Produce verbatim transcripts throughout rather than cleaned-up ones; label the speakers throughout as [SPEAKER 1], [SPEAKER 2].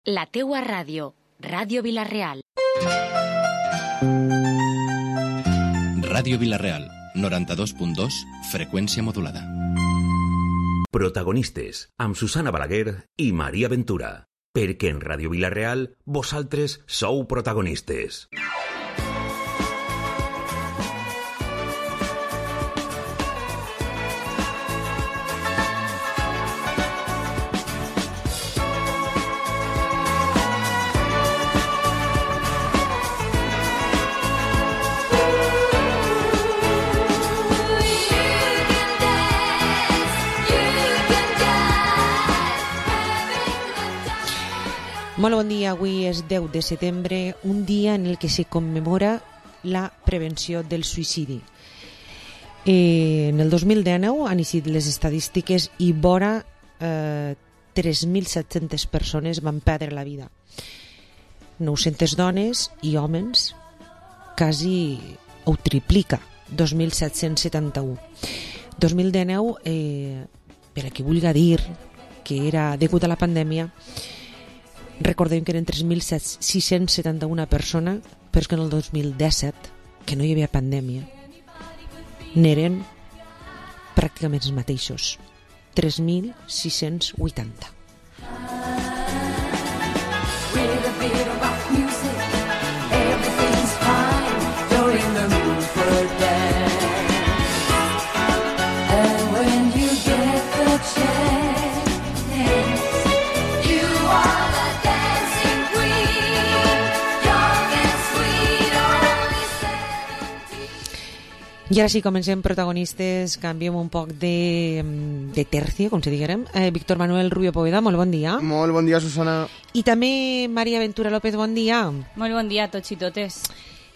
[SPEAKER 1] La teua ràdio, Ràdio Vila-real.
[SPEAKER 2] Ràdio Vila-real, noranta-dos punt dos, freqüència modulada.
[SPEAKER 3] Protagonistes, amb Susana Balaguer i Maria Ventura. Perquè en Ràdio Vila-real, vosaltres sou protagonistes.
[SPEAKER 4] Molt bon dia, avui és deu de setembre, un dia en el que se commemora la prevenció del suïcidi. Eh, en el dos mil dinou han iniciat les estadístiques i vora eh, tres mil set-centes persones van perdre la vida. nou-centes dones i homes, quasi ho triplica, dos mil set-cents setanta-u. dos mil dinou, eh, per a qui vulgui dir que era degut a la pandèmia, recordem que eren tres mil sis-cents setanta-una persones, però que en el dos mil disset, que no hi havia pandèmia, n'eren pràcticament els mateixos, tres mil sis-cents vuitanta. I ara sí, comencem protagonistes, canviem un poc de, de tercio, com si diguérem. Eh, Víctor Manuel Rubio Poveda, molt bon dia.
[SPEAKER 5] Molt bon dia, Susana.
[SPEAKER 4] I també Maria Ventura López, bon dia.
[SPEAKER 6] Molt bon dia a tots i totes.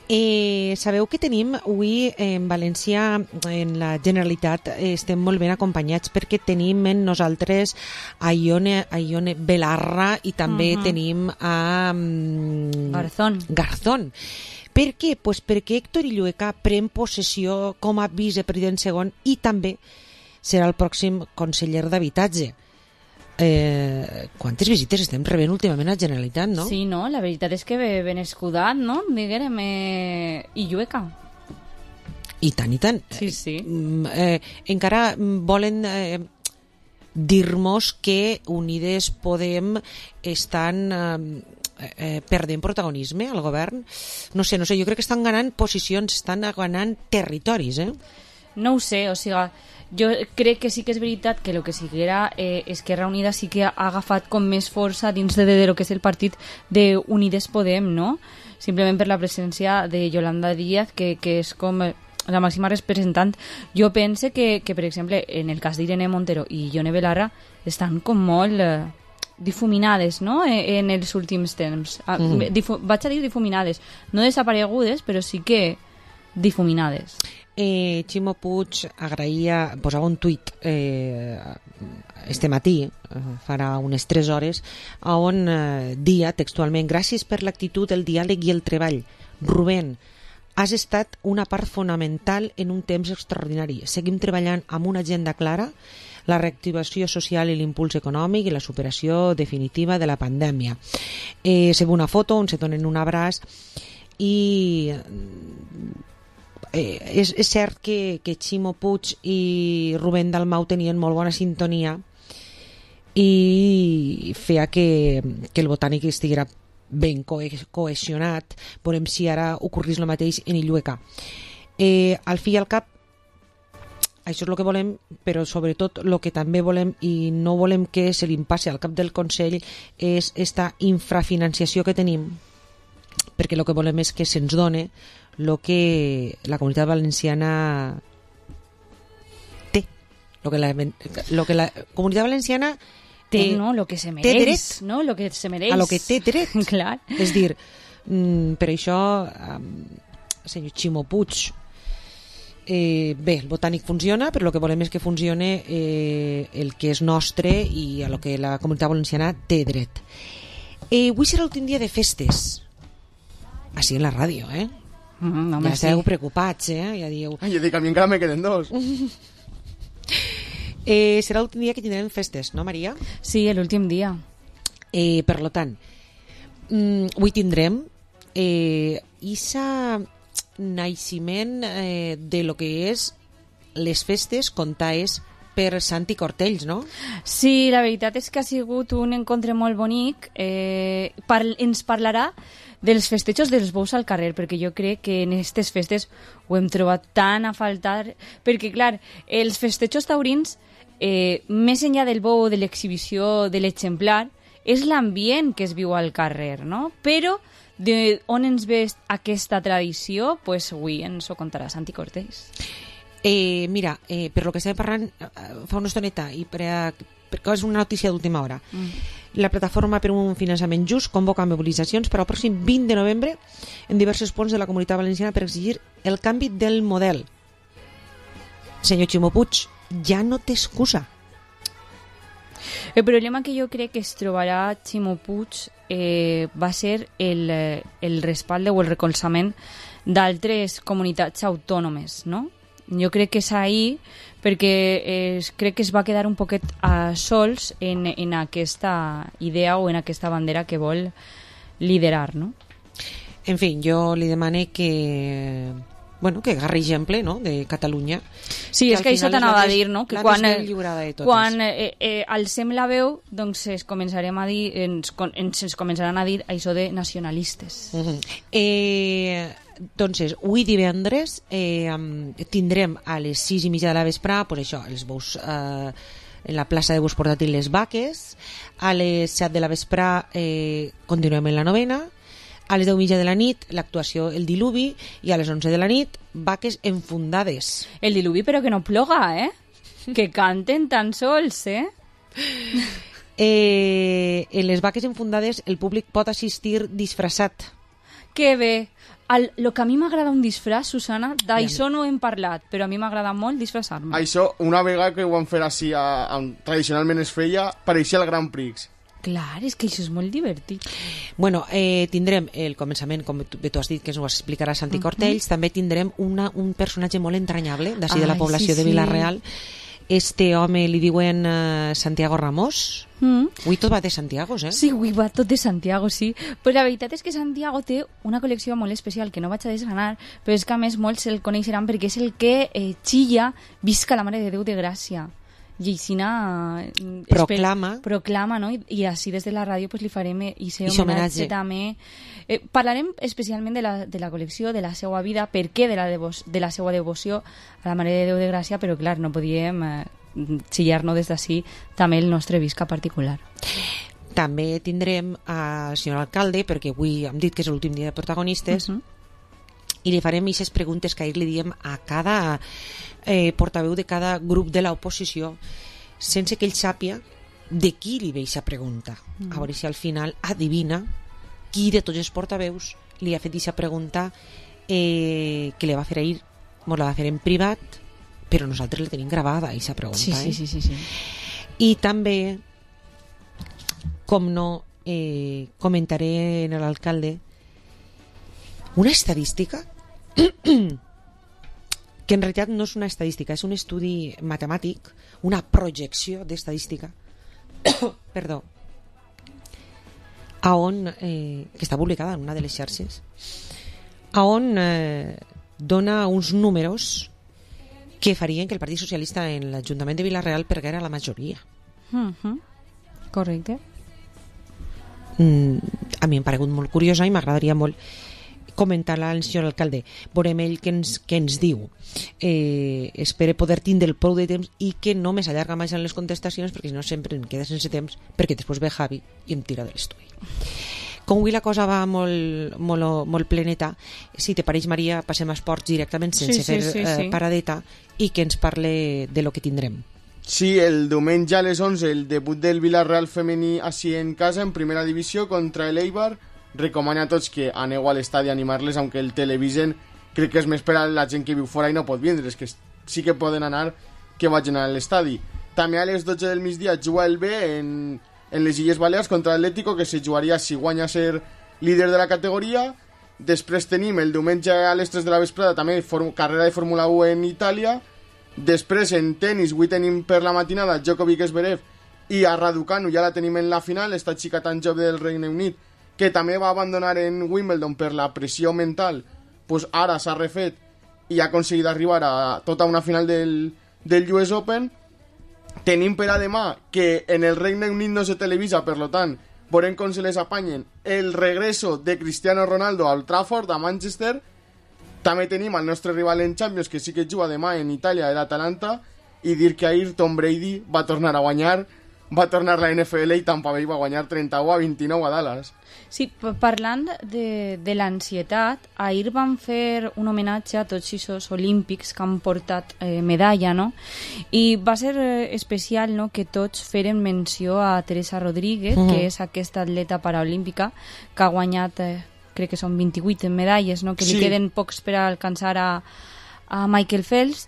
[SPEAKER 4] Eh, sabeu que tenim avui en València, en la Generalitat, eh, estem molt ben acompanyats perquè tenim en nosaltres a Ione, a Ione Belarra i també uh-huh. tenim a um,
[SPEAKER 6] Garzón.
[SPEAKER 4] Garzón. Per què? Pues perquè Héctor Illueca pren possessió com a vicepresident segon i també serà el pròxim conseller d'Habitatge. Eh, quantes visites estem rebent últimament a la Generalitat, no?
[SPEAKER 6] Sí, no? La veritat és que ben escudat, no? Diguérem, eh, Illueca.
[SPEAKER 4] I tant, i tant.
[SPEAKER 6] Sí, sí.
[SPEAKER 4] Eh, encara volen eh, dir-nos que Unides Podem estan... Eh, Eh, perdent protagonisme al govern. No sé, no sé, jo crec que estan ganant posicions, estan ganant territoris, eh?
[SPEAKER 6] No ho sé, o sigui, jo crec que sí que és veritat que el que siguera eh, Esquerra Unida sí que ha agafat com més força dins de, de, de lo que és el partit d'Unides Podem, no? Simplement per la presència de Yolanda Díaz, que, que és com la màxima representant. Jo pense que, que per exemple, en el cas d'Irene Montero i Ione Belarra estan com molt... Eh, difuminades, no?, en els últims temps. Mm. Difu- vaig a dir difuminades, no desaparegudes, però sí que difuminades.
[SPEAKER 4] Eh, Ximo Puig agraïa, posava un tuit eh, este matí, eh, farà unes tres hores, on eh, dia textualment: gràcies per l'actitud, el diàleg i el treball. Rubén, has estat una part fonamental en un temps extraordinari. Seguim treballant amb una agenda clara, la reactivació social i l'impuls econòmic i la superació definitiva de la pandèmia. Eh, se ve una foto on se donen un abraç i eh, és, és cert que, que Ximo Puig i Rubén Dalmau tenien molt bona sintonia i feia que, que el Botànic estiguera ben co- cohesionat. Veurem si ara ocorrís el mateix en Illueca. Eh, al fi i al cap, això és el que volem, però sobretot el que també volem i no volem que se li passi al cap del Consell és esta infrafinanciació que tenim, perquè el que volem és que se'ns done el que la Comunitat Valenciana té, el que la, lo que la Comunitat Valenciana té,
[SPEAKER 6] no, lo que se mereix,
[SPEAKER 4] dret,
[SPEAKER 6] no? Lo que se mereix.
[SPEAKER 4] a lo que té dret.
[SPEAKER 6] Clar.
[SPEAKER 4] És dir, mm, per això, um, senyor Ximo Puig, Eh, bé, el Botànic funciona, però el que volem és que funcione eh, el que és nostre i a lo que la Comunitat Valenciana té dret. Eh, avui serà l'últim dia de festes. Així en la ràdio, eh?
[SPEAKER 6] Mm, home,
[SPEAKER 4] ja esteu
[SPEAKER 6] sí.
[SPEAKER 4] preocupats, eh? Ja dieu...
[SPEAKER 5] Ai, jo dic, a mi encara me queden dos.
[SPEAKER 4] eh, serà l'últim dia que tindrem festes, no, Maria?
[SPEAKER 6] Sí, l'últim dia.
[SPEAKER 4] Eh, per lo tant, mm, avui tindrem eh, isa naixement eh, de lo que és les festes contaes per Santi Cortells, no?
[SPEAKER 6] Sí, la veritat és que ha sigut un encontre molt bonic. Eh, par ens parlarà dels festejos dels bous al carrer, perquè jo crec que en aquestes festes ho hem trobat tan a faltar, perquè, clar, els festejos taurins, eh, més enllà del bou, de l'exhibició, de l'exemplar, és l'ambient que es viu al carrer, no? Però de on ens ve aquesta tradició, pues avui ens ho contarà Santi Cortells.
[SPEAKER 4] Eh, mira, eh, per lo que estàvem parlant eh, fa una estoneta i per, a, perquè és una notícia d'última hora, mm. la plataforma per un finançament just convoca mobilitzacions per al pròxim vint de novembre en diversos punts de la Comunitat Valenciana per exigir el canvi del model. Senyor Ximo Puig, ja no té excusa.
[SPEAKER 6] El problema que jo crec que es trobarà Ximo Puig eh, va ser el, el respalde o el recolzament d'altres comunitats autònomes, no? Jo crec que és ahí perquè eh, crec que es va quedar un poquet a sols en, en aquesta idea o en aquesta bandera que vol liderar, no?
[SPEAKER 4] En fi, jo li demane que bueno, que agarri exemple, no?, de Catalunya.
[SPEAKER 6] Sí, és que això t'anava a dir, no?, que quan, quan eh, eh, alcem la veu, doncs ens començarem a dir, ens, ens, ens començaran a dir això de nacionalistes.
[SPEAKER 4] Uh-huh. Eh... Entonces, avui divendres eh, tindrem a les sis i mitja de la vesprà, pues això, els bous, eh, en la plaça de bous portàtil les vaques, a les set de la vesprà eh, continuem en la novena, a les deu i mitja de la nit l'actuació El Diluvi i a les onze de la nit vaques enfundades.
[SPEAKER 6] El Diluvi però que no ploga, eh? Que canten tan sols, eh?
[SPEAKER 4] eh en les vaques enfundades el públic pot assistir disfressat.
[SPEAKER 6] Que bé! El, lo que a mi m'agrada un disfraç, Susana, d'això no hem parlat, però a mi m'agrada molt disfressar-me.
[SPEAKER 5] Això, una vegada que ho van fer així, a, a, tradicionalment es feia, pareixia el Grand Prix.
[SPEAKER 6] Clar, és que això és molt divertit.
[SPEAKER 4] Bueno, eh, tindrem el començament, com tu, tu has dit, que ens ho explicarà Santi Cortells, uh-huh. També tindrem una, un personatge molt entranyable, d'ací de la població sí, de Vila-real. Sí. Este home li diuen uh, Santiago Ramos. Mm. Avui tot va de Santiago, eh?
[SPEAKER 6] Sí, avui va tot de Santiago, sí. Però la veritat és que Santiago té una col·lecció molt especial que no vaig a desgranar, però és que a més molts el coneixeran perquè és el que eh, xilla Visca la Mare de Déu de Gràcia. I Aixina
[SPEAKER 4] proclama,
[SPEAKER 6] proclama, no? I, i així des de la ràdio pues, li farem i ser homenatge també. Eh, parlarem especialment de la, de la col·lecció, de la seva vida, per què de la, devo de la seva devoció a la Mare de Déu de Gràcia, però clar, no podíem eh, xillar-nos des d'ací també el nostre visca particular.
[SPEAKER 4] També tindrem al senyor alcalde, perquè avui hem dit que és l'últim dia de protagonistes, uh-huh. i li farem aquestes preguntes que ahir li diem a cada eh, portaveu de cada grup de l'oposició, sense que ell sàpia de qui li ve aquesta pregunta. Mm. A veure si al final adivina qui de tots els portaveus li ha fet aquesta pregunta eh, que li va fer ahir, ens la va fer en privat, però nosaltres la tenim gravada, aquesta pregunta.
[SPEAKER 6] Sí, sí,
[SPEAKER 4] eh?
[SPEAKER 6] sí, sí, sí.
[SPEAKER 4] I també, com no, eh, comentaré en l'alcalde una estadística que en realitat no és una estadística, és un estudi matemàtic, una projecció d'estadística perdó a on eh, que està publicada en una de les xarxes, a on eh, dona uns números que farien que el Partit Socialista en l'Ajuntament de Vila-real perguera la majoria.
[SPEAKER 6] Uh-huh. Correcte.
[SPEAKER 4] Mm, a mi em ha paregut molt curiosa i m'agradaria molt comentar-la al senyor alcalde. Veurem ell què ens, què ens diu. Eh, espero poder tindre el prou de temps i que no més allarga més en les contestacions, perquè si no sempre em queda sense temps, perquè després ve Javi i em tira de l'estudi. Com avui la cosa va molt, molt, molt pleneta, si te pareix, Maria, passem a esports directament sense
[SPEAKER 6] sí, sí,
[SPEAKER 4] fer
[SPEAKER 6] sí,
[SPEAKER 4] eh,
[SPEAKER 6] sí.
[SPEAKER 4] paradeta i que ens parle de lo que tindrem.
[SPEAKER 5] Sí, el diumenge a les onze el debut del Villarreal femení així en casa en primera divisió contra el Eibar. Recomano a tots que aneu a l'estadi a animar-les, aunque el televisen crec que és més per a la gent que viu fora i no pot vindre, que sí que poden anar, que vagin a l'estadi. També a les dotze del migdia juga el B en, en les Illes Balears contra l'Atlético, que se jugaria si guanya ser líder de la categoria. Després tenim el diumenge a les tres de la vesprada també carrera de Fórmula u en Itàlia. Després en tenis avui tenim per la matinada Djokovic Zverev i a Raducanu ja la tenim en la final, esta xica tan jove del Regne Unit, que també va abandonar en Wimbledon per la pressió mental, pues ara s'ha refet i ha aconseguit arribar a tota una final del, del U S Open. Tenim per a demà que en el Regne Unit no se televisa, per lo tant, veurem com se les apanyen el regreso de Cristiano Ronaldo al Trafford, a Manchester. També tenim el nostre rival en Champions, que sí que juga demà en Itàlia, l'Atalanta, i dir que ahir Tom Brady va tornar a guanyar, va tornar la N F L i Tampa Bay va guanyar trenta-u a vint-i-nou a Dallas.
[SPEAKER 6] Sí, parlant de, de l'ansietat, ahir van fer un homenatge a tots aquests olímpics que han portat eh, medalla, no? I va ser eh, especial, no?, que tots feren menció a Teresa Rodríguez, mm. que és aquesta atleta paraolímpica que ha guanyat, eh, crec que són vint-i-vuit medalles, no?, que sí. Li queden pocs per a alcançar a, a Michael Phelps.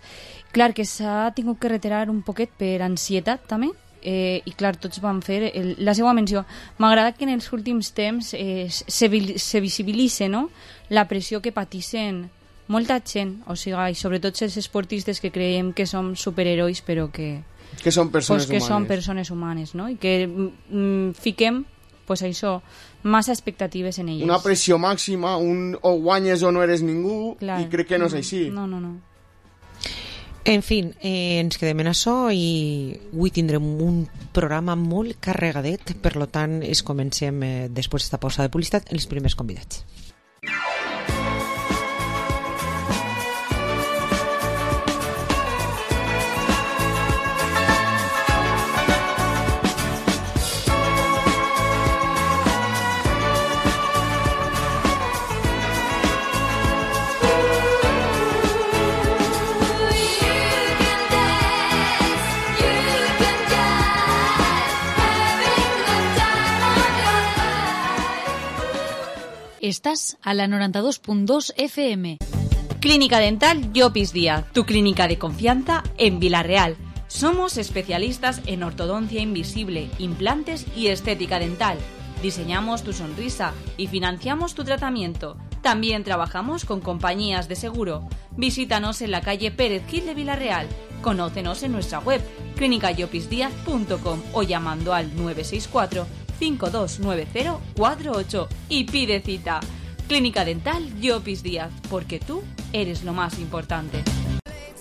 [SPEAKER 6] Clar que s'ha tingut que retirar un poquet per ansietat, també. Eh, i clar, tots van fer el, la seva menció. M'agrada que en els últims temps eh, se, se visibilitze, no?, la pressió que pateixen molta gent, o sigui, i sobretot els esportistes que creiem que som superherois, però que,
[SPEAKER 5] que són persones
[SPEAKER 6] pues, que
[SPEAKER 5] humanes.
[SPEAKER 6] són persones humanes, no?, i que mm, fiquem pues això, massa expectatives en elles.
[SPEAKER 5] Una pressió màxima, un o guanyes o no eres ningú, clar. I crec que no és així.
[SPEAKER 6] No, no, no.
[SPEAKER 4] En fi, eh, ens quedem en això i avui tindrem un programa molt carregadet, per lo tant, es comencem eh, després d'esta pausa de publicitat els primers convidats.
[SPEAKER 1] Estás a la noventa y dos punto dos F M.
[SPEAKER 6] Clínica Dental Llopis Díaz, tu clínica de confianza en Vila-real. Somos especialistas en ortodoncia invisible, implantes y estética dental. Diseñamos tu sonrisa y financiamos tu tratamiento. También trabajamos con compañías de seguro. Visítanos en la calle Pérez Gil de Vila-real. Conócenos en nuestra web clínica llopis díaz punto com o llamando al nueve seis cuatro, cinco dos nueve cero, cuatro ocho y pide cita. Clínica Dental Llopis Díaz, porque tú eres lo más importante.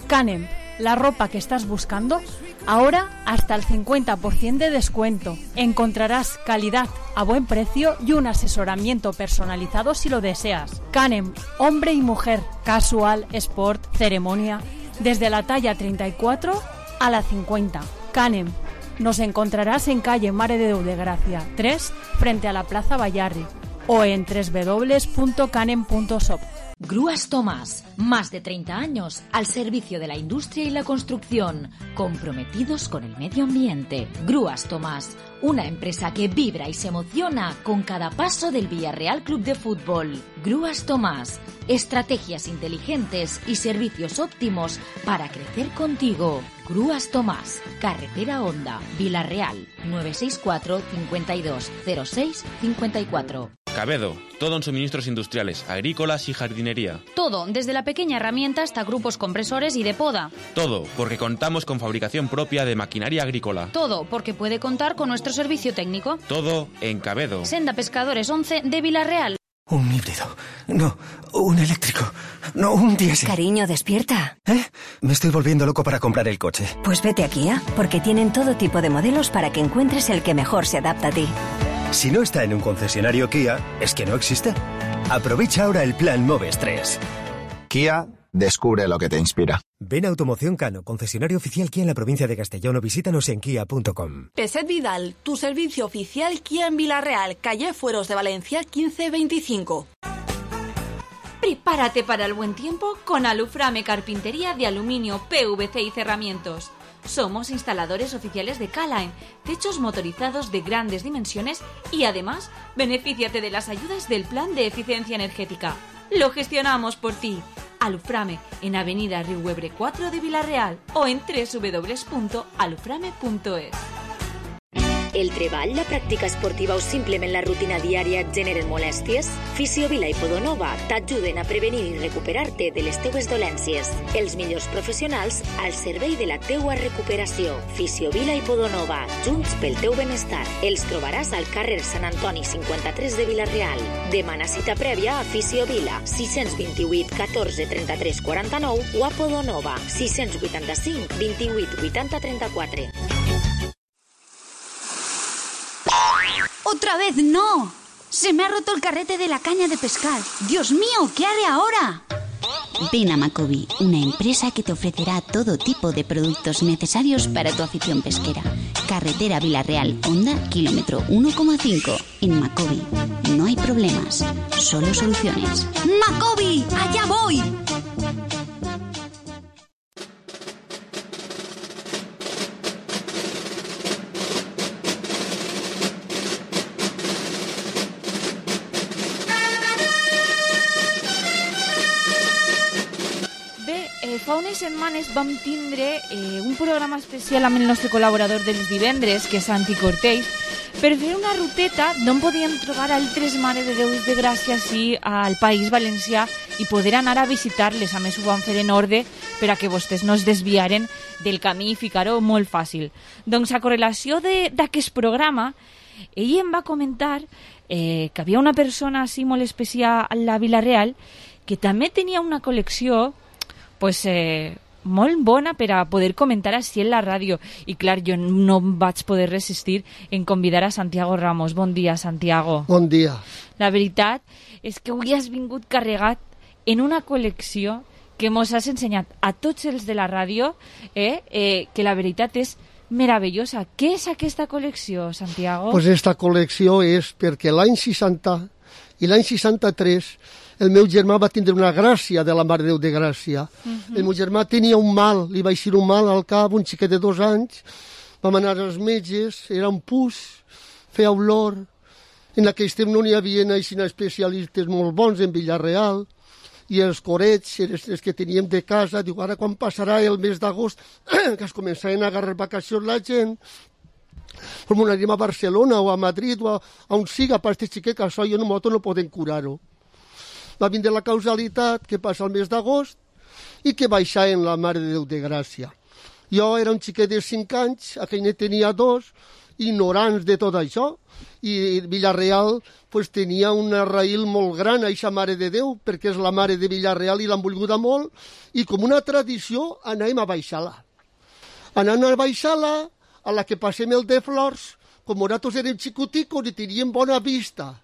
[SPEAKER 7] Canem, la ropa que estás buscando, ahora hasta el cincuenta por ciento de descuento. Encontrarás calidad a buen precio y un asesoramiento personalizado si lo deseas. Canem, hombre y mujer, casual, sport, ceremonia, desde la talla treinta y cuatro a la cincuenta. Canem. Nos encontrarás en calle Mare de Déu de Gracia tres, frente a la Plaza Bayarri, o en doble u doble u doble u punto canem punto shop.
[SPEAKER 1] Grúas Tomás, más de treinta años al servicio de la industria y la construcción, comprometidos con el medio ambiente. Grúas Tomás, una empresa que vibra y se emociona con cada paso del Villarreal Club de Fútbol. Grúas Tomás, estrategias inteligentes y servicios óptimos para crecer contigo. Grúas Tomás, Carretera Honda, Vila-real, nueve seis cuatro, cincuenta y dos, cero seis, cincuenta y cuatro.
[SPEAKER 8] Cabedo, todo en suministros industriales, agrícolas y jardinería.
[SPEAKER 1] Todo, desde la pequeña herramienta hasta grupos compresores y de poda.
[SPEAKER 8] Todo, porque contamos con fabricación propia de maquinaria agrícola.
[SPEAKER 1] Todo, porque puede contar con nuestro servicio técnico.
[SPEAKER 8] Todo en Cabedo.
[SPEAKER 1] Senda Pescadores once de Vila-real.
[SPEAKER 9] Un híbrido. No, un eléctrico. No, un diésel.
[SPEAKER 10] Cariño, despierta.
[SPEAKER 9] ¿Eh? Me estoy volviendo loco para comprar el coche.
[SPEAKER 10] Pues vete a Kia, porque tienen todo tipo de modelos para que encuentres el que mejor se adapta a ti.
[SPEAKER 9] Si no está en un concesionario Kia, es que no existe. Aprovecha ahora el plan Moves tres.
[SPEAKER 11] Kia, descubre lo que te inspira.
[SPEAKER 9] Ven a Automoción Cano, concesionario oficial Kia en la provincia de Castellón, o visítanos en kia punto com.
[SPEAKER 12] Peset Vidal, tu servicio oficial Kia en Vila-real, calle Fueros de Valencia quince veinticinco.
[SPEAKER 6] Prepárate para el buen tiempo con Aluframe Carpintería de aluminio, P V C y cerramientos. Somos instaladores oficiales de Calaen, techos motorizados de grandes dimensiones y además benefíciate de las ayudas del Plan de Eficiencia Energética. Lo gestionamos por ti. Aluframe en Avenida Riuebre cuatro de Vila-real o en doble u doble u doble u punto aluframe punto es.
[SPEAKER 1] El treball, la pràctica esportiva o simplement la rutina diària et generen molèsties? Fisiovila i Podonova t'ajuden a prevenir i recuperar-te de les teues dolències. Els millors professionals al servei de la teua recuperació. Fisiovila i Podonova, junts pel teu benestar. Els trobaràs al carrer Sant Antoni cinquanta-tres de Vila-real. Demana cita prèvia a Fisiovila, sis dos vuit, catorze, trenta-tres, quaranta-nou o a Podonova, sis vuitanta-cinc, vint-i-vuit, vuitanta, trenta-quatre.
[SPEAKER 13] ¡Otra vez no! Se me ha roto el carrete de la caña de pescar. ¡Dios mío! ¿Qué haré ahora?
[SPEAKER 14] Ven a Macobi, una empresa que te ofrecerá todo tipo de productos necesarios para tu afición pesquera. Carretera Vila-real, Honda, kilómetro uno coma cinco. En Macobi no hay problemas, solo soluciones.
[SPEAKER 13] ¡Macobi! ¡Allá voy!
[SPEAKER 6] Fa unes setmanes vam tindre eh, un programa especial amb el nostre col·laborador dels divendres, que és Santi Cortells, per fer una ruteta d'on podíem trobar altres Mare de Déus de Gràcia sí, al País Valencià i poder anar a visitar-les. A més, ho vam fer en ordre per a que vostès no es desviaren del camí i ficar-ho molt fàcil. Doncs a correlació d'aquest programa, ell em va comentar eh, que havia una persona així molt especial a la Vila-real que també tenia una col·lecció pues, eh, molt bona per a poder comentar així en la ràdio. I clar, jo no vaig poder resistir en convidar a Santiago Ramos. Bon dia, Santiago.
[SPEAKER 15] Bon dia.
[SPEAKER 6] La veritat és que avui has vingut carregat en una col·lecció que mos has ensenyat a tots els de la ràdio, eh, eh, que la veritat és meravellosa. Què és aquesta col·lecció, Santiago?
[SPEAKER 15] Pues esta col·lecció és perquè l'any seixanta i l'any seixanta-tres el meu germà va tindre una gràcia de la Mare de Déu de Gràcia. Uh-huh. El meu germà tenia un mal, li va eixir un mal al cap, un xiquet de dos anys. Vam anar als metges, era un pus, feia olor. En aquell temps no n'hi havia així especialistes molt bons en Vila-real. I els corets, els que teníem de casa, diu, ara quan passarà el mes d'agost, que es començaven a agarrar vacacions la gent, com anem a Barcelona o a Madrid o a, a on siga per aquest xiquet, que això jo no, no podem curar-ho. Va vindre la causalitat que passa el mes d'agost i que baixa en la Mare de Déu de Gràcia. Jo era un xiquet de cinc anys, aquell ne tenia dos, ignorants de tot això, i Vila-real pues, tenia una raïl molt gran a aquesta Mare de Déu, perquè és la Mare de Vila-real i l'han volguda molt, i com una tradició anàvem a baixar-la. Anant a baixar-la, a la que passem el de Flors, com nosaltres érem xicoticos i teníem bona vista,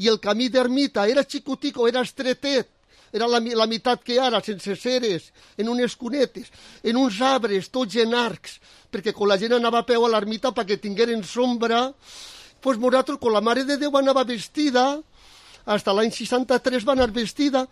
[SPEAKER 15] i el camí d'ermita era xicotico, era estretet, era la, la meitat que ara, sense ceres, en unes cunetes, en uns arbres, tots en arcs, perquè quan la gent anava a peu a l'ermita perquè tingueren sombra, doncs nosaltres, quan la Mare de Déu anava vestida, fins l'any seixanta-tres va anar vestida,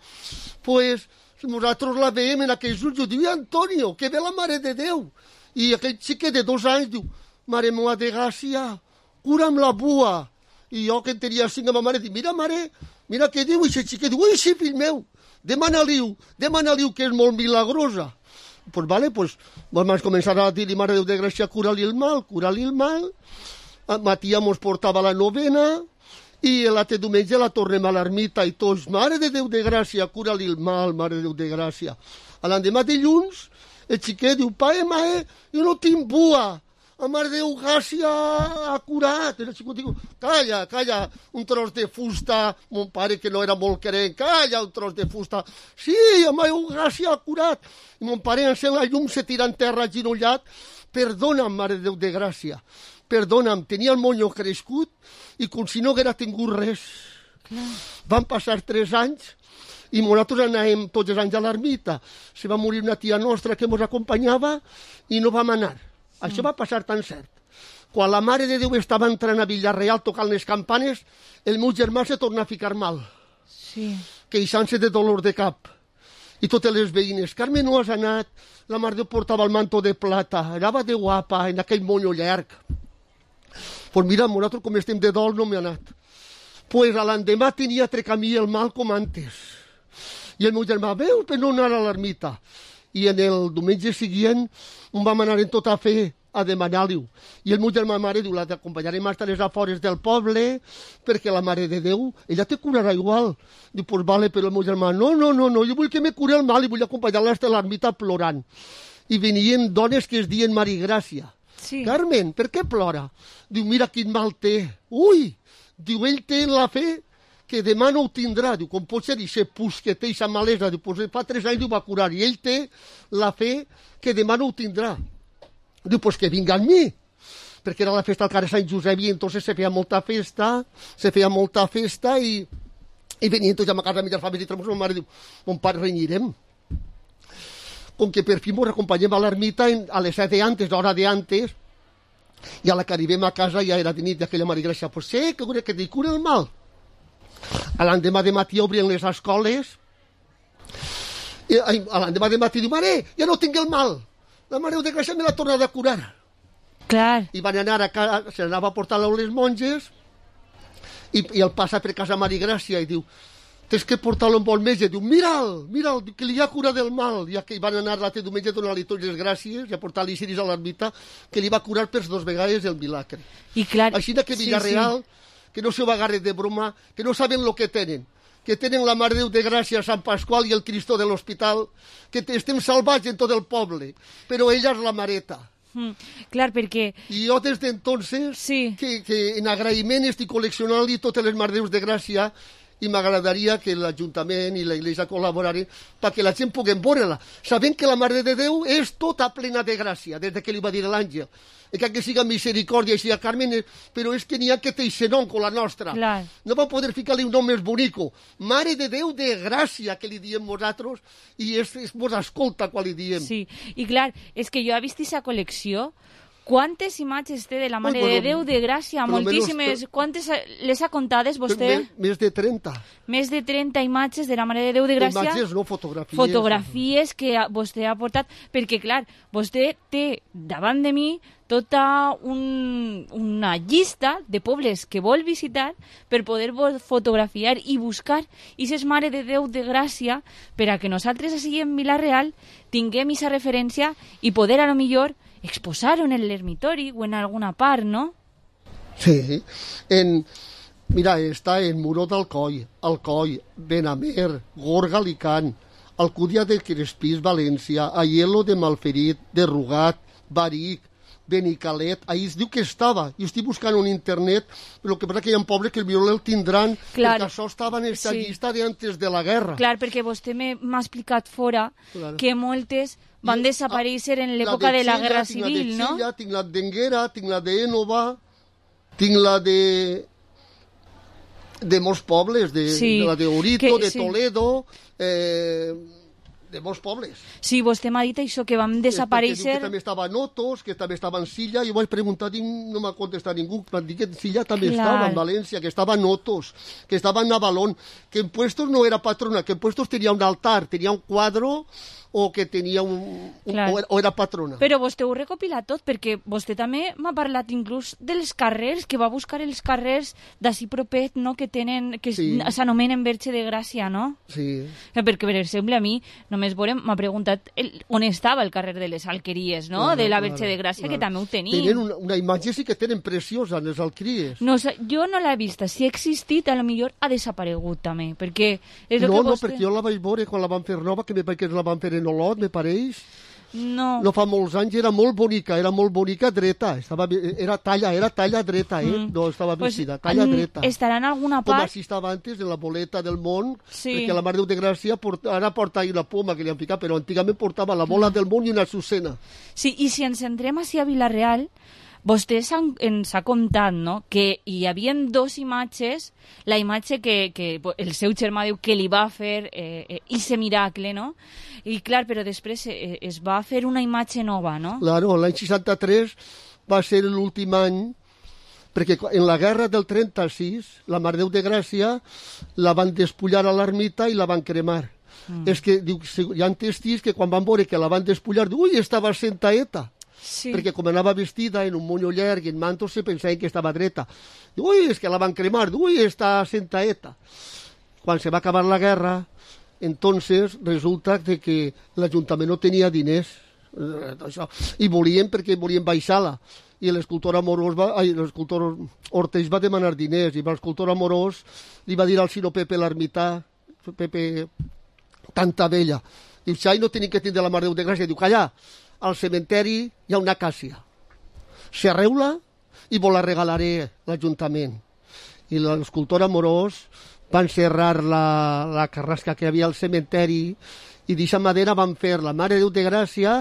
[SPEAKER 15] doncs nosaltres la veiem en aquells ulls, diu, Antonio, que ve la Mare de Déu. I aquell xiquet de dos anys diu, Mare meva de Gràcia, cura'm la bua. I jo, que en tenia cinc, a ma mare, dic, mira, mare, mira què diu aquest xiquet. Diu, ui, sí, fill meu, demana-li-ho, demana-li-ho, que és molt milagrosa. Doncs, pues, vale, pues, vam començar a dir-li, Mare de Déu de Gràcia, cura-li el mal, cura-li el mal. Matia mos portava la novena, i l'altre diumenge la tornem a l'ermita, i tots, Mare de Déu de Gràcia, cura-li el mal, Mare de Déu de Gràcia. A l'endemà dilluns, el xiquet diu, pae, mae, jo no tinc bua. La Mare de Déu Gràcia ha curat. El xico diu, calla, calla, un tros de fusta. Mon pare, que no era molt crent, calla, un tros de fusta. Sí, la Mare de Déu Gràcia ha curat. I mon pare encén la llum, se tira en terra aginollat. Perdona'm, Mare de Déu de Gràcia. Perdona'm, tenia el monyo crescut i com si no haguera tingut res. Clar. Van passar tres anys i nosaltres anàvem tots els anys a l'ermita. Se va morir una tia nostra que ens acompanyava i no vam anar. Això va passar tan cert. Quan la Mare de Déu estava entrant a Vila-real tocant les campanes, el meu germà se torna a ficar mal.
[SPEAKER 6] Sí.
[SPEAKER 15] Queixant-se de dolor de cap. I totes les veïnes, Carme, no has anat? La Mare de Déu portava el manto de plata, anava de guapa, en aquell monyo llarg. Pues mira, nosaltres com estem de dol no m'he anat. Pues a l'endemà tenia tre camí el mal com antes. I el meu germà, veu, per no anar a l'ermita. I en el diumenge següent on vam anar en tota fe a demanar-li-ho. I el meu germà mare diu, la t'acompanyarem hasta les afores del poble, perquè la Mare de Déu, ella te curarà igual. Diu, pues vale, però el meu germà, no, no, no, no, jo vull que me curi el mal i vull acompanyar-la hasta l'ermita plorant. I venien dones que es dien Marigràcia.
[SPEAKER 6] Sí.
[SPEAKER 15] Carmen, per què plora? Diu, mira quin mal té. Ui! Diu, ell té la fe que demà no ho tindrà. Diu, com pot ser aquest pus que té aquesta malesa? Diu, pues fa tres anys ho va curar i ell té la fe que demà no ho tindrà. Diu, pues que vinga amb mi, perquè era la festa al carrer Sant Josep i entonces se feia molta festa, se feia molta festa i, i venien tots a ma casa a mitjar família i tramos, ma mare diu, mon pare renyirem. Com que per fi ens acompanyem a l'ermita a les set de antes, l'hora de antes, i a la que arribem a casa ja era de nit, i aquella Marigràcia, pues sé que, que te cura el mal. A l'endemà de matí obrien les escoles, i a l'endemà de matí diu, mare, ja no tinc el mal. La Mare de Gràcia me l'ha tornat a curar.
[SPEAKER 6] Clar.
[SPEAKER 15] I van anar a casa, se n'anava a portar-lo a les monges, i, i el passa per casa Marigràcia i diu, tens que portar-lo amb bon metge. Diu, mira'l, mira'l, que li ha curat del mal. I que van anar l'altre diumenge a donar-li totes les gràcies i a portar-li ciris a l'ermita, que li va curar per dos vegades el milagre.
[SPEAKER 6] I clar,
[SPEAKER 15] així que Villarreal, sí, sí. que no se ho agarre de broma, que no saben lo que tenen, que tenen la Mare de Déu de Gràcia, Sant Pasqual i el Cristo de l'Hospital, que estem salvats en tot el poble, però ella és la Mareta.
[SPEAKER 6] Mm, clar, perquè...
[SPEAKER 15] I jo des d'entonces,
[SPEAKER 6] sí.
[SPEAKER 15] que, que en agraïment estic col·leccionant-li totes les Mare de Déus de Gràcia i m'agradaria que l'Ajuntament i la Iglesia col·laborarin perquè la gent puguem veure-la, sabent que la Mare de Déu és tota plena de gràcia, des que li va dir l'àngel. I que siga misericòrdia i siga Carmen, però és que n'hi ha que té aquest nom com la nostra.
[SPEAKER 6] Clar.
[SPEAKER 15] No va poder ficar-li un nom més bonico. Mare de Déu de Gràcia, que li diem nosaltres, i es, es mos escolta quan li diem.
[SPEAKER 6] Sí, i clar, és que jo he vist aquesta col·lecció. Quantes imatges té de la Mare
[SPEAKER 15] bueno,
[SPEAKER 6] de Déu de Gràcia? Moltíssimes. Menos... Quantes les ha comptades vostè?
[SPEAKER 15] Més, més de trenta.
[SPEAKER 6] Més de trenta imatges de la Mare de Déu de Gràcia.
[SPEAKER 15] Imatges, no fotografies.
[SPEAKER 6] Fotografies que vostè ha portat, perquè clar, vostè té davant de mi tota un, una llista de pobles que vol visitar per poder fotografiar i buscar aquestes Mare de Déu de Gràcia per a que nosaltres així en Vila-real tinguem aquesta referència i poder a lo millor exposar-ho en l'ermitori o en alguna part, no?
[SPEAKER 15] Sí, en... Mira, està en Muró d'Alcoi, Alcoi, Benamer, Gorga, Alicant, Alcúdia de Crespís, València, Aielo de Malferit, de Rugat, Baric, Benicalet, ahí es diu que estava. Jo estic buscant en internet, però que passa que hi ha pobles que el millor el tindran, clar, perquè això estava en aquesta sí. llista d'antes de la guerra.
[SPEAKER 6] Clar, perquè vostè m'ha explicat fora clar. que moltes van desaparèixer en l'època de, de la Guerra Civil, no?
[SPEAKER 15] Xilla, tinc la d'Enguera, tinc la d'Énova, tinc la de... de molts pobles, de, sí. de la de Orito, que, de sí. Toledo... Eh... de molts pobles.
[SPEAKER 6] Sí, vostè m'ha dit això, que vam desaparèixer...
[SPEAKER 15] Que també estava a Notos, que també estava en Silla, i ho vaig preguntar i no m'ha contestat ningú. M'han dit que Silla també Clar. estava, en València, que estava a Notos, que estava en Navalón, que en Puestos no era patrona, que en Puestos tenia un altar, tenia un quadro o que tenia un... un o, era, o era patrona.
[SPEAKER 6] Però vostè ho recopila tot, perquè vostè també m'ha parlat inclús dels carrers, que va buscar els carrers d'ací propet, no?, que tenen, que sí. s'anomenen Verge de Gràcia, no?
[SPEAKER 15] Sí.
[SPEAKER 6] Perquè, per exemple, a mi, només veurem, m'ha preguntat el, on estava el carrer de les Alqueries, no?, claro, de la Verge claro, de Gràcia, claro. que també ho tenim.
[SPEAKER 15] Tenen una, una imatge sí que tenen preciosa, les Alqueries.
[SPEAKER 6] No, jo no l'he vista. Si ha existit, a lo millor ha desaparegut també, perquè... És
[SPEAKER 15] no,
[SPEAKER 6] que
[SPEAKER 15] no,
[SPEAKER 6] vostè...
[SPEAKER 15] perquè jo la vaig veure quan la van fer nova, que me pareix que la van fer en Olot, me pareix.
[SPEAKER 6] No.
[SPEAKER 15] No fa molts anys, era molt bonica, era molt bonica dreta, estava, era talla, era talla dreta, eh? Mm. No estava vestida, pues, talla dreta.
[SPEAKER 6] Estarà en alguna part...
[SPEAKER 15] Com així estava antes, en la boleta del món,
[SPEAKER 6] sí.
[SPEAKER 15] perquè la Mare de Déu de Gràcia porta, ara porta una poma que li han ficat, però antigament portava la bola mm. del món i una Azucena.
[SPEAKER 6] Sí, i si ens centrem així a Vila-real, vostè ens ha contat, no?, que hi havia dos imatges, la imatge que, que el seu germà diu que li va fer eh, ese miracle, no? I clar, però després eh, es va fer una imatge nova, no?
[SPEAKER 15] Claro, l'any seixanta-tres va ser l'últim any, perquè en la guerra del trenta-sis, la Mare de Déu de Gràcia la van despullar a l'ermita i la van cremar. Mm. És que diu, hi ha testigs que quan van veure que la van despullar, diu, ui, estava sentaeta. Sí. Perquè com anava vestida en un monyo llarg i en mantos se pensaven que estava dreta. Diu, ui, és que la van cremar, ui, està sentaeta. Quan se va acabar la guerra, entonces resulta de que l'Ajuntament no tenia diners eh, això. I volien, perquè volien baixar-la. I l'escultor Amorós va, ai, l'escultor Orteix va demanar diners, i l'escultor Amorós li va dir al Sino Pepe l'ermità, Pepe tanta vella, diu, xai, no tenim que tindre la Mare de Déu de Gràcia. Diu, calla, al cementeri hi ha una acàcia. Serreu-la i vos la regalaré l'Ajuntament. I l'escultor Amorós van serrar la, la carrasca que hi havia al cementeri i d'aquesta madera van fer la Mare de Déu de Gràcia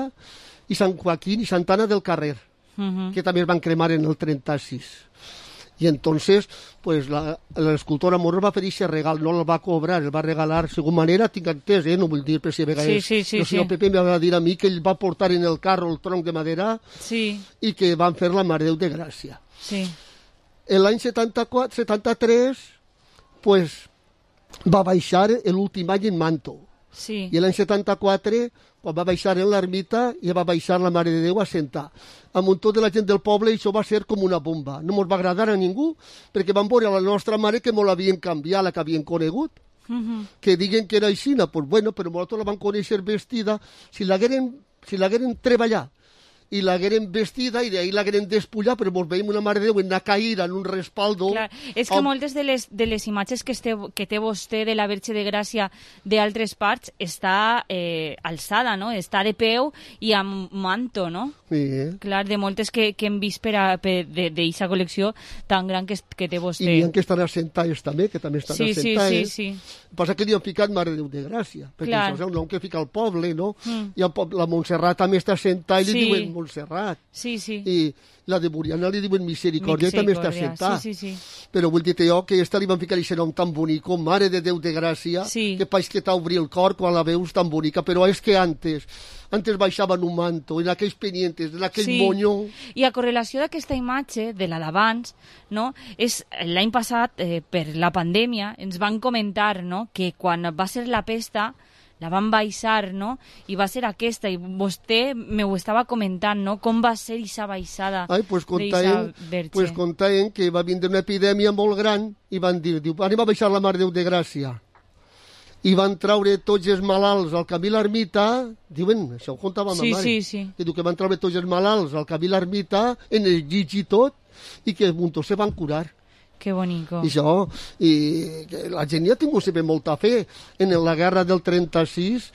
[SPEAKER 15] i Sant Joaquín i Santa Anna del Carrer, uh-huh. que també es van cremar en el trenta-sis. I entonces, pues, l'escultor Amorós va fer aquest regal, no el va cobrar, el va regalar, segon manera, tinc entès, eh? No vull dir per si a vegades...
[SPEAKER 6] Sí, sí, sí,
[SPEAKER 15] el senyor
[SPEAKER 6] sí.
[SPEAKER 15] Pepe me va dir a mi que ell va portar en el carro el tronc de madera
[SPEAKER 6] sí.
[SPEAKER 15] i que van fer la Mare de Déu de Gràcia.
[SPEAKER 6] Sí.
[SPEAKER 15] En l'any setanta-quatre, setanta-tres, pues, va baixar l'últim any en Manto.
[SPEAKER 6] Sí.
[SPEAKER 15] I l'any setanta-quatre, quan va baixar en l'ermita, ja va baixar la Mare de Déu a sentar. Amb un tot de la gent del poble, això va ser com una bomba. No ens va agradar a ningú, perquè van veure la nostra mare que molt l'havien canviat, la que havien conegut. Uh-huh. Que diguen que era així, pues bueno, però nosaltres la van conèixer vestida. Si l'hagueren si l'hagueren treballat i l'hagueren vestida i d'ahir l'hagueren despullat, però mos veiem una Mare de Déu en una caïra, en un respaldo...
[SPEAKER 6] Clar, és que amb... moltes de les, de les imatges que, este, que té vostè de la Verge de Gràcia d'altres parts està eh, alçada, no? Està de peu i amb manto, no?
[SPEAKER 15] Sí, eh?
[SPEAKER 6] Clar, de moltes que, que hem vist per a, per d'aquesta col·lecció tan gran que, que té vostè.
[SPEAKER 15] I n'hi ha que estan assentades també, que també estan
[SPEAKER 6] sí,
[SPEAKER 15] assentades.
[SPEAKER 6] Sí, sí, sí.
[SPEAKER 15] El que passa que li han ficat Mare de Déu de Gràcia, perquè
[SPEAKER 6] Clar.
[SPEAKER 15] això és un nom que fica al poble, no?
[SPEAKER 6] Mm.
[SPEAKER 15] I el poble, la Montserrat també està assentada i li
[SPEAKER 6] Sí.
[SPEAKER 15] diuen Montserrat.
[SPEAKER 6] Sí, sí.
[SPEAKER 15] I la de Buriana li diuen Misericòrdia i també està assentada.
[SPEAKER 6] Sí, sí, sí.
[SPEAKER 15] Però vull dir-te jo que esta li van ficar aquest nom tan bonic, com Mare de Déu de Gràcia,
[SPEAKER 6] Sí.
[SPEAKER 15] que país que t'obri el cor quan la veus tan bonica, però és que antes, antes baixaven un manto, en aquells pendientes, en aquell
[SPEAKER 6] Sí.
[SPEAKER 15] moño...
[SPEAKER 6] I a correlació d'aquesta imatge de la d'abans, no, és l'any passat, eh, per la pandèmia, ens van comentar, no, que quan va ser la pesta la van baixar, no? I va ser aquesta, i vostè me ho estava comentant, no? Com va ser aquesta baixada
[SPEAKER 15] Ai, pues
[SPEAKER 6] d'eixa
[SPEAKER 15] contaven,
[SPEAKER 6] verge.
[SPEAKER 15] pues contaven que va vindre una epidèmia molt gran i van dir, diu, anem a baixar la Mare de Déu de Gràcia. I van traure tots els malalts al camí l'ermita, diuen, això ho contava
[SPEAKER 6] Sí,
[SPEAKER 15] ma mare,
[SPEAKER 6] sí, sí.
[SPEAKER 15] que diu que van traure tots els malalts al camí l'ermita, en el llit i tot, i que muntó se van curar.
[SPEAKER 6] Que bonico.
[SPEAKER 15] I això, i que la gent ja ha tingut sempre molta fe. En la guerra del trenta-sis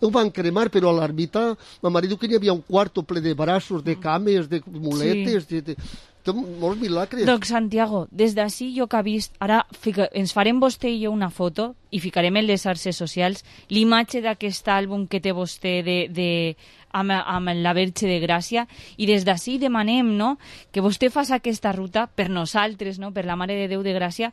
[SPEAKER 15] ho van cremar, però a l'ermita, ma mare diu que hi havia un quarto ple de braços, de cames, de muletes, sí. de, de, de molts milagres.
[SPEAKER 6] Doncs Santiago, des d'ací jo que ha vist, ara fica, ens farem vostè i jo una foto i ficarem en les xarxes socials l'imatge d'aquest àlbum que té vostè de, de, amb, amb la Verge de Gràcia, i des d'ací demanem, no, que vostè faci aquesta ruta per nosaltres, no, per la Mare de Déu de Gràcia,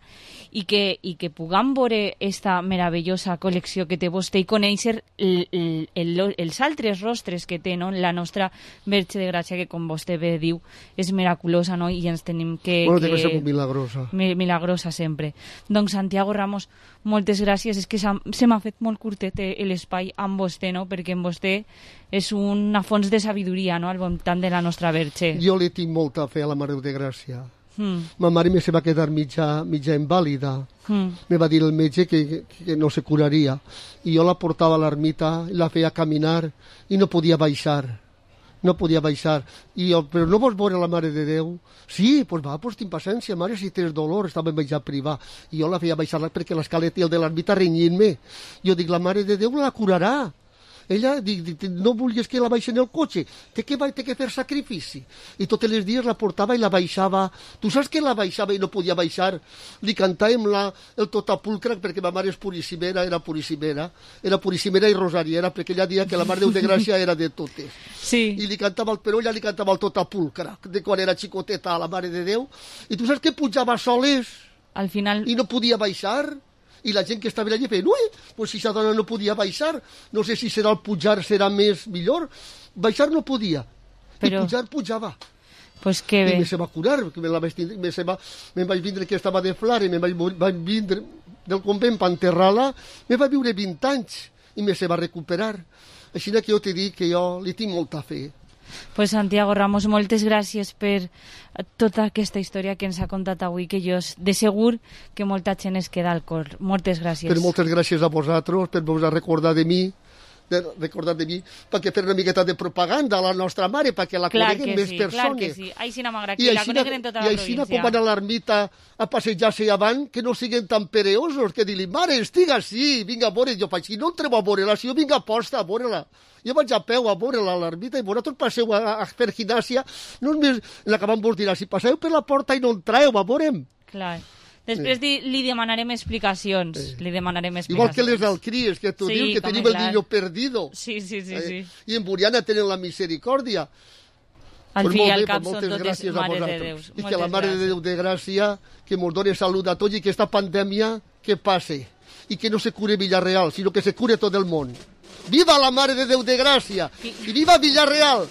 [SPEAKER 6] i que, i que puguem veure esta meravellosa col·lecció que té vostè i conèixer el, el, el, els altres rostres que té, no, la nostra Verge de Gràcia, que com vostè bé diu és miraculosa, no, i ens tenim que...
[SPEAKER 15] Bueno,
[SPEAKER 6] que...
[SPEAKER 15] deve ser milagrosa.
[SPEAKER 6] Milagrosa sempre. Doncs Santiago Ramos, moltes gràcies. És que se m'ha fet molt curtet l'espai amb vostè, no? Perquè amb vostè és una fons de sabidoria, no?, al voltant de la nostra Verge.
[SPEAKER 15] Jo li tinc molta fe a la Mare de Gràcia.
[SPEAKER 6] Mm.
[SPEAKER 15] Ma mare me se va quedar mitja, mitja invàlida.
[SPEAKER 6] Mm.
[SPEAKER 15] Me va dir el metge que, que no se curaria. I jo la portava a l'ermita, la feia caminar i no podia baixar. No podia baixar. I jo, però no vols veure la Mare de Déu? Sí, pues va, pues tinc paciència, mare, si tens dolor, estava en menjar privar. I jo la feia baixar perquè l'escaleta i el de l'ermita renyint-me. Jo dic, la Mare de Déu la curarà. Ella dic, dic, no volies que la baixi en el cotxe, té que, té que fer sacrifici. I tots els dies la portava i la baixava. Tu saps que la baixava i no podia baixar? Li cantàvem la, el totapulcre, perquè ma mare és purissimera, era purissimera, era purissimera i rosariera, perquè ella deia que la Mare de Déu de Gràcia era de totes.
[SPEAKER 6] Sí.
[SPEAKER 15] I li cantava el però, ella li cantava el totapulcre, de quan era xicoteta a la Mare de Déu. I tu saps que pujava soles?
[SPEAKER 6] Al final...
[SPEAKER 15] I no podia baixar? I la gent que estava allà feia, ui, pues si aquesta dona no podia baixar, no sé si serà el pujar serà més millor. Baixar no podia, però... i pujar pujava.
[SPEAKER 6] Pues que bé.
[SPEAKER 15] I me se va curar, que me, la vaig tindre, me, se va, me vaig vindre que estava de flare, me vaig, vaig vindre del convent per enterrar-la, me va viure vint anys i me se va recuperar. Així que jo t'he dit que jo li tinc molta fe.
[SPEAKER 6] Pues Santiago Ramos, moltes gràcies per tota aquesta història que ens ha contat avui, que jo de segur que molta gent es queda al cor. Moltes gràcies.
[SPEAKER 15] Però moltes gràcies a vosaltres per vos recordar de mi de recordar de mi, perquè fer una miqueta de propaganda a la nostra mare, perquè la
[SPEAKER 6] clar
[SPEAKER 15] coneguen
[SPEAKER 6] que
[SPEAKER 15] més
[SPEAKER 6] sí,
[SPEAKER 15] persones.
[SPEAKER 6] Clar que sí, així no m'agrada,
[SPEAKER 15] I
[SPEAKER 6] que la
[SPEAKER 15] així,
[SPEAKER 6] coneguen en tota la
[SPEAKER 15] i així
[SPEAKER 6] província.
[SPEAKER 15] com van a l'ermita a passejar-se avant, que no siguin tan pereosos, que dir-li, mare, estiga així, vinga a veure, jo faig, si no entreu a veure-la, si jo vinc a posta a veure-la. Jo vaig a peu a veure-la a l'ermita i vosaltres passeu a, a fer ginàsia, no només la que vam vos dirà, si passeu per la porta i no entreu, a veurem.
[SPEAKER 6] Clar. Després sí. li demanarem explicacions. Sí. Li demanarem explicacions.
[SPEAKER 15] Igual que les d'Alcries, que tu sí, dius que tenim el niño perdido.
[SPEAKER 6] Sí, sí, sí, sí.
[SPEAKER 15] I en Buriana tenen la misericòrdia.
[SPEAKER 6] Al
[SPEAKER 15] pues
[SPEAKER 6] fi i al
[SPEAKER 15] bé,
[SPEAKER 6] cap
[SPEAKER 15] pues
[SPEAKER 6] són totes mares de Déu.
[SPEAKER 15] I que la Mare de Déu de Gràcia, que ens doni salut a tots i que esta pandèmia que passe. I que no se cure Villarreal, sinó que se cure tot el món. Viva la Mare de Déu de Gràcia! I viva Villarreal!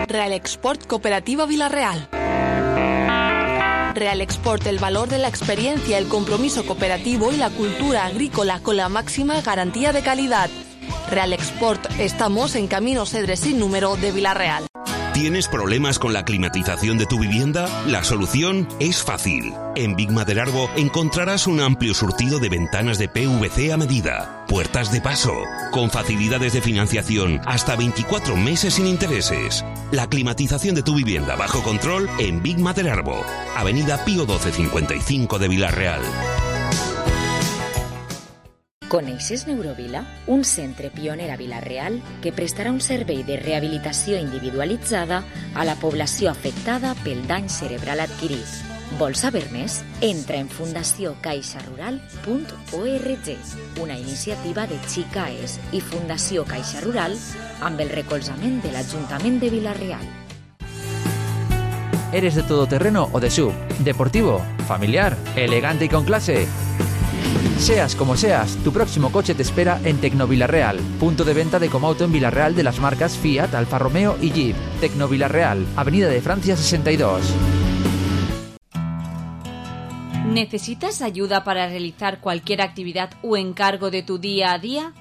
[SPEAKER 12] Real Export Cooperativa Vilarreal. Real Export, el valor de la experiencia, el compromiso cooperativo y la cultura agrícola con la máxima garantía de calidad. Real Export, estamos en Camino Cedres sin número de Vilarreal.
[SPEAKER 3] ¿Tienes problemas con la climatización de tu vivienda? La solución es fácil. En Big Maderarbo encontrarás un amplio surtido de ventanas de P V C a medida, puertas de paso, con facilidades de financiación hasta veinticuatro meses sin intereses. La climatización de tu vivienda bajo control en Big Maderarbo, Avenida Pío doce cincuenta y cinco de Vilarreal.
[SPEAKER 1] Coneixes Neurovila? Un centre pioner a Vilarreal que prestarà un servei de rehabilitació individualitzada a la població afectada pel dany cerebral adquirit. Vols saber més? Entra en fundació caixa rural punt org, una iniciativa de Xicaes i Fundació Caixa Rural amb el recolzament de l'Ajuntament de Vilarreal.
[SPEAKER 16] ¿Eres de todoterreno o de sub? ¿Deportivo? ¿Familiar? ¿Elegante y con clase? Seas como seas, tu próximo coche te espera en Tecnovilarreal, punto de venta de Comauto en Vilarreal de las marcas Fiat, Alfa Romeo y Jeep. Tecnovilarreal, Avenida de Francia sesenta y dos.
[SPEAKER 6] ¿Necesitas ayuda para realizar cualquier actividad o encargo de tu día a día?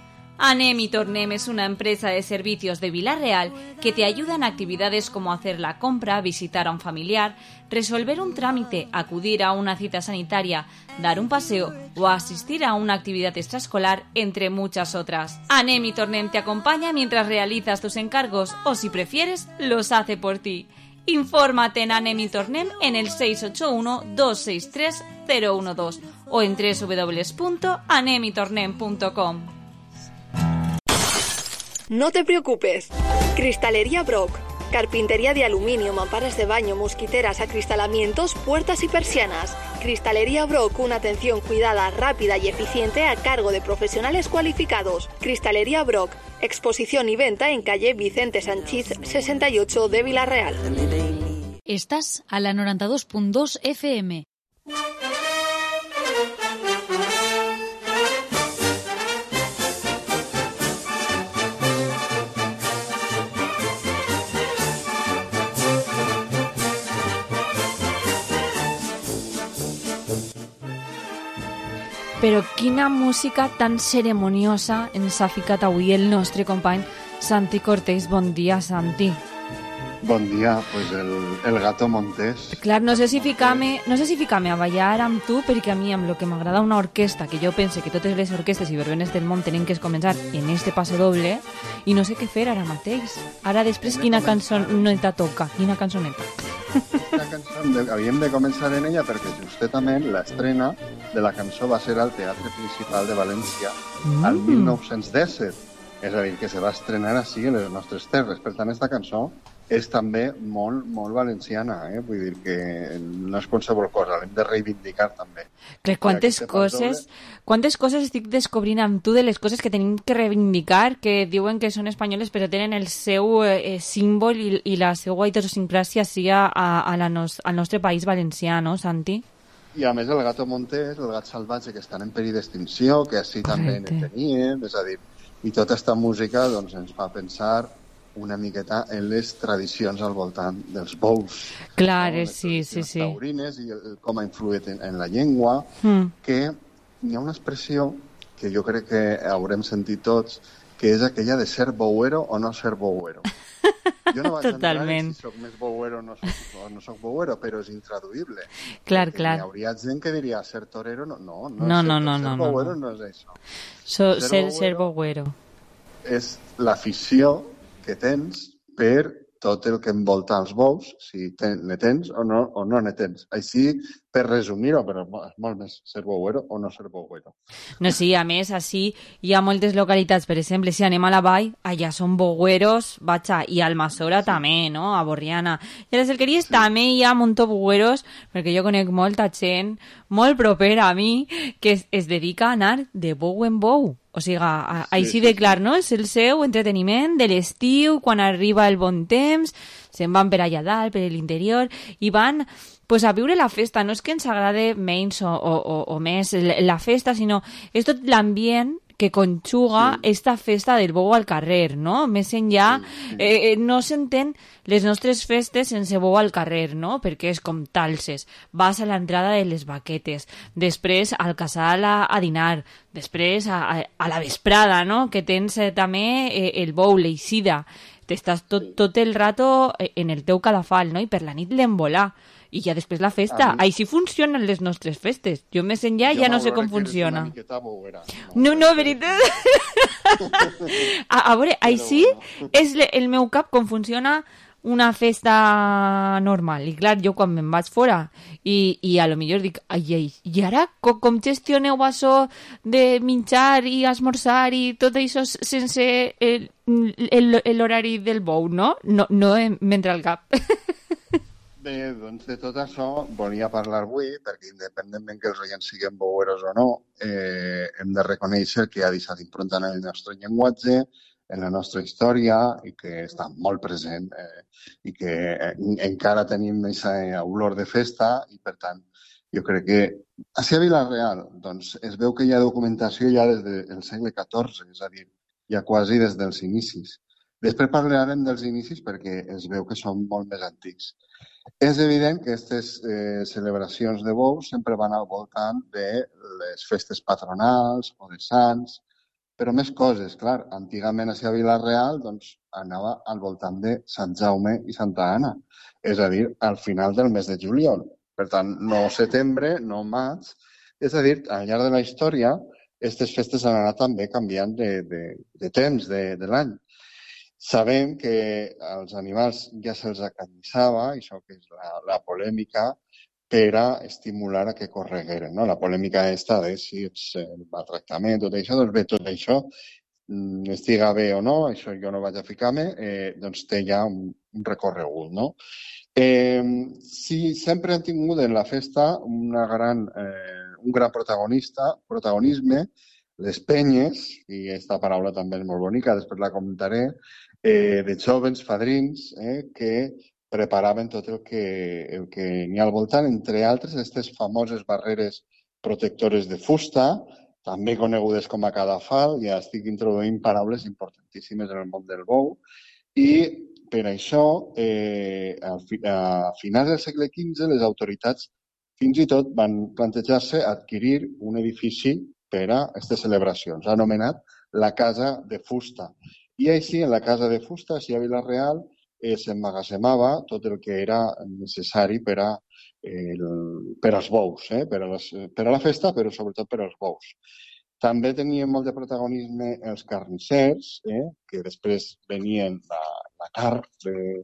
[SPEAKER 6] Anem y Tornem es una empresa de servicios de Vilarreal que te ayuda en actividades como hacer la compra, visitar a un familiar, resolver un trámite, acudir a una cita sanitaria, dar un paseo o asistir a una actividad extraescolar, entre muchas otras. Anem y Tornem te acompaña mientras realizas tus encargos o, si prefieres, los hace por ti. Infórmate en Anem y Tornem en el seis ocho uno, dos seis tres, cero uno dos o en doble u doble u doble u punto anem y tornem punto com.
[SPEAKER 12] No te preocupes. Cristalería Brock. Carpintería de aluminio, mamparas de baño, mosquiteras, acristalamientos, puertas y persianas. Cristalería Brock, una atención cuidada, rápida y eficiente a cargo de profesionales cualificados. Cristalería Brock. Exposición y venta en calle Vicente Sanchís sesenta y ocho de Vilarreal.
[SPEAKER 17] Estás a la noranta dos punt dos F M.
[SPEAKER 6] Però quina música tan ceremoniosa ens ha ficat avui el nostre company Santi Cortés. Bon dia, Santi.
[SPEAKER 18] Bon dia, pues el, el Gato Montés.
[SPEAKER 6] Clar, no sé si ficar-me no sé si ficar-me a ballar amb tu, perquè a mi amb el que m'agrada una orquestra, que jo pense que totes les orquestes i verbenes del món tenen que començar en este passo doble, i no sé què fer ara mateix. Ara després quina cançoneta toca, quina cançoneta.
[SPEAKER 18] La cançó de, havíem de començar en ella perquè justament l'estrena de la cançó va ser al Teatre Principal de València mm. al mil nou-cents disset. És a dir, que se va estrenar així en les nostres terres. Per tant, aquesta cançó és també molt, molt valenciana, eh? Vull dir que no és qualsevol cosa, l'hem de reivindicar també.
[SPEAKER 6] Clar, quantes coses, quantes coses estic descobrint amb tu de les coses que tenim que reivindicar, que diuen que són espanyoles però tenen el seu eh, símbol i, i la seva idiosincràsia sí a, a la nos, al nostre país valencià, no, Santi?
[SPEAKER 18] I a més el gato montés, el gat salvatge, que estan en perill d'extinció, que així també en teníem, és a dir, i tota aquesta música doncs, ens fa pensar una miqueta en les tradicions al voltant dels bous.
[SPEAKER 6] Clar,
[SPEAKER 18] no?
[SPEAKER 6] sí, sí, sí.
[SPEAKER 18] Taurines i el, com ha influït en, en la llengua, mm. que hi ha una expressió que jo crec que haurem sentit tots, que és aquella de ser bouero o no ser bouero. Jo no vaig
[SPEAKER 6] Totalment.
[SPEAKER 18] entrar si soc més bouero o no soc, o no soc bouero, però és intraduïble.
[SPEAKER 6] Clar, clar.
[SPEAKER 18] Hi hauria gent que diria ser torero, no, no, no,
[SPEAKER 6] no,
[SPEAKER 18] ser,
[SPEAKER 6] no, no,
[SPEAKER 18] ser
[SPEAKER 6] no,
[SPEAKER 18] bouero
[SPEAKER 6] no.
[SPEAKER 18] no és això.
[SPEAKER 6] So, ser, ser bouero
[SPEAKER 18] és l'afició que tens per tot el que envolta els bous, si ten, ne tens o no, o no ne tens. Així, per resumir-ho, però és molt més ser bouero o no ser bouero.
[SPEAKER 6] No, sí, a més, així hi ha moltes localitats, per exemple, si anem a la vall, allà són boueros, vaja, i al Almassora sí. també, no?, a Borriana. I a les Alqueries sí. també hi ha un munt de boueros, perquè jo conec molta gent molt propera a mi que es, es dedica a anar de bou en bou. O sigui, a, a, sí, així de clar, no? És el seu entreteniment de l'estiu, quan arriba el bon temps, se'n van per allà dalt, per l'interior, i van pues, a viure la festa. No és que ens agrade menys o, o, o, o més la festa, sinó és tot l'ambient que conjuga sí. esta festa del bou al carrer, no? Més enllà, sí, sí. Eh, no s'entén les nostres festes sense bou al carrer, no? Perquè és com talses. Vas a l'entrada de les baquetes, després al casal a, a dinar, després a, a, a la vesprada, no? Que tens eh, també eh, el bou, l'eixida. T'estàs tot, tot el rato en el teu cadafal, no? I per la nit l'embolà. I ja després la festa. Mi... Així funcionen les nostres festes. Jo més enllà jo ja no sé com funciona. No, no, veritat. a, a veure, així és le, el meu cap com funciona una festa normal. I clar, jo quan me'n vaig fora i, i a lo millor dic, ai, ai, i ara com, com gestioneu això de menjar i esmorzar i tot això sense l'horari del bou, no? No, no m'entra al cap.
[SPEAKER 18] Bé, doncs de tot això volia parlar avui, perquè independentment que els oients siguin boueros o no, eh, hem de reconèixer que ha deixat impronta en el nostre llenguatge, en la nostra història, i que està molt present, eh, i que eh, encara tenim aquesta olor de festa, i per tant, jo crec que així a Vila-real doncs, es veu que hi ha documentació ja des del segle catorze, és a dir, ja quasi des dels inicis. Després parlarem dels inicis perquè es veu que són molt més antics. És evident que aquestes eh, celebracions de bous sempre van al voltant de les festes patronals o de sants, però més coses, clar. Antigament a Vila-real doncs, anava al voltant de Sant Jaume i Santa Anna, és a dir, al final del mes de juliol. Per tant, no setembre, no maig. És a dir, al llarg de la història, aquestes festes han anat també canviant de, de, de temps de, de l'any. Sabem que als animals ja se'ls acanyissava, això que és la, la polèmica, per a estimular a que corregueren, no? La polèmica aquesta de si ets el maltractament, tot això, doncs bé, tot això, estiga bé o no, això jo no vaig a ficar-me, eh, doncs té ja un, un recorregut, no? Eh, sí, sempre han tingut en la festa una gran, eh, un gran protagonista, protagonisme, les penyes, i aquesta paraula també és molt bonica, després la comentaré, eh, de jovens fadrins eh, que preparaven tot el que, el que n'hi ha al voltant, entre altres, aquestes famoses barreres protectores de fusta, també conegudes com a cadafal, ja estic introduint paraules importantíssimes en el món del bou, i per això, eh, a, a finals del segle quinze, les autoritats fins i tot van plantejar-se adquirir un edifici per a aquestes celebracions, anomenat la Casa de Fusta. I així, en la Casa de Fusta, així a Vila-real, eh, s'emmagatzemava tot el que era necessari per a eh, el, per als bous, eh, per, a les, per a la festa, però sobretot per als bous. També tenien molt de protagonisme els carnissers, eh, que després venien la, la carn de,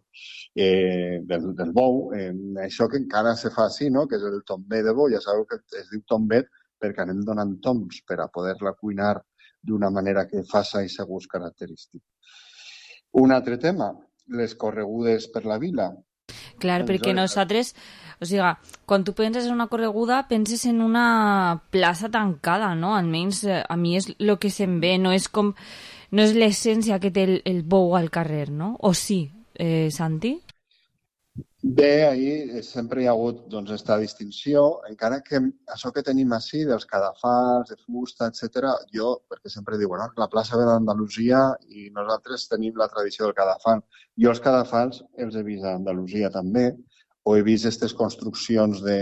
[SPEAKER 18] eh, del, del bou. Eh, això que encara se fa així, no? Que és el tombet de bou. Ja sabeu que es diu tombet perquè anem donant tombs per a poder-la cuinar d'una manera que faça aquest gust característic. Un altre tema, les corregudes per la vila.
[SPEAKER 6] Clar, perquè nosaltres, o sigui, quan tu penses en una correguda, penses en una plaça tancada, no? Almenys a mi és el que se'm ve, no és com, no és l'essència que té el, el bou al carrer, no? O sí, eh, Santi?
[SPEAKER 18] Bé, ahir sempre hi ha hagut doncs, esta distinció, encara que això que tenim així, dels cadafals, de fusta, etcètera, jo, perquè sempre diu, bueno, la plaça ve d'Andalusia i nosaltres tenim la tradició del cadafal. Jo els cadafals els he vist a Andalusia també, o he vist aquestes construccions de,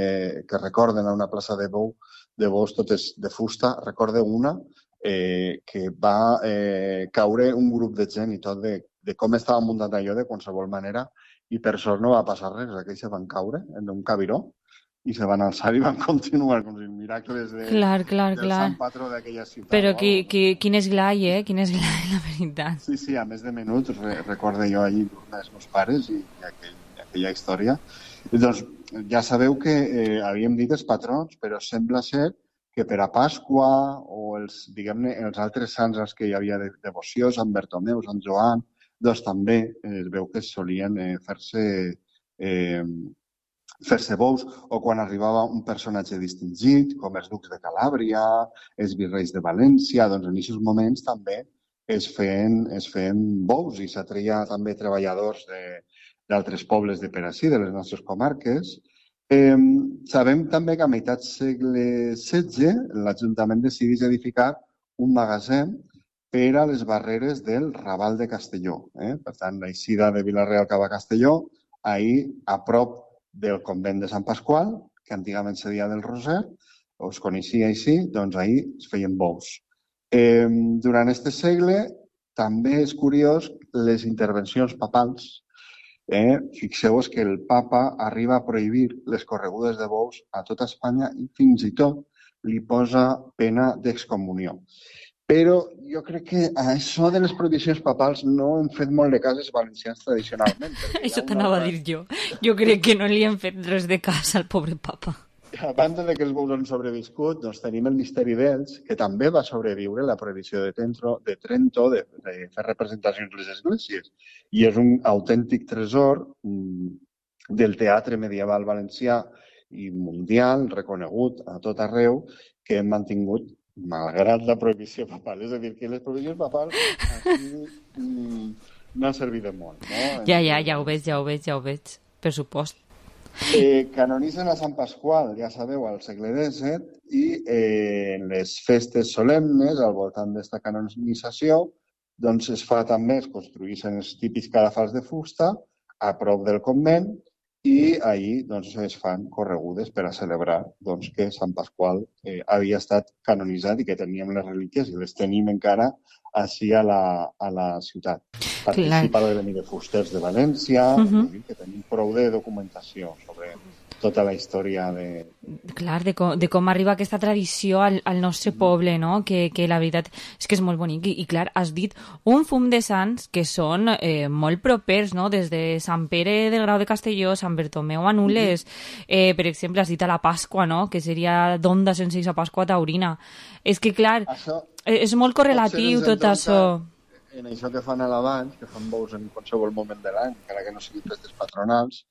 [SPEAKER 18] que recorden a una plaça de bou, de bous totes de fusta. Recorde una eh, que va eh, caure un grup de gent i tot de, de com estava muntat allò de qualsevol manera, i per sort no va passar res, aquells se van caure en un cabiró i se van alçar i van continuar com si miracles de,
[SPEAKER 6] clar, clar,
[SPEAKER 18] del
[SPEAKER 6] clar.
[SPEAKER 18] sant patró d'aquella ciutat.
[SPEAKER 6] Però qui, qui, quin esglai, eh? Quin esglai, la veritat.
[SPEAKER 18] Sí, sí, a més de menuts, re, recorde jo allí els meus pares i, i aquell, aquella història. I doncs ja sabeu que eh, havíem dit els patrons, però sembla ser que per a Pasqua o els, diguem-ne, els altres sants als que hi havia de, devoció, Sant Bertomeu, Sant Joan, doncs també eh, es veu que solien eh, fer-se eh, fer-se bous, o quan arribava un personatge distingit, com els ducs de Calàbria, els virreis de València, doncs en aquests moments també es feien, es feien bous i s'atreia també treballadors d'altres pobles de per ací, de les nostres comarques. Eh, sabem també que a meitat segle setze l'Ajuntament decideix edificar un magatzem per a les barreres del Raval de Castelló. Eh? Per tant, l'eixida de Vila-real cap a Castelló, ahir a prop del convent de Sant Pasqual, que antigament se deia del Roser, us coneixia així, doncs ahir es feien bous. Eh, durant aquest segle també és curiós les intervencions papals. Eh? Fixeu-vos que el papa arriba a prohibir les corregudes de bous a tota Espanya i fins i tot li posa pena d'excomunió. Però jo crec que a això de les prohibicions papals no hem fet molt de cas els valencians tradicionalment.
[SPEAKER 6] Això t'anava a dir jo. Jo crec que no li hem fet res de cas al pobre papa.
[SPEAKER 18] A banda de que els bous han sobreviscut, doncs tenim el misteri d'ells, que també va sobreviure la prohibició de, Trento, de Trento de, de fer representacions a les esglésies. I és un autèntic tresor del teatre medieval valencià i mundial, reconegut a tot arreu, que hem mantingut malgrat la prohibició papal. És a dir, que les prohibicions papals aquí mm, no han servit de molt. No?
[SPEAKER 6] Ja, ja, ja ho veig, ja ho veig, ja ho veig, per supost.
[SPEAKER 18] Eh, canonitzen a Sant Pasqual, ja sabeu, al segle disset, i eh, en les festes solemnes, al voltant d'esta canonització, doncs es fa també, es construïssin els típics cadafals de fusta a prop del convent, i ahir doncs, es fan corregudes per a celebrar doncs, que Sant Pasqual eh, havia estat canonitzat i que teníem les relíquies i les tenim encara així a la, a la ciutat. Participa el gremi de fusters de València, uh -huh. que tenim prou de documentació sobre tota la història de...
[SPEAKER 6] Clar, de com, de com arriba aquesta tradició al, al nostre poble, no? Que, que la veritat és que és molt bonic. I, i clar, has dit un fum de sants que són eh, molt propers, no? Des de Sant Pere del Grau de Castelló, Sant Bertomeu a Nules, eh, per exemple, has dit a la Pasqua, no? Que seria d'onda sense a Pasqua taurina. És que, clar, això, és molt correlatiu tot això.
[SPEAKER 18] En això que fan a l'abans, que fan bous en qualsevol moment de l'any, encara que no siguin festes patronals,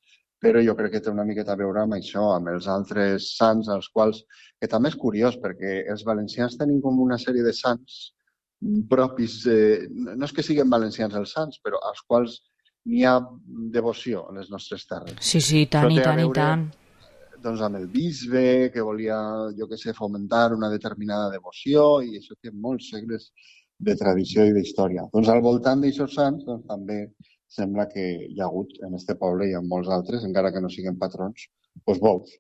[SPEAKER 18] però jo crec que té una miqueta a veure amb això, amb els altres sants, als quals, que també és curiós, perquè els valencians tenim com una sèrie de sants propis, eh, no és que siguin valencians els sants, però als quals n'hi ha devoció en les nostres terres.
[SPEAKER 6] Sí, sí, tant i tant i tant.
[SPEAKER 18] Doncs amb el bisbe, que volia, jo què sé, fomentar una determinada devoció, i això té molts segles de tradició i d'història. Doncs al voltant d'aixòs sants, doncs també sembla que hi ha hagut en este poble i en molts altres, encara que no siguin patrons, doncs bous.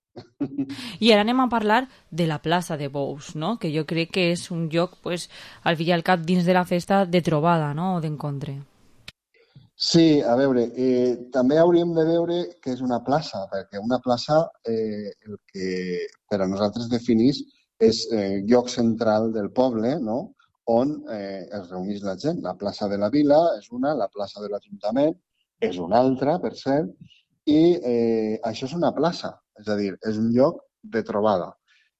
[SPEAKER 6] I ara anem a parlar de la plaça de Bous, no? Que jo crec que és un lloc, pues, al fi i al cap, dins de la festa de trobada, no? O d'encontre.
[SPEAKER 18] Sí, a veure, eh, també hauríem de veure què és una plaça, perquè una plaça, eh, el que per a nosaltres definís, és eh, lloc central del poble, no?, on eh, es reuneix la gent. La plaça de la Vila és una, la plaça de l'Ajuntament és una altra, per cert, i eh, això és una plaça, és a dir, és un lloc de trobada.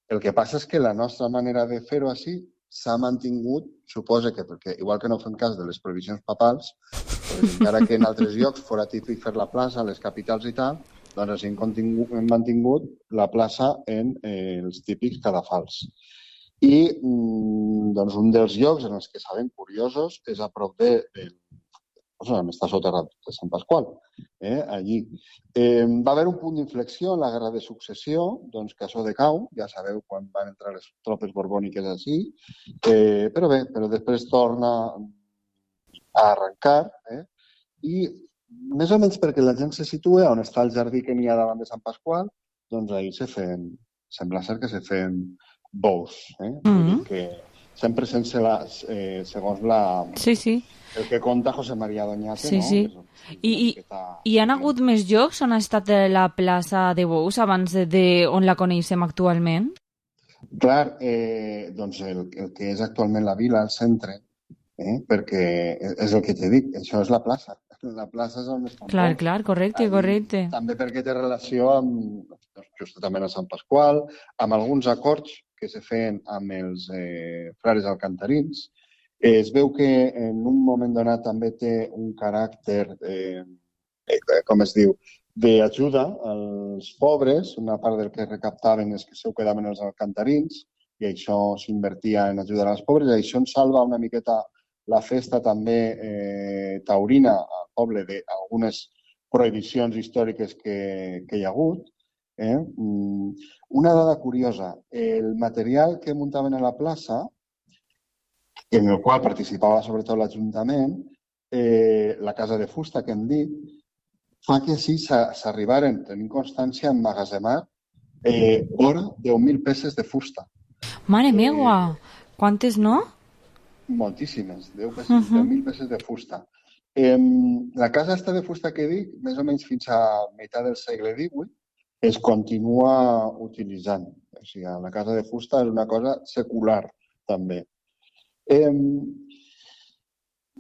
[SPEAKER 18] El que passa és que la nostra manera de fer-ho així s'ha mantingut, suposa que, perquè igual que no fem cas de les prohibicions papals, doncs, encara que en altres llocs fora típic fer la plaça, a les capitals i tal, doncs així hem, hem mantingut la plaça en eh, els típics cadafals. I doncs, un dels llocs en els que sabem curiosos és a prop de, de cosa, està soterrat de Sant Pasqual, eh, allí. Eh, va haver un punt d'inflexió en la Guerra de Successió, doncs que això decau, ja sabeu quan van entrar les tropes borbòniques així, eh, però bé, però després torna a arrencar, eh, i més o menys perquè la gent se situa on està el jardí que n'hi ha davant de Sant Pasqual, doncs ahir se feien, sembla ser que se feien bous, eh? Mm-hmm. Que sempre sense la, eh, segons la...
[SPEAKER 6] Sí, sí.
[SPEAKER 18] El que conta José María Doñate,
[SPEAKER 6] sí,
[SPEAKER 18] no?
[SPEAKER 6] Sí, sí. I, i, I han hagut més llocs on ha estat la plaça de Bous abans de, de on la coneixem actualment?
[SPEAKER 18] Clar, eh, doncs el, el que és actualment la vila, el centre, eh, perquè és el que t'he dit, això és la plaça. La plaça és on estan.
[SPEAKER 6] Clar, Bous. Clar, correcte, correcte.
[SPEAKER 18] També perquè té relació amb, justament a Sant Pasqual, amb alguns acords que se feien amb els eh, frares alcantarins. Eh, es veu que en un moment donat també té un caràcter, eh, eh, com es diu, d'ajuda als pobres. Una part del que recaptaven és que se ho quedaven els alcantarins i això s'invertia en ajudar als pobres. I això ens salva una miqueta la festa també eh, taurina al poble d'algunes prohibicions històriques que, que hi ha hagut. Eh? Una dada curiosa, el material que muntaven a la plaça, en el qual participava sobretot l'Ajuntament, eh, la casa de fusta que hem dit, fa que així s'arribaren, tenint constància, a emmagatzemar eh, vora deu mil peces de fusta.
[SPEAKER 6] Mare meva! Eh, Quantes, no?
[SPEAKER 18] Moltíssimes, deu mil peces de fusta. Eh, la casa esta de fusta que dic, més o menys fins a meitat del segle divuit, es continua utilitzant. O sigui, la casa de fusta és una cosa secular, també. Eh,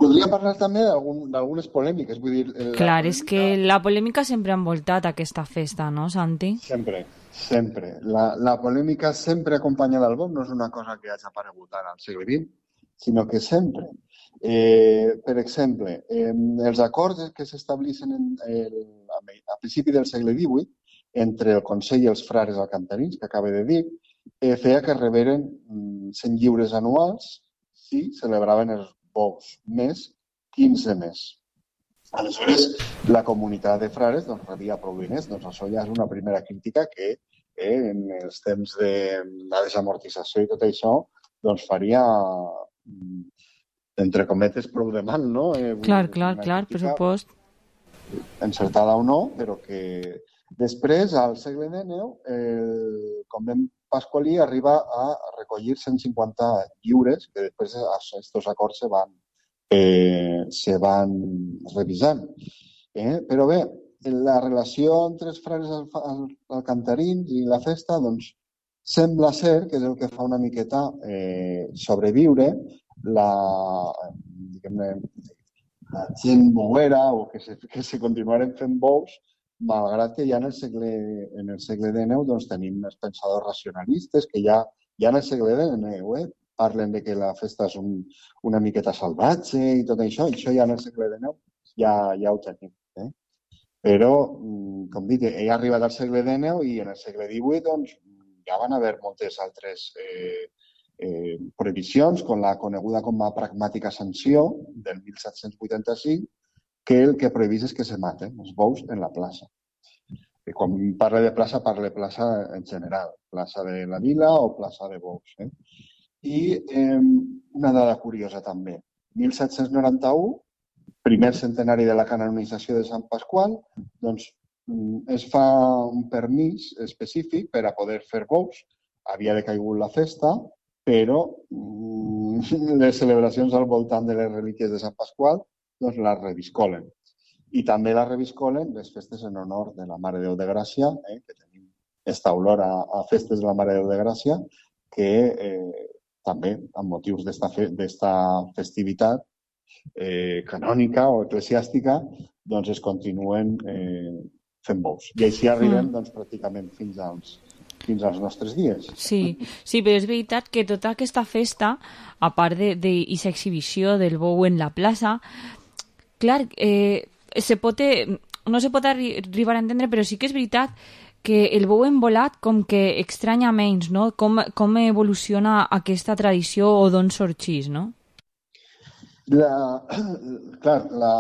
[SPEAKER 18] podria parlar també d'algunes polèmiques. Vull dir,
[SPEAKER 6] Clar, polèmica... és que la polèmica sempre ha envoltat aquesta festa, no, Santi?
[SPEAKER 18] Sempre, sempre. La, la polèmica sempre acompanyada del bou no és una cosa que hagi aparegut ara al segle vint, sinó que sempre. Eh, per exemple, eh, els acords que s'establissin a principi del segle divuit entre el Consell i els frares alcantarins, que acaba de dir, eh, feia que reberen cent lliures anuals si celebraven els bous, més quinze més. Aleshores, la comunitat de frares doncs, rebia prou diners. Doncs això ja és una primera crítica que eh, en els temps de la desamortització i tot això doncs faria, entre cometes, prou de mal, no? Eh,
[SPEAKER 6] clar, clar, clar, per supost.
[SPEAKER 18] Encertada o no, però que després, al segle dinou, el convent pasqualí arriba a recollir cent cinquanta lliures, que després aquests acords se van, eh, se van revisant. Eh? Però bé, la relació entre els frares alcantarins i la festa, doncs, sembla ser que és el que fa una miqueta eh, sobreviure la, diguem-ne, la gent bouera o que se, que se continuaren fent bous, malgrat que ja en el segle, en el segle dinou doncs, tenim els pensadors racionalistes que ja, ja en el segle dinou eh, parlen de que la festa és un, una miqueta salvatge i tot això, i això ja en el segle dinou ja, ja ho tenim. Eh? Però, com dic, ell ha arribat al segle dinou i en el segle divuit doncs, ja van haver moltes altres eh, eh, prohibicions, com la coneguda com a pragmàtica sanció del mil set-cents vuitanta-cinc, que el que prohibís és que se maten els bous en la plaça. I quan parla de plaça, parla de plaça en general, plaça de la vila o plaça de bous. Eh? I eh, una dada curiosa també, mil set-cents noranta-u, primer centenari de la canonització de Sant Pasqual, doncs es fa un permís específic per a poder fer bous. Havia decaigut la festa, però mm, les celebracions al voltant de les relíquies de Sant Pasqual doncs les reviscolen. I també les reviscolen les festes en honor de la Mare de Déu de Gràcia, eh, que tenim esta olor a, a festes de la Mare de Déu de Gràcia, que eh, també, amb motius d'esta fe, festivitat eh, canònica o eclesiàstica, doncs es continuen eh, fent bous. I així arribem doncs, pràcticament fins als, fins als nostres dies.
[SPEAKER 6] Sí, sí, però és veritat que tota aquesta festa, a part d'aquesta exhibició del bou en la plaça, clar, eh, se pot, no se pot arribar a entendre, però sí que és veritat que el bou envolat com que estranya menys, no? Com, com evoluciona aquesta tradició o d'on sorgeix, no?
[SPEAKER 18] La, clar, la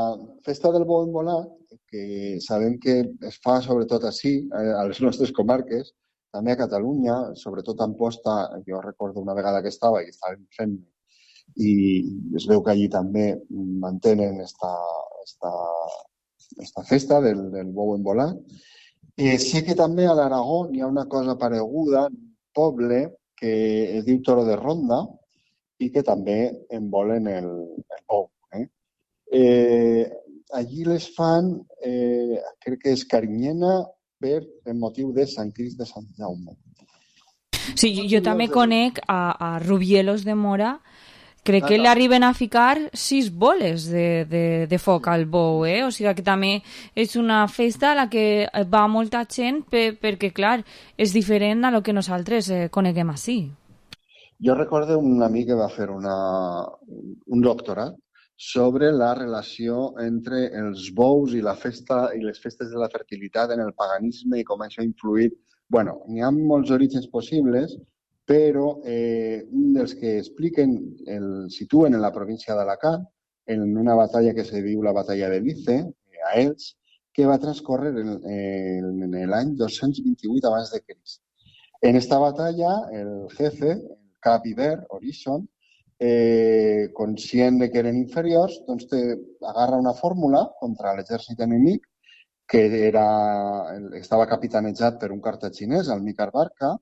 [SPEAKER 18] festa del bou embolat, que sabem que es fa sobretot així, a les nostres comarques, també a Catalunya, sobretot a Amposta, jo recordo una vegada que estava i estàvem fent i es veu que allí també mantenen esta, esta, esta festa del, del bou embolat. Eh, sé que també a l'Aragó hi ha una cosa pareguda, un poble que es diu Toro de Ronda i que també embolen el, el bou. Eh? Eh, allí les fan, eh, crec que és Carinyena, per el motiu de Sant Crist de Sant Jaume.
[SPEAKER 6] Sí, jo, jo també conec a, a Rubielos de Mora, crec que l'arriben a ficar sis boles de, de, de foc al bou, eh? O sigui que també és una festa a la que va molta gent per, perquè, clar, és diferent a lo que nosaltres eh, coneguem així.
[SPEAKER 18] Jo recordo un amic que va fer una, un doctorat sobre la relació entre els bous i la festa i les festes de la fertilitat en el paganisme i com això ha influït. Bueno, n'hi ha molts orígens possibles, però eh, un dels que expliquen el situen en la província d'Alacant, en una batalla que se diu la batalla de Lice, a Elx, que va transcórrer en, en, en l'any dos-cents vint-i-vuit abans de Crist. En esta batalla, el jefe, el cap Iber, Orison, Eh, conscient de que eren inferiors, doncs te agarra una fórmula contra l'exèrcit enemic que era, estava capitanejat per un cartaginès, el Micar Barca,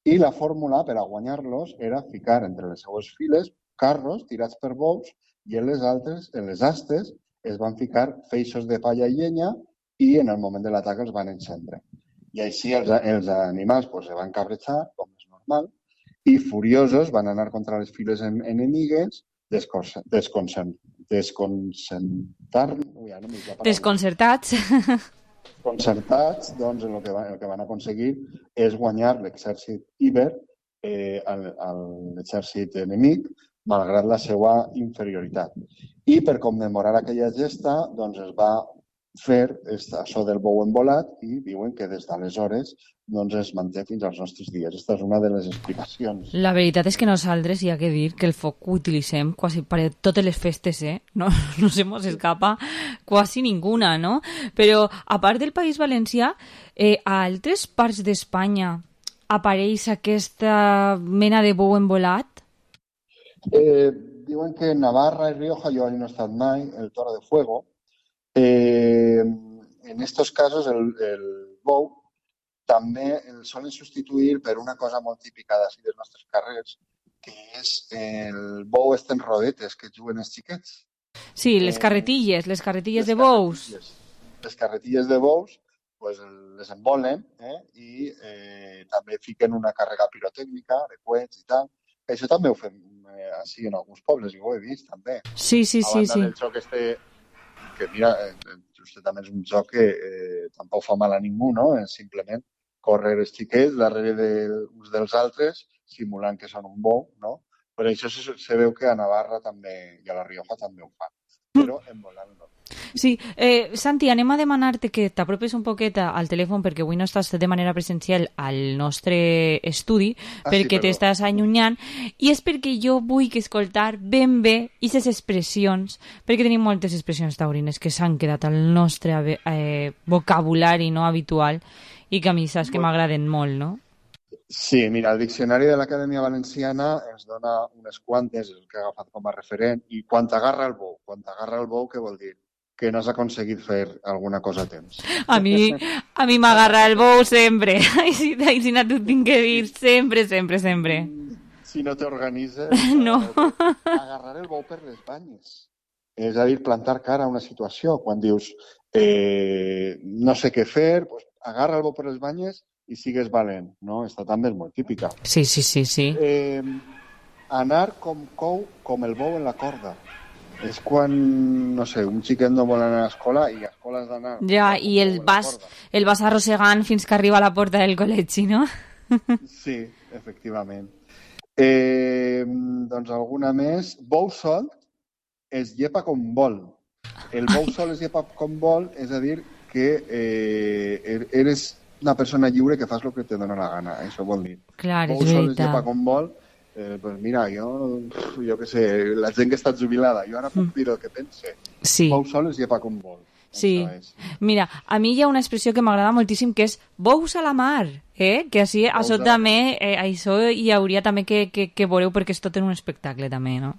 [SPEAKER 18] i la fórmula per a guanyar-los era ficar entre les seues files carros tirats per bous i en les altres, en les astes, es van ficar feixos de palla i llenya i en el moment de l'atac els van encendre. I així els, els animals pues, se van cabrejar, com és normal, i furiosos van anar contra les files enemigues desconcertar... Ja no
[SPEAKER 6] Desconcertats.
[SPEAKER 18] Desconcertats, doncs el que, van, el que van aconseguir és guanyar l'exèrcit Iber eh, a l'exèrcit enemic, malgrat la seva inferioritat. I per commemorar aquella gesta, doncs es va fer això del bou embolat i diuen que des d'aleshores doncs es manté fins als nostres dies. Aquesta és una de les explicacions.
[SPEAKER 6] La veritat és que nosaltres hi ha que dir que el foc ho utilitzem quasi per totes les festes, eh? No, no se mos escapa quasi ninguna, no? Però a part del País Valencià, eh, a altres parts d'Espanya apareix aquesta mena de bou embolat?
[SPEAKER 18] Eh, diuen que en Navarra i Rioja, jo no he estat mai, el Toro de Fuego. Eh, en estos casos el, el bou també el solen substituir per una cosa molt típica d'ací dels nostres carrers, que és el bou estes rodetes que juguen els xiquets.
[SPEAKER 6] Sí, les carretilles, les carretilles les de bous.
[SPEAKER 18] Carretilles. Les carretilles de bous pues, les embolen eh, i eh, també fiquen una càrrega pirotècnica de coets i tal. Això també ho fem eh, així en alguns pobles, i ho he vist també.
[SPEAKER 6] Sí, sí, sí. sí.
[SPEAKER 18] El joc este que mira, just també és un joc que eh, tampoc fa mal a ningú, no? És simplement córrer els xiquets darrere de, uns dels altres, simulant que són un bou, no? Per això se, se veu que a Navarra també i a la Rioja també ho fan, però embolant no.
[SPEAKER 6] Sí, eh, Santi, anem a demanar-te que t'apropes un poquet al telèfon perquè avui no estàs de manera presencial al nostre estudi, ah, perquè sí, t'estàs allunyant, i és perquè jo vull que escoltar ben bé aquestes expressions, perquè tenim moltes expressions taurines que s'han quedat al nostre eh, vocabulari no habitual i que a mi saps que m'agraden molt, no?
[SPEAKER 18] Sí, mira, el diccionari de l'Acadèmia Valenciana ens dona unes quantes, el que ha agafat com a referent, i quan t'agarra el bou, quan t'agarra el bou, què vol dir? Que no has aconseguit fer alguna cosa a temps.
[SPEAKER 6] A mi, a mi m'agarra el bou sempre. I si, si no t'ho tinc que dir sempre, sempre, sempre.
[SPEAKER 18] Si no t'organitzes...
[SPEAKER 6] No.
[SPEAKER 18] Agarrar el bou per les banyes. És a dir, plantar cara a una situació. Quan dius, eh, no sé què fer, pues, agarra el bou per les banyes i sigues valent. No? Esta també és molt típica.
[SPEAKER 6] Sí, sí, sí. sí.
[SPEAKER 18] Eh, anar com cou, com el bou en la corda. És quan, no sé, un xiquet no vol anar a l'escola i a l'escola has d'anar...
[SPEAKER 6] Ja, i el vas, el vas arrossegant fins que arriba a la porta del col·legi, no?
[SPEAKER 18] Sí, efectivament. Eh, doncs alguna més. Bou sol es llepa com vol. El bou sol es llepa com vol, és a dir, que eh, eres una persona lliure que fas el que te dona la gana. Això vol dir.
[SPEAKER 6] Clar,
[SPEAKER 18] bou sol es llepa com vol Eh, pues mira, jo, jo què sé, la gent que està jubilada, jo ara puc dir el que pense.
[SPEAKER 6] Sí.
[SPEAKER 18] Bou soles lleva com vol.
[SPEAKER 6] Sí. Mira, a mi hi ha una expressió que m'agrada moltíssim que és bous a la mar, eh? Que així, això també, eh, això hi hauria també que, que, que veureu perquè és tot en un espectacle també, no?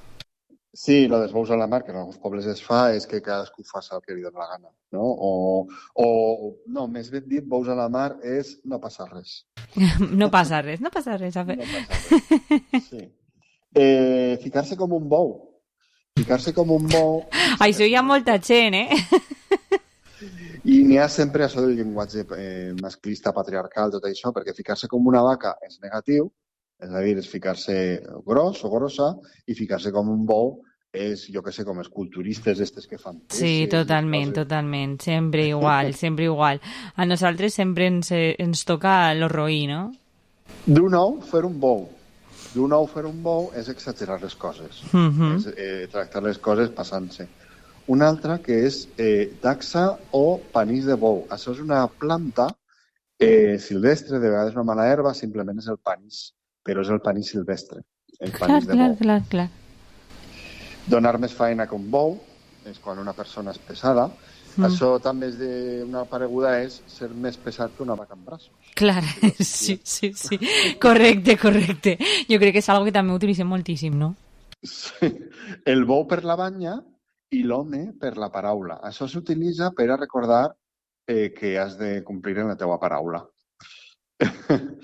[SPEAKER 18] Sí, lo dels bous a la mar, que en alguns pobles es fa, és que cadascú faci el que li dona la gana, no? O, o no, més ben dit, bous a la mar és no passa res.
[SPEAKER 6] No passa res, no passa res. A fer.
[SPEAKER 18] No passa res, sí. Eh, ficar-se com un bou. Ficar-se com un bou...
[SPEAKER 6] Això hi ha molta gent, eh?
[SPEAKER 18] I n'hi ha sempre això del llenguatge eh, masclista, patriarcal, tot això, perquè ficar-se com una vaca és negatiu, és a dir, és ficar-se gros o grossa, i ficar-se com un bou és, jo que sé, com els culturistes estes que fan.
[SPEAKER 6] Sí, totalment, totalment. Sempre igual, sempre igual. A nosaltres sempre ens, ens toca lo roí, no?
[SPEAKER 18] D'un ou fer un bou. D'un ou fer un bou és exagerar les coses.
[SPEAKER 6] Uh-huh.
[SPEAKER 18] És eh, tractar les coses passant-se. Una altra que és eh, taxa o panís de bou. Això és una planta eh, silvestre, de vegades una mala herba, simplement és el panís, però és el panís silvestre. El panís
[SPEAKER 6] clar,
[SPEAKER 18] de
[SPEAKER 6] clar,
[SPEAKER 18] bou.
[SPEAKER 6] clar, clar.
[SPEAKER 18] Donar més feina que un bou és quan una persona és pesada. Mm. Això també és de... una pareguda és ser més pesat que una vaca en braços.
[SPEAKER 6] Clar, sí, sí, sí. Correcte, correcte. Jo crec que és algo que també utilitzem moltíssim, no?
[SPEAKER 18] Sí. El bou per la banya i l'home per la paraula. Això s'utilitza per a recordar eh, que has de complir en la teua paraula.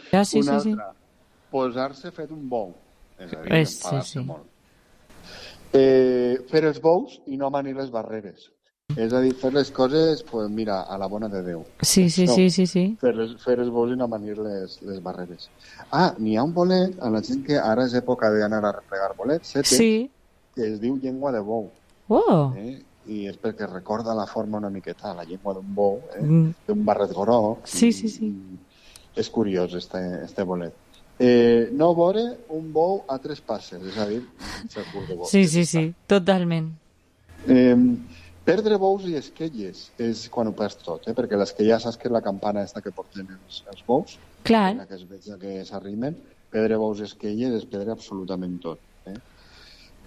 [SPEAKER 6] Ja, sí,
[SPEAKER 18] una
[SPEAKER 6] sí,
[SPEAKER 18] altra, sí. Posar-se fet un bou. És a dir,
[SPEAKER 6] pues,
[SPEAKER 18] enfadar-se
[SPEAKER 6] sí, sí.
[SPEAKER 18] molt. Eh, fer els bous i no manir les barreres. És a dir, fer les coses, pues, mira, a la bona de Déu.
[SPEAKER 6] Sí, sí,
[SPEAKER 18] no,
[SPEAKER 6] sí, sí, sí.
[SPEAKER 18] Fer, les, fer els bous i no manir les, les barreres. Ah, n'hi ha un bolet, a la gent que ara és època d'anar a replegar bolets, setes,
[SPEAKER 6] sí.
[SPEAKER 18] que es diu llengua de bou.
[SPEAKER 6] Oh!
[SPEAKER 18] Eh? I és perquè recorda la forma una miqueta, la llengua d'un bou, eh?
[SPEAKER 6] Mm.
[SPEAKER 18] d'un barret groc.
[SPEAKER 6] Sí,
[SPEAKER 18] i,
[SPEAKER 6] sí, sí.
[SPEAKER 18] És curiós, este, este bolet. Eh, no veure un bou a tres passes, és a dir, segur de bou.
[SPEAKER 6] Sí, sí, sí, totalment.
[SPEAKER 18] Eh, perdre bous i esquelles és quan ho perds tot, eh? Perquè l'esquella saps que és la campana esta que porten els, els bous,
[SPEAKER 6] clar.
[SPEAKER 18] que es veig que s'arrimen, perdre bous i esquelles és perdre absolutament tot. Eh?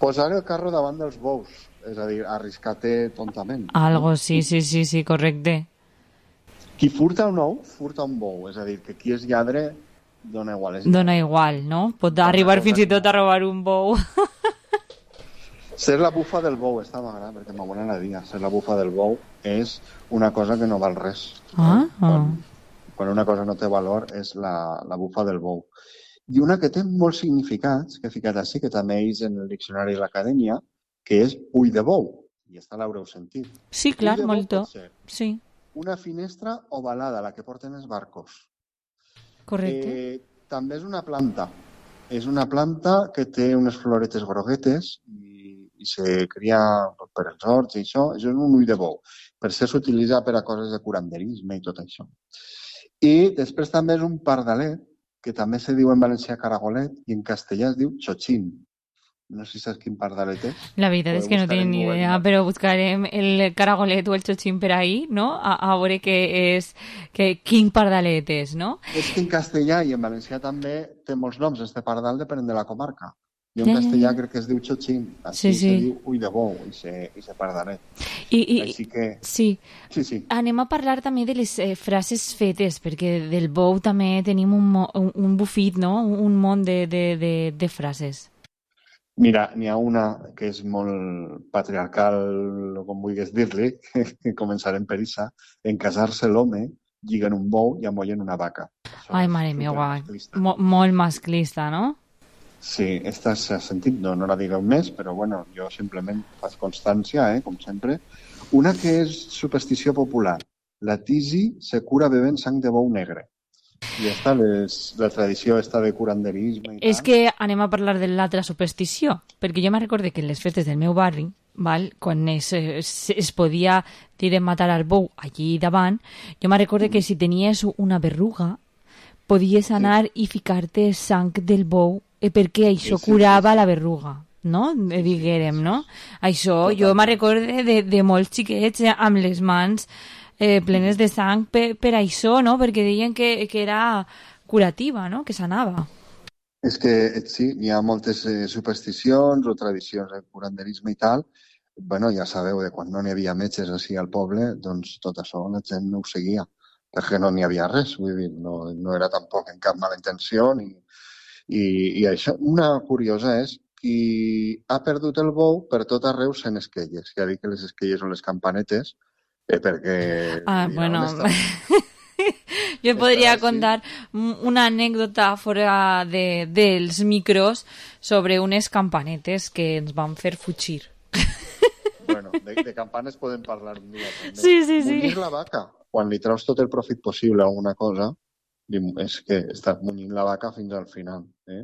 [SPEAKER 18] Posar el carro davant dels bous, és a dir, arriscar-te tontament.
[SPEAKER 6] Algo, sí, sí, sí, sí, correcte.
[SPEAKER 18] Qui furta un ou, furta un bou, és a dir, que qui és lladre dona igual. És
[SPEAKER 6] dona igual, no? Pot arribar fins i tot a robar un bou.
[SPEAKER 18] Ser la bufa del bou, està m'agrada, perquè m'agrada la dia. Ser la bufa del bou és una cosa que no val res.
[SPEAKER 6] Ah,
[SPEAKER 18] quan, quan una cosa no té valor és la, la bufa del bou. I una que té molts significats, que he ficat així, que també és en el diccionari de l'acadèmia, que és ull de bou. I esta l'haureu sentit.
[SPEAKER 6] Sí, clar, molto. Sí.
[SPEAKER 18] Una finestra ovalada, la que porten els barcos.
[SPEAKER 6] Correcte.
[SPEAKER 18] Eh, també és una planta. És una planta que té unes floretes groguetes i, i se cria per els horts i això. És un ull de bou. Per això s'utilitza per a coses de curanderisme i tot això. I després també és un pardalet, que també se diu en valencià caragolet i en castellà es diu xochín. No sé si saps quin pardalet és.
[SPEAKER 6] La veritat és que no tinc ni idea, però buscarem el caragolet o el xochín per ahí, no? A, a veure què és, que, quin pardalet és, no?
[SPEAKER 18] És que en castellà i en valencià també té molts noms, este pardal depèn de la comarca. Jo en
[SPEAKER 6] ja,
[SPEAKER 18] castellà
[SPEAKER 6] ja, ja.
[SPEAKER 18] crec que es diu xochín, així
[SPEAKER 6] sí, sí.
[SPEAKER 18] se diu ull de bou, i se, i se pardalet.
[SPEAKER 6] I, i,
[SPEAKER 18] així que...
[SPEAKER 6] Sí.
[SPEAKER 18] sí, sí.
[SPEAKER 6] Anem a parlar també de les eh, frases fetes, perquè del bou també tenim un, un, un bufit, no? Un munt de, de, de, de frases.
[SPEAKER 18] Mira, n'hi ha una que és molt patriarcal, o com vulguis dir-li, que començarem per issa. En casar-se l'home, lliguen un bou i amollen una vaca. Això
[SPEAKER 6] Ai, mare meva, Mo molt masclista, no?
[SPEAKER 18] Sí, esta s'ha sentit, no, no la digueu més, però bueno, jo simplement faig constància, eh, com sempre. Una que és superstició popular. La tisi se cura bevent sang de bou negre. I esta és la tradició esta de curanderisme i
[SPEAKER 6] És
[SPEAKER 18] tal.
[SPEAKER 6] que anem a parlar de l'altra superstició, perquè jo me recorde que en les festes del meu barri, val, quan es, es, es podia dir matar al bou allí davant, jo me recorde que si tenies una berruga, podies anar sí. i ficar-te sang del bou eh, perquè això sí, sí, curava sí, sí. la berruga, no? Sí, diguérem, no? Això, totalment. Jo me recorde de, de molts xiquets amb les mans eh, plenes de sang per, per això, no? Perquè deien que, que era curativa, no? Que sanava.
[SPEAKER 18] És que sí, hi ha moltes eh, supersticions o tradicions de curanderisme i tal. Bueno, ja sabeu, de quan no n'hi havia metges així al poble, doncs tot això la gent no ho seguia, perquè no n'hi havia res, vull dir, no, no era tampoc en cap mala intenció ni, i, i això. Una curiosa és qui ha perdut el bou per tot arreu sent esquelles. Ja dic que les esquelles són les campanetes, eh, perquè...
[SPEAKER 6] Ah,
[SPEAKER 18] mira,
[SPEAKER 6] bueno...
[SPEAKER 18] on
[SPEAKER 6] Jo podria contar una anècdota fora de, dels micros sobre unes campanetes que ens van fer fugir.
[SPEAKER 18] Bueno, de, de campanes podem parlar un dia també.
[SPEAKER 6] Sí, sí, sí.
[SPEAKER 18] Munyir la vaca, quan li treus tot el profit possible a alguna cosa, és que estàs munyint la vaca fins al final. Eh?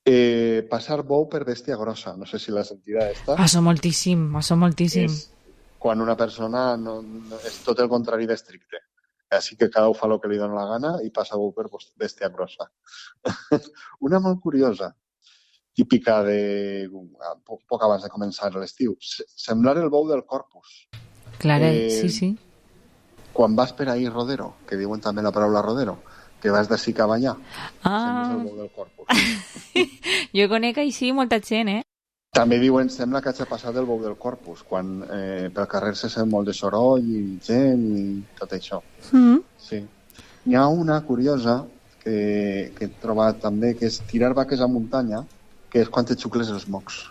[SPEAKER 18] Eh, passar bou per bèstia grossa, no sé si la sentida esta.
[SPEAKER 6] Passo moltíssim, passo moltíssim.
[SPEAKER 18] És quan una persona no, no, és tot el contrari d'estricte. Així que cada un fa el que li dona la gana i passa bou per bèstia grossa. Una molt curiosa, típica de poc, poc abans de començar l'estiu, semblar el bou del Corpus.
[SPEAKER 6] Clar, eh, sí, sí.
[SPEAKER 18] Quan vas per ahir rodero, que diuen també la paraula rodero, que vas d'ací cap allà,
[SPEAKER 6] ah.
[SPEAKER 18] sembles el bou del Corpus.
[SPEAKER 6] Jo conec així molta gent, eh?
[SPEAKER 18] També diuen, sembla que hagi passat el bou del Corpus, quan eh, pel carrer se sent molt de soroll i gent i tot això.
[SPEAKER 6] Mm.
[SPEAKER 18] Sí. Hi ha una curiosa que, que he trobat també, que és tirar vaques a muntanya, que és quan te xucles els mocs.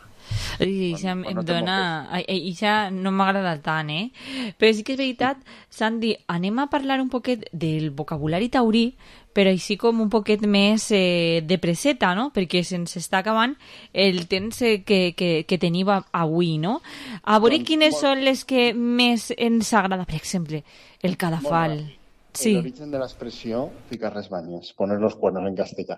[SPEAKER 6] I això em, em dona... I això no m'agrada tant, eh? Però sí que és veritat, Sandy, anem a parlar un poquet del vocabulari taurí, però així com un poquet més eh, de preseta, no? Perquè se'ns està acabant el temps que, que, que tenim avui, no? A veure doncs, quines molt... són les que més ens agrada, per exemple, el cadafal.
[SPEAKER 18] Sí. L'origen de l'expressió ficar les banyes, poner los cuernos en castellà.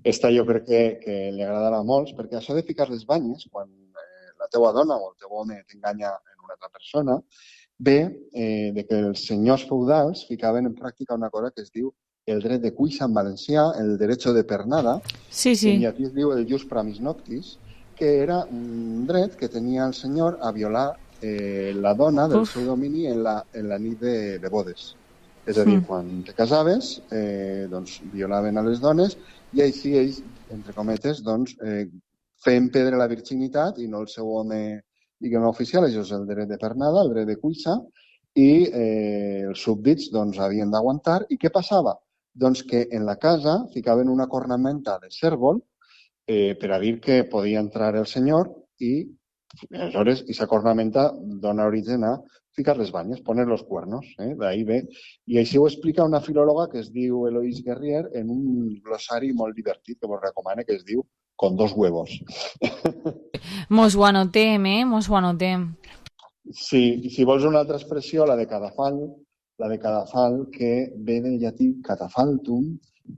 [SPEAKER 18] Esta jo crec que, que li agradarà a molts, perquè això de ficar les banyes, quan eh, la teua dona o el teu home t'enganya en una altra persona, ve eh, de que els senyors feudals ficaven en pràctica una cosa que es diu el dret de cuixa en valencià, el derecho de pernada,
[SPEAKER 6] sí, sí.
[SPEAKER 18] que en llatí es diu el jus pramis noctis, que era un dret que tenia el senyor a violar eh, la dona del Uf. seu domini en la, en la nit de, de bodes. És a dir, mm. quan te casaves, eh, doncs, violaven a les dones i així ells, entre cometes, doncs, eh, feien perdre la virginitat i no el seu home, diguem, oficial, això és el dret de pernada, el dret de cuixa, i eh, els súbdits doncs, havien d'aguantar. I què passava? Doncs que en la casa ficaven una cornamenta de cèrvol eh, per a dir que podia entrar el senyor i, aleshores, aquesta cornamenta dona origen a ficar les banyes, poner los cuernos, eh? D'ahí ve. I així ho explica una filòloga que es diu Eloise Guerrier en un glossari molt divertit que vos recomano, que es diu Con dos huevos.
[SPEAKER 6] Mos ho anotem, eh? Mos ho anotem.
[SPEAKER 18] Sí, si vols una altra expressió, la de cadafal, la de cadafal, que ve del llatí catafaltum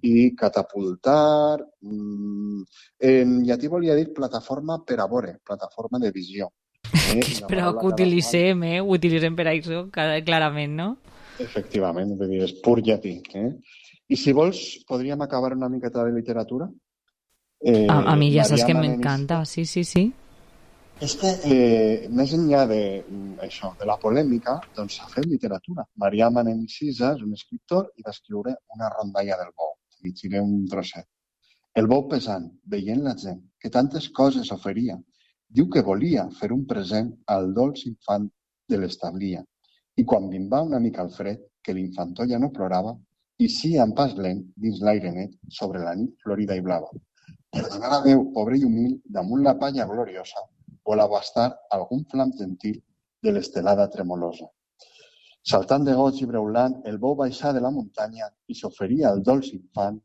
[SPEAKER 18] i catapultar. En llatí volia dir plataforma per a vore, plataforma de visió.
[SPEAKER 6] Eh? Però que utilitzem, eh? Ho utilitzem per això, clarament, no?
[SPEAKER 18] Efectivament, és pur llatí. Eh? I si vols, podríem acabar una miqueta de literatura?
[SPEAKER 6] Eh, a, a mi ja saps que m'encanta, sí, sí, sí.
[SPEAKER 18] És que, eh, més enllà de, això, de la polèmica, doncs s'ha fet literatura. Marià Manent i Cisa és un escriptor i va escriure una rondalla del bou. Llegiré un trosset. El bou pesant, veient la gent, que tantes coses oferia, diu que volia fer un present al dolç infant de l'establia. I quan minvà una mica el fred, que l'infantó ja no plorava, i sí, en pas lent, dins l'aire net, sobre la nit florida i blava. Per donar a Déu, pobre i humil, damunt la palla gloriosa, vol abastar algun flam gentil de l'estelada tremolosa. Saltant de goig i breulant, el bou baixà de la muntanya i s'oferia al dolç infant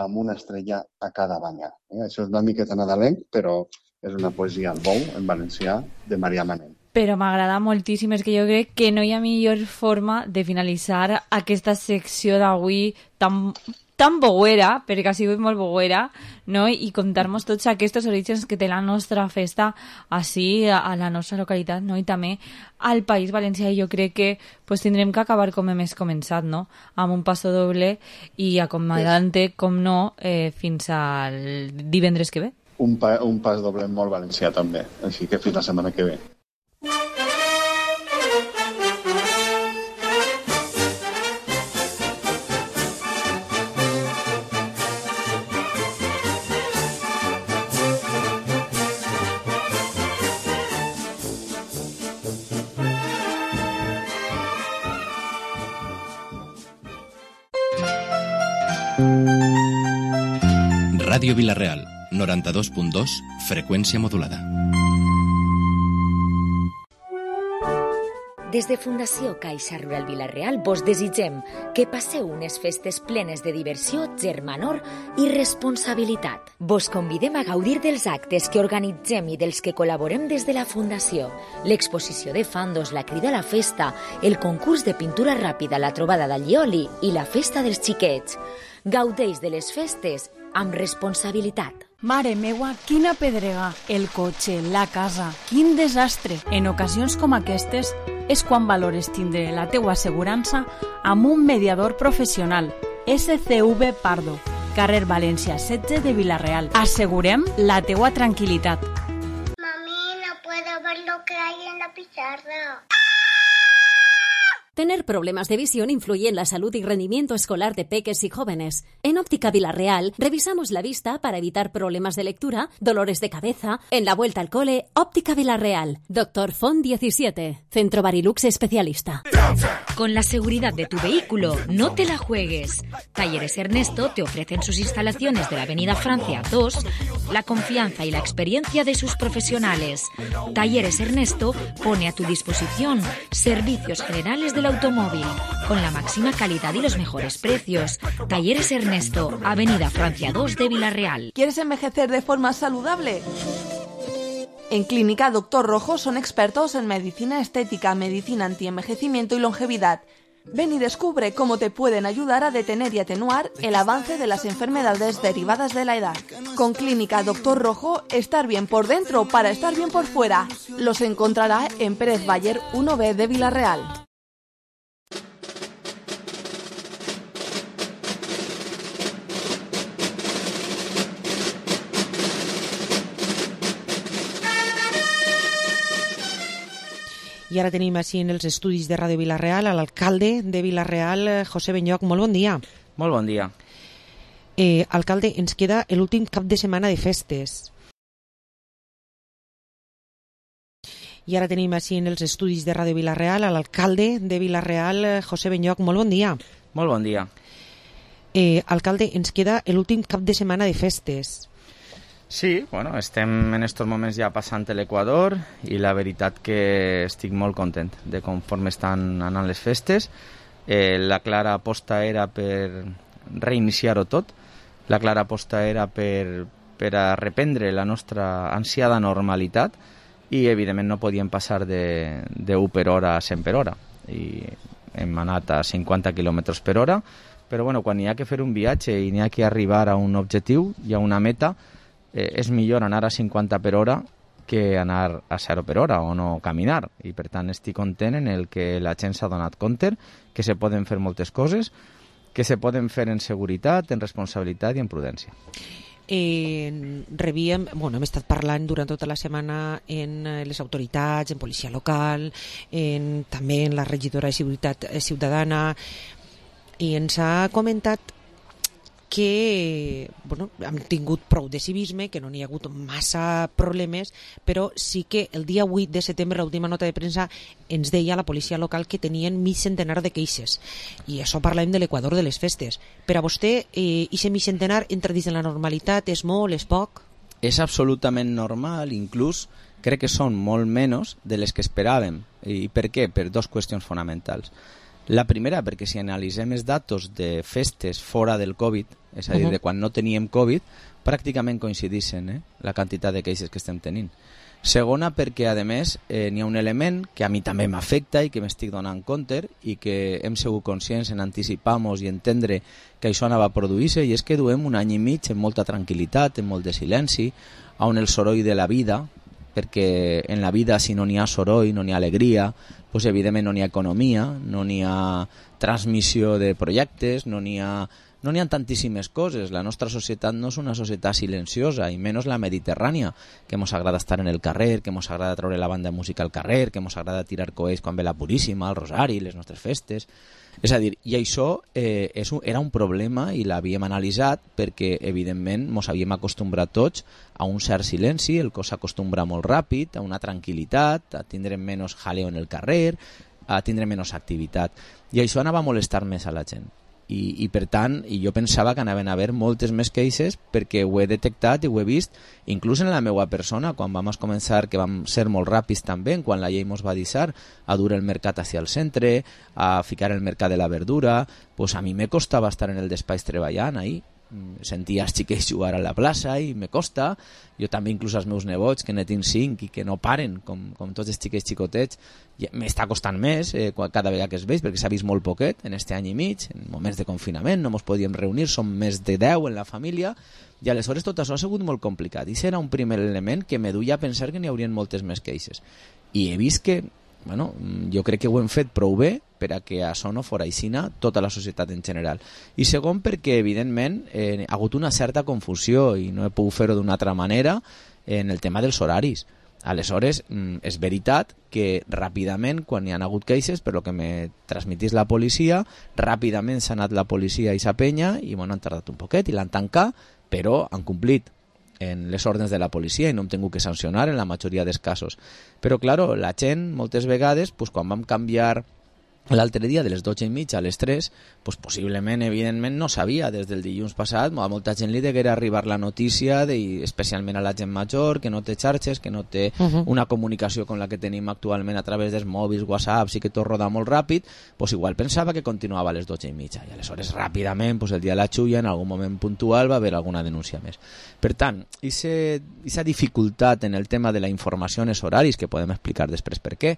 [SPEAKER 18] amb una estrella a cada banya. Eh? Això és una miqueta nadalenc, però és una poesia al bou, en valencià, de Marià Manent.
[SPEAKER 6] Però m'agrada moltíssim, és que jo crec que no hi ha millor forma de finalitzar aquesta secció d'avui tan, tan boguera, perquè ha sigut molt boguera, no? I contar-nos tots aquests orígens que té la nostra festa així, a la nostra localitat, no? I també al País Valencià. I jo crec que pues, tindrem que acabar com hem començat, no? Amb un passo doble i acomodant-te, com no, eh, fins al divendres que ve.
[SPEAKER 18] Un, pa, un pas doble molt valencià també, així que fins la setmana que ve.
[SPEAKER 2] Ràdio Vila-real, noranta-dos punt dos, freqüència modulada.
[SPEAKER 1] Des de Fundació Caixa Rural Vila-real vos desitgem que passeu unes festes plenes de diversió, germanor i responsabilitat. Vos convidem a gaudir dels actes que organitzem i dels que col·laborem des de la Fundació. L'exposició de fandos, la crida a la festa, el concurs de pintura ràpida, la trobada d'allioli i la festa dels xiquets. Gaudeix de les festes amb responsabilitat.
[SPEAKER 7] Mare meua, quina pedrega! El cotxe, la casa, quin desastre! En ocasions com aquestes és quan valores tindre la teua assegurança amb un mediador professional. S C V Pardo, carrer València setze de Vila-real. Assegurem la teua tranquil·litat.
[SPEAKER 19] Mami, no puedo ver lo que hay en la pizarra.
[SPEAKER 20] Tener problemas de visión influye en la salud y rendimiento escolar de peques y jóvenes. En Óptica Vila-real revisamos la vista para evitar problemas de lectura, dolores de cabeza. En la vuelta al cole, Óptica Vila-real. Doctor Font diecisiete, Centro Barilux especialista.
[SPEAKER 1] Con la seguridad de tu vehículo, no te la juegues. Talleres Ernesto te ofrecen sus instalaciones de la Avenida Francia dos, la confianza y la experiencia de sus profesionales. Talleres Ernesto pone a tu disposición servicios generales del automóvil, con la máxima calidad y los mejores precios. Talleres Ernesto, Avenida Francia dos de Vila-real.
[SPEAKER 21] ¿Quieres envejecer de forma saludable? En Clínica Doctor Rojo son expertos en medicina estética, medicina antienvejecimiento y longevidad. Ven y descubre cómo te pueden ayudar a detener y atenuar el avance de las enfermedades derivadas de la edad. Con Clínica Doctor Rojo, estar bien por dentro para estar bien por fuera. Los encontrará en Pérez Bayer uno B de Vila-real.
[SPEAKER 4] I ara tenim així en els estudis de Ràdio Vila-real a l'alcalde de Vila-real, José Benlloch. Molt bon dia.
[SPEAKER 22] Molt bon dia.
[SPEAKER 4] Eh, alcalde, ens queda l'últim cap de setmana de festes. I ara tenim així en els estudis de Ràdio Vila-real a l'alcalde de Vila-real, José Benlloch. Molt bon dia.
[SPEAKER 22] Molt bon dia.
[SPEAKER 4] Eh, alcalde, ens queda l'últim cap de setmana de festes.
[SPEAKER 22] Sí, bueno, estem en estos moments ja passant l'Equador i la veritat que estic molt content de conforme estan anant les festes. Eh, la clara aposta era per reiniciar-ho tot, la clara aposta era per, per a reprendre la nostra ansiada normalitat i evidentment no podíem passar de, de u per hora a cent per hora i hem anat a cinquanta quilòmetres per hora, però bueno, quan hi ha que fer un viatge i n'hi ha que arribar a un objectiu i a una meta, Eh, és millor anar a cinquanta per hora que anar a zero per hora o no caminar, i per tant estic content en el que la gent s'ha donat compte que se poden fer moltes coses, que se poden fer en seguretat, en responsabilitat i en prudència.
[SPEAKER 4] Eh, rebíem, bueno, hem estat parlant durant tota la setmana en les autoritats, en policia local, en, també en la regidora de Seguretat Ciutadana, i ens ha comentat que bueno, hem tingut prou de civisme, que no n'hi ha hagut massa problemes, però sí que el dia vuit de setembre, l'última nota de premsa, ens deia la policia local que tenien mig centenar de queixes. I això parlem de l'Equador de les festes. Per a vostè, eh, aquest mig centenar entra dins de la normalitat? És molt, és poc?
[SPEAKER 22] És absolutament normal, inclús crec que són molt menys de les que esperàvem. I per què? Per dues qüestions fonamentals. La primera, perquè si analitzem els datos de festes fora del Covid, és a dir, uh -huh. de quan no teníem Covid, pràcticament coincideixen eh, la quantitat de queixes que estem tenint. Segona, perquè, a més, eh, n'hi ha un element que a mi també m'afecta i que m'estic donant compte i que hem sigut conscients en anticipar-nos i entendre que això anava a produir-se, i és que duem un any i mig en molta tranquil·litat, en molt de silenci, on el soroll de la vida, perquè en la vida si no n'hi ha soroll, no n'hi ha alegria, doncs evidentment no n'hi ha economia, no n'hi ha transmissió de projectes, no n'hi ha, no n'hi ha tantíssimes coses. La nostra societat no és una societat silenciosa, i menys la mediterrània, que ens agrada estar en el carrer, que ens agrada treure la banda de música al carrer, que ens agrada tirar coets quan ve la Puríssima, el Rosari, les nostres festes. És a dir, i això eh, és un, era un problema i l'havíem analitzat perquè, evidentment, ens havíem acostumbrat tots a un cert silenci, el cos s'acostumbra molt ràpid, a una tranquil·litat, a tindre menys jaleo en el carrer, a tindre menys activitat. I això anava a molestar més a la gent. I, i per tant, i jo pensava que anaven a haver moltes més queixes perquè ho he detectat i ho he vist inclús en la meva persona, quan vam començar, que vam ser molt ràpids també, quan la llei ens va deixar a dur el mercat hacia el centre, a ficar el mercat de la verdura, pues a mi me costava estar en el despatx treballant ahí, sentia els xiquets jugar a la plaça i me costa, jo també inclús als meus nebots que ne tinc cinc i que no paren com, com tots els xiquets xicotets, m'està costant més eh, cada vegada que es veig, perquè s'ha vist molt poquet en este any i mig, en moments de confinament no ens podíem reunir, som més de deu en la família, i aleshores tot això ha sigut molt complicat, i serà un primer element que me duia a pensar que n'hi haurien moltes més queixes, i he vist que bueno, jo crec que ho hem fet prou bé per a que això no fora aixina tota la societat en general. I segon, perquè evidentment eh, ha hagut una certa confusió i no he pogut fer-ho d'una altra manera en el tema dels horaris. Aleshores, és veritat que ràpidament, quan hi ha hagut queixes, per lo que me transmitís la policia, ràpidament s'ha anat la policia i sa penya i bueno, han tardat un poquet i l'han tancat, però han complit en les ordres de la policia i no hem tingut que sancionar en la majoria dels casos. Però, claro, la gent, moltes vegades, pues, quan vam canviar l'altre dia de les dotze i mitja a les tres, pues, possiblement, evidentment, no sabia des del dilluns passat, a molta gent li deguera arribar la notícia, de, especialment a la gent major, que no té xarxes, que no té uh-huh. una comunicació com la que tenim actualment a través dels mòbils, whatsapps i que tot roda molt ràpid, pues, igual pensava que continuava a les dotze i mitja. I aleshores, ràpidament, pues, el dia de la xulla, en algun moment puntual, va haver alguna denúncia més. Per tant, aquesta dificultat en el tema de la informació en els horaris, que podem explicar després per què,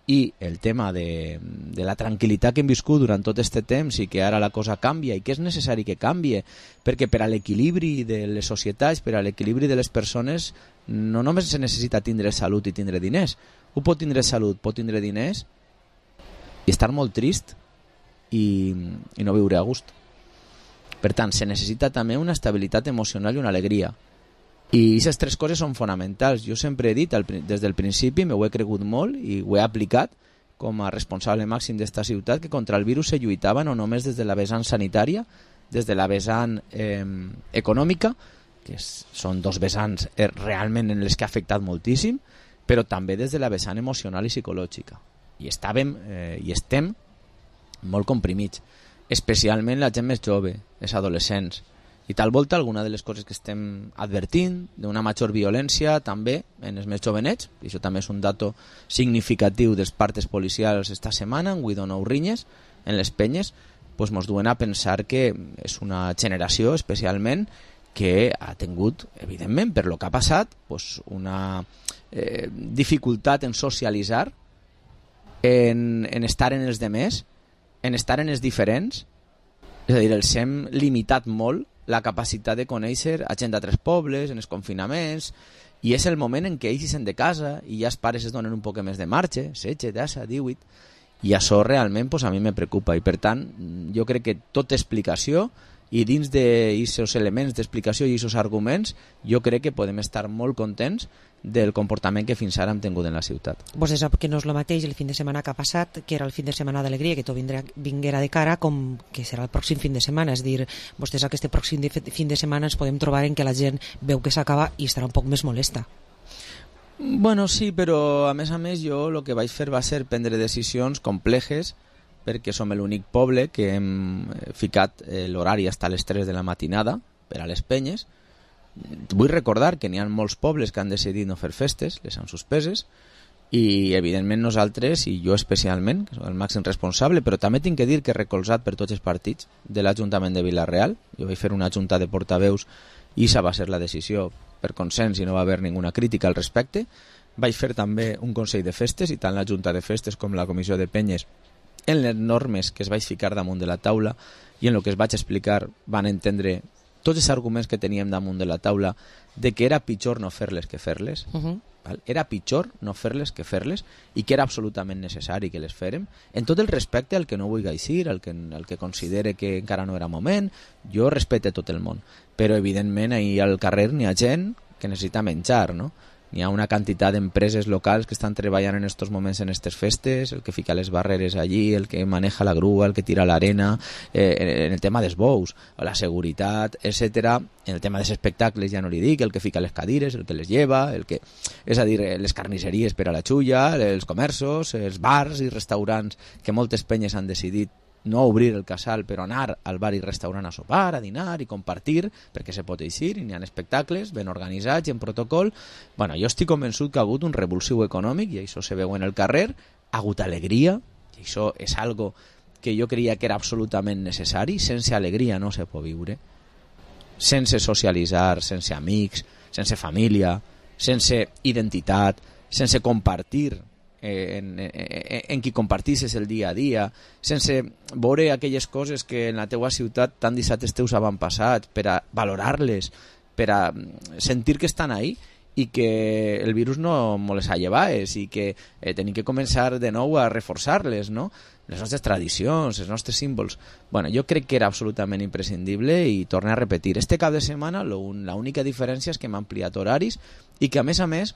[SPEAKER 22] i el tema de, de la tranquil·litat que hem viscut durant tot aquest temps i que ara la cosa canvia i que és necessari que canvie, perquè per a l'equilibri de les societats, per a l'equilibri de les persones, no només se necessita tindre salut i tindre diners. Un pot tindre salut, pot tindre diners i estar molt trist i, i no viure a gust. Per tant, se necessita també una estabilitat emocional i una alegria. I aquestes tres coses són fonamentals. Jo sempre he dit, des del principi, m'ho he cregut molt i ho he aplicat com a responsable màxim d'esta ciutat, que contra el virus se lluitava no només des de la vessant sanitària, des de la vessant eh, econòmica, que és, són dos vessants eh, realment en les que ha afectat moltíssim, però també des de la vessant emocional i psicològica. I estàvem eh, i estem molt comprimits, especialment la gent més jove, els adolescents. I tal volta alguna de les coses que estem advertint d'una major violència també en els més jovenets, i això també és un dato significatiu dels partes policials esta setmana, en Guido Nou Rinyes, en les penyes, doncs ens duen a pensar que és una generació especialment que ha tingut, evidentment, per lo que ha passat, doncs una eh, dificultat en socialitzar, en, en estar en els demés, en estar en els diferents, és a dir, els hem limitat molt la capacitat de conèixer a gent d'altres pobles, en els confinaments, i és el moment en què ells sent de casa i ja els pares es donen un poc més de marxa, setze, deu, divuit, i això realment pues, a mi me preocupa, i per tant jo crec que tota explicació i dins d'aquests elements d'explicació i aquests arguments jo crec que podem estar molt contents del comportament que fins ara hem tingut en la ciutat.
[SPEAKER 4] Vos sap que no és el mateix el fin de setmana que ha passat, que era el fin de setmana d'alegria, que tot vindrà, vinguera de cara, com que serà el pròxim fin de setmana. És dir, vostès aquest pròxim de, fin de setmana ens podem trobar en que la gent veu que s'acaba i estarà un poc més molesta.
[SPEAKER 22] Bueno, sí, però a més a més jo el que vaig fer va ser prendre decisions complexes, perquè som l'únic poble que hem ficat l'horari fins a les tres de la matinada per a les penyes. Vull recordar que n'hi ha molts pobles que han decidit no fer festes, les han suspeses, i evidentment nosaltres, i jo especialment, que soc el màxim responsable, però també tinc que dir que recolzat per tots els partits de l'Ajuntament de Vila-real, jo vaig fer una junta de portaveus i esa va ser la decisió per consens i no va haver ninguna crítica al respecte. Vaig fer també un Consell de Festes i tant la Junta de Festes com la Comissió de Penyes en les normes que es vaig ficar damunt de la taula i en el que es vaig explicar van entendre tots els arguments que teníem damunt de la taula de que era pitjor no fer-les que fer-les, uh-huh. val? Era pitjor no fer-les que fer-les i que era absolutament necessari que les fèrem, en tot el respecte al que no vulgui eixir, al que, al que considere que encara no era moment. Jo respecte tot el món, però evidentment ahir al carrer n'hi ha gent que necessita menjar, no? N'hi ha una quantitat d'empreses locals que estan treballant en estos moments en aquestes festes, el que fica les barreres allí, el que maneja la grua, el que tira l'arena, eh, en el tema dels bous, la seguretat, etcètera. En el tema dels espectacles ja no li dic, el que fica les cadires, el que les lleva, el que, és a dir, les carnisseries per a la xulla, els comerços, els bars i restaurants que moltes penyes han decidit no obrir el casal, però anar al bar i restaurant a sopar, a dinar i compartir, perquè se pot eixir, i n'hi ha espectacles ben organitzats i en protocol. Bueno, jo estic convençut que ha hagut un revulsiu econòmic, i això se veu en el carrer, ha hagut alegria, i això és algo que jo creia que era absolutament necessari. Sense alegria no se pot viure, sense socialitzar, sense amics, sense família, sense identitat, sense compartir eh, en, en, en qui compartisses el dia a dia, sense veure aquelles coses que en la teua ciutat tant dissabtes teus van passat, per a valorar-les, per a sentir que estan ahí i que el virus no me les ha llevat i que eh, tenim que començar de nou a reforçar-les, no? Les nostres tradicions, els nostres símbols. Bueno, jo crec que era absolutament imprescindible i torno a repetir. Este cap de setmana l'única diferència és que hem ampliat horaris i que, a més a més,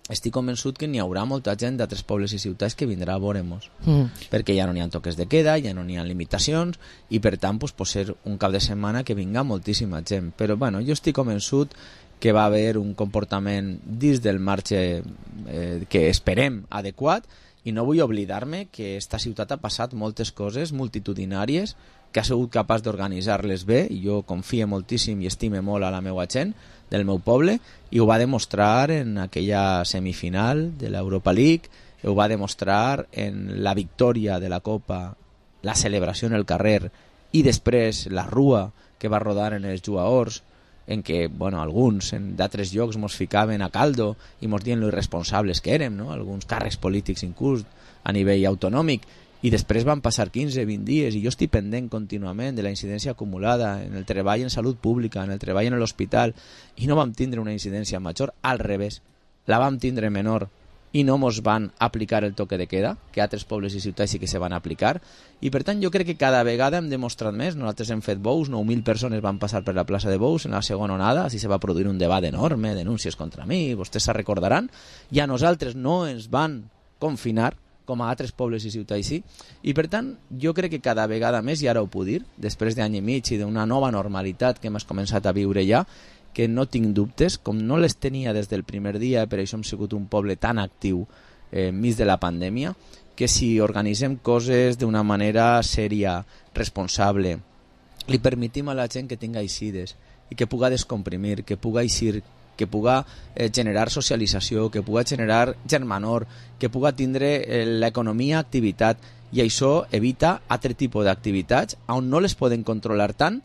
[SPEAKER 22] estic convençut que n'hi haurà molta gent d'altres pobles i ciutats que vindrà a veure-nos. Mm. Perquè ja no n'hi ha toques de queda, ja no n'hi ha limitacions i, per tant, pues, pot ser un cap de setmana que vinga moltíssima gent. Però, bueno, jo estic convençut que va haver un comportament dins del marge eh, que esperem adequat. I no vull oblidar-me que esta ciutat ha passat moltes coses multitudinàries, que ha sigut capaç d'organitzar-les bé, i jo confio moltíssim i estime molt a la meva gent del meu poble, i ho va demostrar en aquella semifinal de l'Europa League, ho va demostrar en la victòria de la Copa, la celebració en el carrer, i després la rua que va rodar en els jugadors, en què, bueno, alguns d'altres llocs mos ficaven a caldo i mos dient lo irresponsables que érem, no? Alguns càrrecs polítics inclús a nivell autonòmic, i després van passar quinze vint dies i jo estic pendent contínuament de la incidència acumulada en el treball en salut pública, en el treball en l'hospital, i no vam tindre una incidència major, al revés, la vam tindre menor, i no mos van aplicar el toque de queda, que altres pobles i ciutats sí que se van aplicar, i per tant jo crec que cada vegada hem demostrat més. Nosaltres hem fet bous, nou mil persones van passar per la plaça de Bous en la segona onada, així se va produir un debat enorme, denúncies contra mi, vostès se recordaran, i a nosaltres no ens van confinar, com a altres pobles i ciutats sí, i per tant jo crec que cada vegada més, i ara ho puc dir, després d'any i mig i d'una nova normalitat que hem començat a viure ja, que no tinc dubtes, com no les tenia des del primer dia, per això hem sigut un poble tan actiu eh, enmig de la pandèmia, que si organitzem coses d'una manera sèria, responsable, li permetim a la gent que tinga eixides i que puga descomprimir, que puga eixir, que puga eh, generar socialització, que puga generar germanor, que puga tindre eh, l'economia activitat, i això evita altre tipus d'activitats on no les poden controlar tant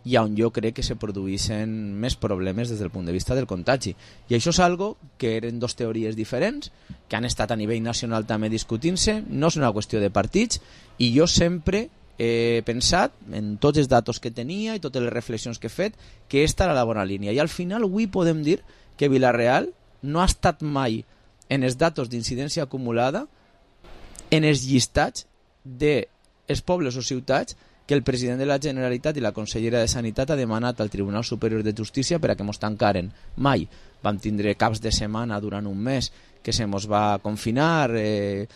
[SPEAKER 22] i on jo crec que se produeixen més problemes des del punt de vista del contagi. I això és algo que eren dos teories diferents, que han estat a nivell nacional també discutint-se, no és una qüestió de partits, i jo sempre he pensat, en tots els datos que tenia i totes les reflexions que he fet, que aquesta era la bona línia. I al final avui podem dir que Vila-real no ha estat mai en els datos d'incidència acumulada en els llistats dels pobles o ciutats que el president de la Generalitat i la consellera de Sanitat ha demanat al Tribunal Superior de Justícia per a que mos tancaren. Mai. Vam tindre caps de setmana durant un mes que se mos va confinar, eh,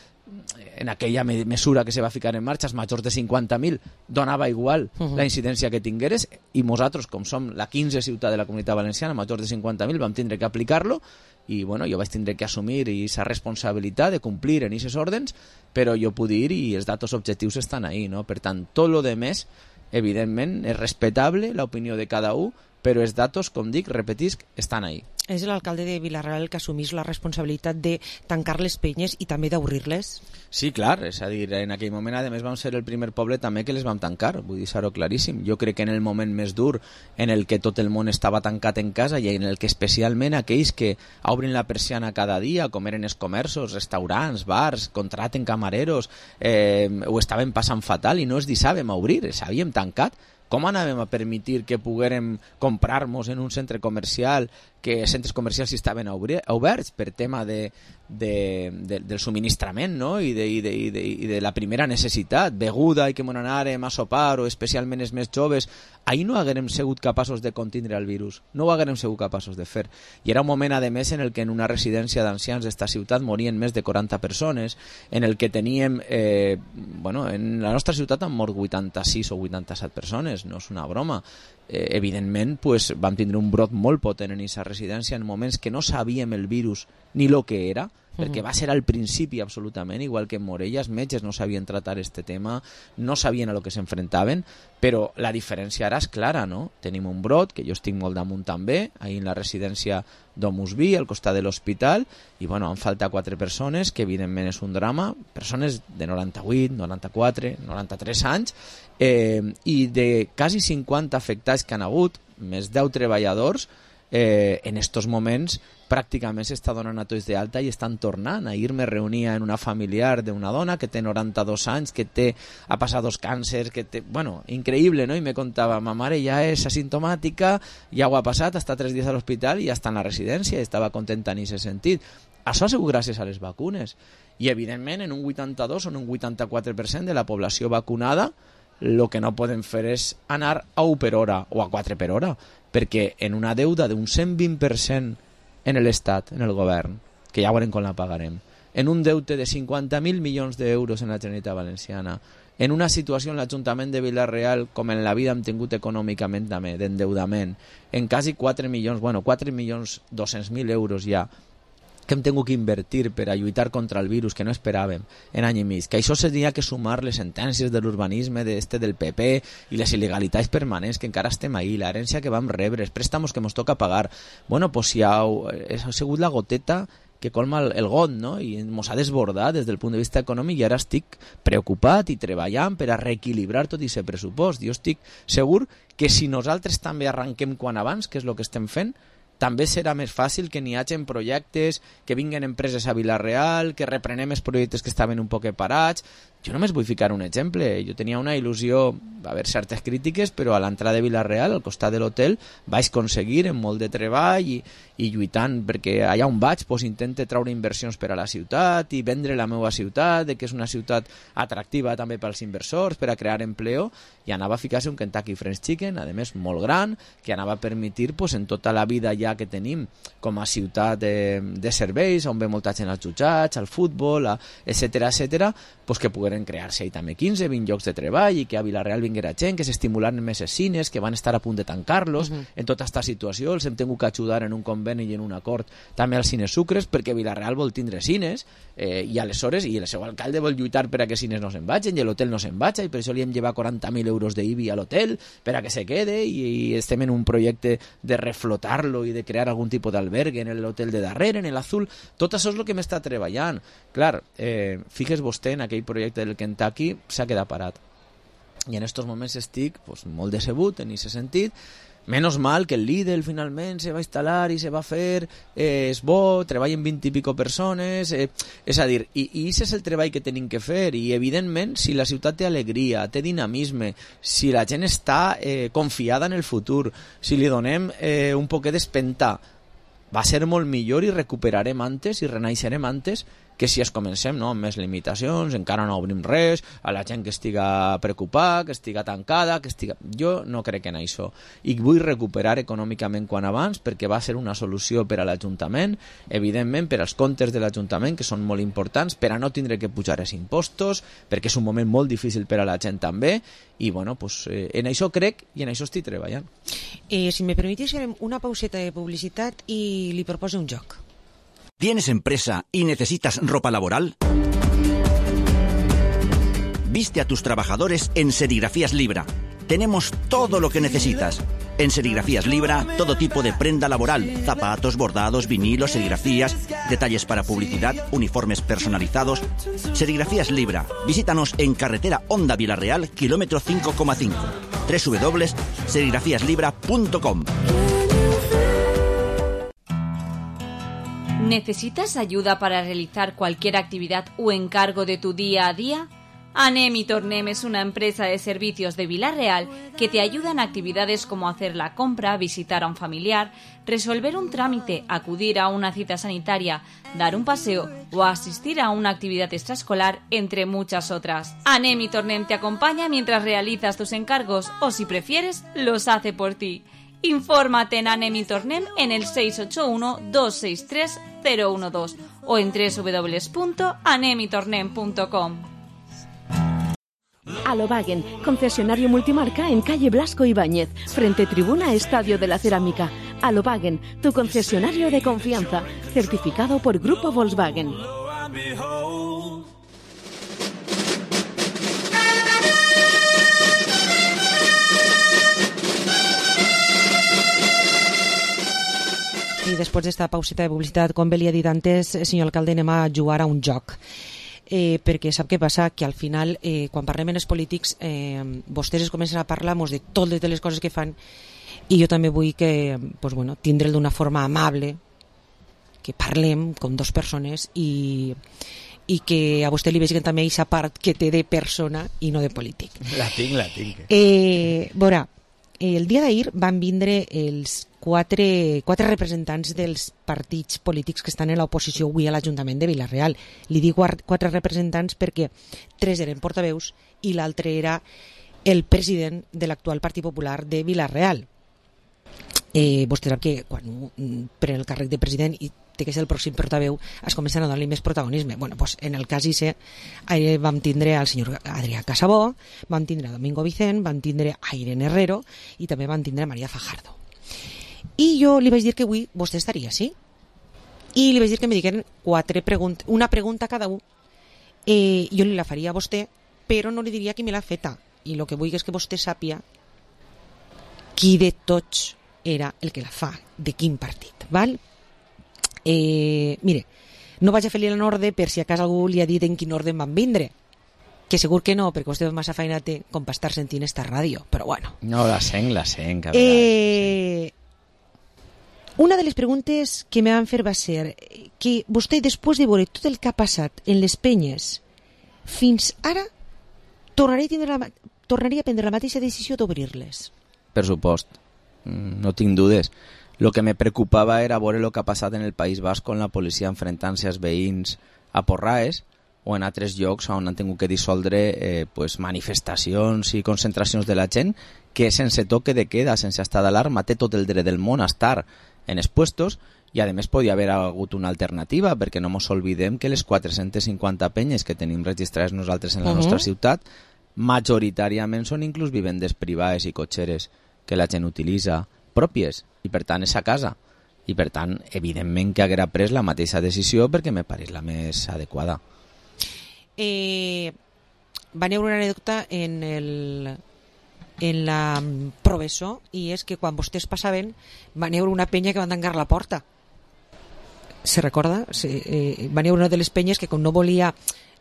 [SPEAKER 22] en aquella me mesura que se va ficar en marxa, els majors de cinquanta mil, donava igual uh -huh. la incidència que tingueres, i nosaltres, com som la quinze ciutat de la Comunitat Valenciana, majors de cinquanta mil, vam tindre que aplicar-lo, i bueno, jo vaig tindre que assumir aquesta responsabilitat de complir en aquests ordres, però jo puc dir, i els datos objectius estan ahí, no? Per tant, tot lo de més, evidentment, és respectable l'opinió de cada un, però els datos, com dic, repetisc, estan ahí.
[SPEAKER 4] És l'alcalde de Vila-real el que assumís la responsabilitat de tancar les penyes i també d'obrir-les?
[SPEAKER 22] Sí, clar, és a dir, en aquell moment, a més, vam ser el primer poble també que les vam tancar, vull dir-ho claríssim. Jo crec que en el moment més dur, en el que tot el món estava tancat en casa i en el que especialment aquells que obrin la persiana cada dia, com eren els comerços, restaurants, bars, contraten camareros, eh, ho estaven passant fatal i no es deixàvem obrir, els havíem tancat. Com anàvem a permetir que poguérem comprar-nos en un centre comercial, que els centres comercials estaven oberts per tema de, de, de, del subministrament, no? I, de, i, de, i, de, i de la primera necessitat, beguda i que m'on anàrem a sopar, o especialment els més joves, ahir no haguérem sigut capaços de contindre el virus, no ho haguérem sigut capaços de fer. I era un moment, a més, en el que en una residència d'ancians d'esta ciutat morien més de quaranta persones, en el que teníem, eh, bueno, en la nostra ciutat han mort vuitanta-sis o vuitanta-set persones, no és una broma. Eh, evidentment, pues, vam tindre un brot molt potent en aquesta residència en moments que no sabíem el virus ni el que era, perquè va ser al principi absolutament, igual que en Morella, els metges no sabien tratar este tema, no sabien a lo que s'enfrontaven, però la diferència ara és clara, no? Tenim un brot, que jo estic molt damunt també, ahí en la residència d'Omusby, al costat de l'hospital, i bueno, han faltat quatre persones, que evidentment és un drama, persones de noranta-vuit, noranta-quatre, noranta-tres anys, eh, i de quasi cinquanta afectats que han hagut, més deu treballadors, eh, en estos moments pràcticament s'està donant a tots d'alta i estan tornant. Ahir me reunia en una familiar d'una dona que té noranta-dos anys, que té, ha passat dos càncers, que té, bueno, increïble, no? I me contava, ma mare ja és asimptomàtica, ja ho ha passat, està tres dies a l'hospital i ja està en la residència, i estava contenta en aquest sentit. Això ha sigut gràcies a les vacunes. I evidentment en un vuitanta-dos o en un vuitanta-quatre per cent de la població vacunada, el que no podem fer és anar a u per hora o a quatre per hora, perquè en una deuda d'un cent vint per cent en l'Estat, en el govern, que ja veurem com la pagarem, en un deute de cinquanta mil milions d'euros en la Generalitat Valenciana, en una situació en l'Ajuntament de Vila-real, com en la vida hem tingut econòmicament també, d'endeudament, en quasi quatre milions, bueno, quatre milions dos-cents mil euros ja, que hem tingut que invertir per a lluitar contra el virus que no esperàvem en any i mig, que això s'hauria que sumar les sentències de l'urbanisme d'este del P P i les il·legalitats permanents que encara estem ahí, l'herència que vam rebre, els préstamos que ens toca pagar. Bueno, pues si ha, ha sigut la goteta que colma el, el got, no? I ens ha desbordat des del punt de vista econòmic i ara estic preocupat i treballant per a reequilibrar tot aquest pressupost. Jo estic segur que si nosaltres també arranquem quan abans, que és el que estem fent, també serà més fàcil que n'hi hagin projectes, que vinguen empreses a Vila-real, que reprenem els projectes que estaven un poc parats. Jo només vull ficar un exemple. Jo tenia una il·lusió, va haver certes crítiques, però a l'entrada de Vila-real, al costat de l'hotel, vaig aconseguir amb molt de treball i, i lluitant, perquè allà on vaig pues, intente treure inversions per a la ciutat i vendre la meva ciutat, de que és una ciutat atractiva també pels inversors, per a crear empleo, i anava a ficar-se un Kentucky Fried Chicken, a més molt gran, que anava a permetre pues, en tota la vida ja que tenim com a ciutat de, de serveis, on ve molta gent als jutjats, al futbol, a, etcètera, etcètera, pues, que pogueren crear-se ahí també quinze vint llocs de treball i que a Vila-real vinguera gent, que s'estimularen més els cines, que van estar a punt de tancar-los. Uh-huh. En tota aquesta situació els hem tingut que ajudar en un conveni i en un acord també als cines Sucres, perquè Vila-real vol tindre cines eh, i aleshores, i el seu alcalde vol lluitar per a que cines no se'n vagin i l'hotel no se'n vaja, i per això li hem llevat quaranta mil euros d'I B I a l'hotel per a que se quede, i, i estem en un projecte de reflotar-lo i de crear algun tipus d'albergue en l'hotel de darrere, en l'Azul. Tot això és el que m'està treballant. Clar, eh, fixes vostè en aquell projecte del Kentucky, s'ha quedat parat. I en aquests moments estic pues, molt decebut en aquest sentit. Menos mal que el Lidl finalment se va instal·lar i se va fer, eh, és bo, treballen vint i pico persones, eh, és a dir, i, i això és el treball que tenim que fer, i evidentment si la ciutat té alegria, té dinamisme, si la gent està eh, confiada en el futur, si li donem eh, un poquet d'espentar, va ser molt millor i recuperarem antes i renaixerem antes que si es comencem no, amb més limitacions, encara no obrim res, a la gent que estiga preocupada, que estiga tancada, que estiga... Jo no crec en això. I vull recuperar econòmicament quan abans, perquè va ser una solució per a l'Ajuntament, evidentment per als comptes de l'Ajuntament, que són molt importants, per a no tindre que pujar els impostos, perquè és un moment molt difícil per a la gent també, i bueno, pues, eh, en això crec i en això estic treballant.
[SPEAKER 4] Eh, si me permitís, farem una pauseta de publicitat i li proposo un joc.
[SPEAKER 5] ¿Tienes empresa y necesitas ropa laboral? Viste a tus trabajadores en Serigrafías Libra. Tenemos todo lo que necesitas. En Serigrafías Libra, todo tipo de prenda laboral, zapatos, bordados, vinilos, serigrafías, detalles para publicidad, uniformes personalizados. Serigrafías Libra. Visítanos en carretera Honda Vila-real, kilómetro cinco coma cinco. doble u doble u doble u punto serigrafías libra punto com.
[SPEAKER 1] ¿Necesitas ayuda para realizar cualquier actividad o encargo de tu día a día? Anem y Tornem es una empresa de servicios de Vila-real que te ayuda en actividades como hacer la compra, visitar a un familiar, resolver un trámite, acudir a una cita sanitaria, dar un paseo o asistir a una actividad extraescolar, entre muchas otras. Anem y Tornem te acompaña mientras realizas tus encargos o, si prefieres, los hace por ti. Infórmate en Anem y Tornem en el seis ocho uno, dos seis tres, cero uno dos o en doble u doble u doble u punto anem y tornem punto com.
[SPEAKER 8] Alovagen, concesionario multimarca en calle Blasco Ibáñez, frente tribuna Estadio de la Cerámica. Alovagen, tu concesionario de confianza, certificado por Grupo Volkswagen.
[SPEAKER 4] I després d'esta pauseta de publicitat, com bé li ha dit antes, senyor alcalde, anem a jugar a un joc. Eh, perquè sap què passa? Que al final, eh, quan parlem en els polítics, eh, vostès es comencen a parlar de totes les coses que fan, i jo també vull que, pues bueno, tindre'l d'una forma amable, que parlem com dos persones i, i que a vostè li vegin també aquesta part que té de persona i no de polític.
[SPEAKER 22] La tinc, la tinc.
[SPEAKER 4] Eh, veurà, el dia d'ahir van vindre els quatre, quatre representants dels partits polítics que estan en l'oposició avui a l'Ajuntament de Vila-real. Li dic quatre representants perquè tres eren portaveus i l'altre era el president de l'actual Partit Popular de Vila-real. Eh, vostè sap que quan pren el càrrec de president i té que ser el pròxim portaveu es comencen a donar-li més protagonisme. Bueno, pues en el cas I C eh, vam tindre al senyor Adrià Casabó, vam tindre a Domingo Vicent, vam tindre a Irene Herrero i també vam tindre a Maria Fajardo. I jo li vaig dir que avui vostè estaria, sí? I li vaig dir que me digueren quatre preguntes, una pregunta a cada un. Eh, jo li la faria a vostè, però no li diria qui me l'ha feta. I el que vull és que vostè sàpia qui de tots era el que la fa, de quin partit, val? Eh, mire, no vaig a fer-li l'ordre per si a casa algú li ha dit en quin ordre van vindre, que segur que no, perquè vostè massa feina té com per estar sentint esta ràdio, però bueno.
[SPEAKER 22] No, la sent, la sent.
[SPEAKER 4] Eh, una de les preguntes que me van fer va ser que vostè, després de veure tot el que ha passat en les penyes fins ara, tornaria a, tindre la, tornaria a prendre la mateixa decisió d'obrir-les.
[SPEAKER 22] Per supost, no tinc dudes. Lo que me preocupava era veure el que ha passat en el País Basc con la policia enfrentant-se als veïns a porraes o en altres llocs on han tingut que dissoldre eh, pues, manifestacions i concentracions de la gent que sense toque de queda, sense estar d'alarma, té tot el dret del món a estar en els puestos i a més podia haver hagut una alternativa perquè no mos oblidem que les quatre-centes cinquanta penyes que tenim registrades nosaltres en la uh-huh. nostra ciutat majoritàriament són inclús vivendes privades i cotxeres que la gent utilitza pròpies i per tant és a casa i per tant evidentment que haguera pres la mateixa decisió perquè me pareix la més adequada.
[SPEAKER 4] Eh, va haver una anècdota en el en la professor i és que quan vostès passaven va haver una penya que van tancar la porta. Se recorda? Sí, eh, va haver una de les penyes que com no volia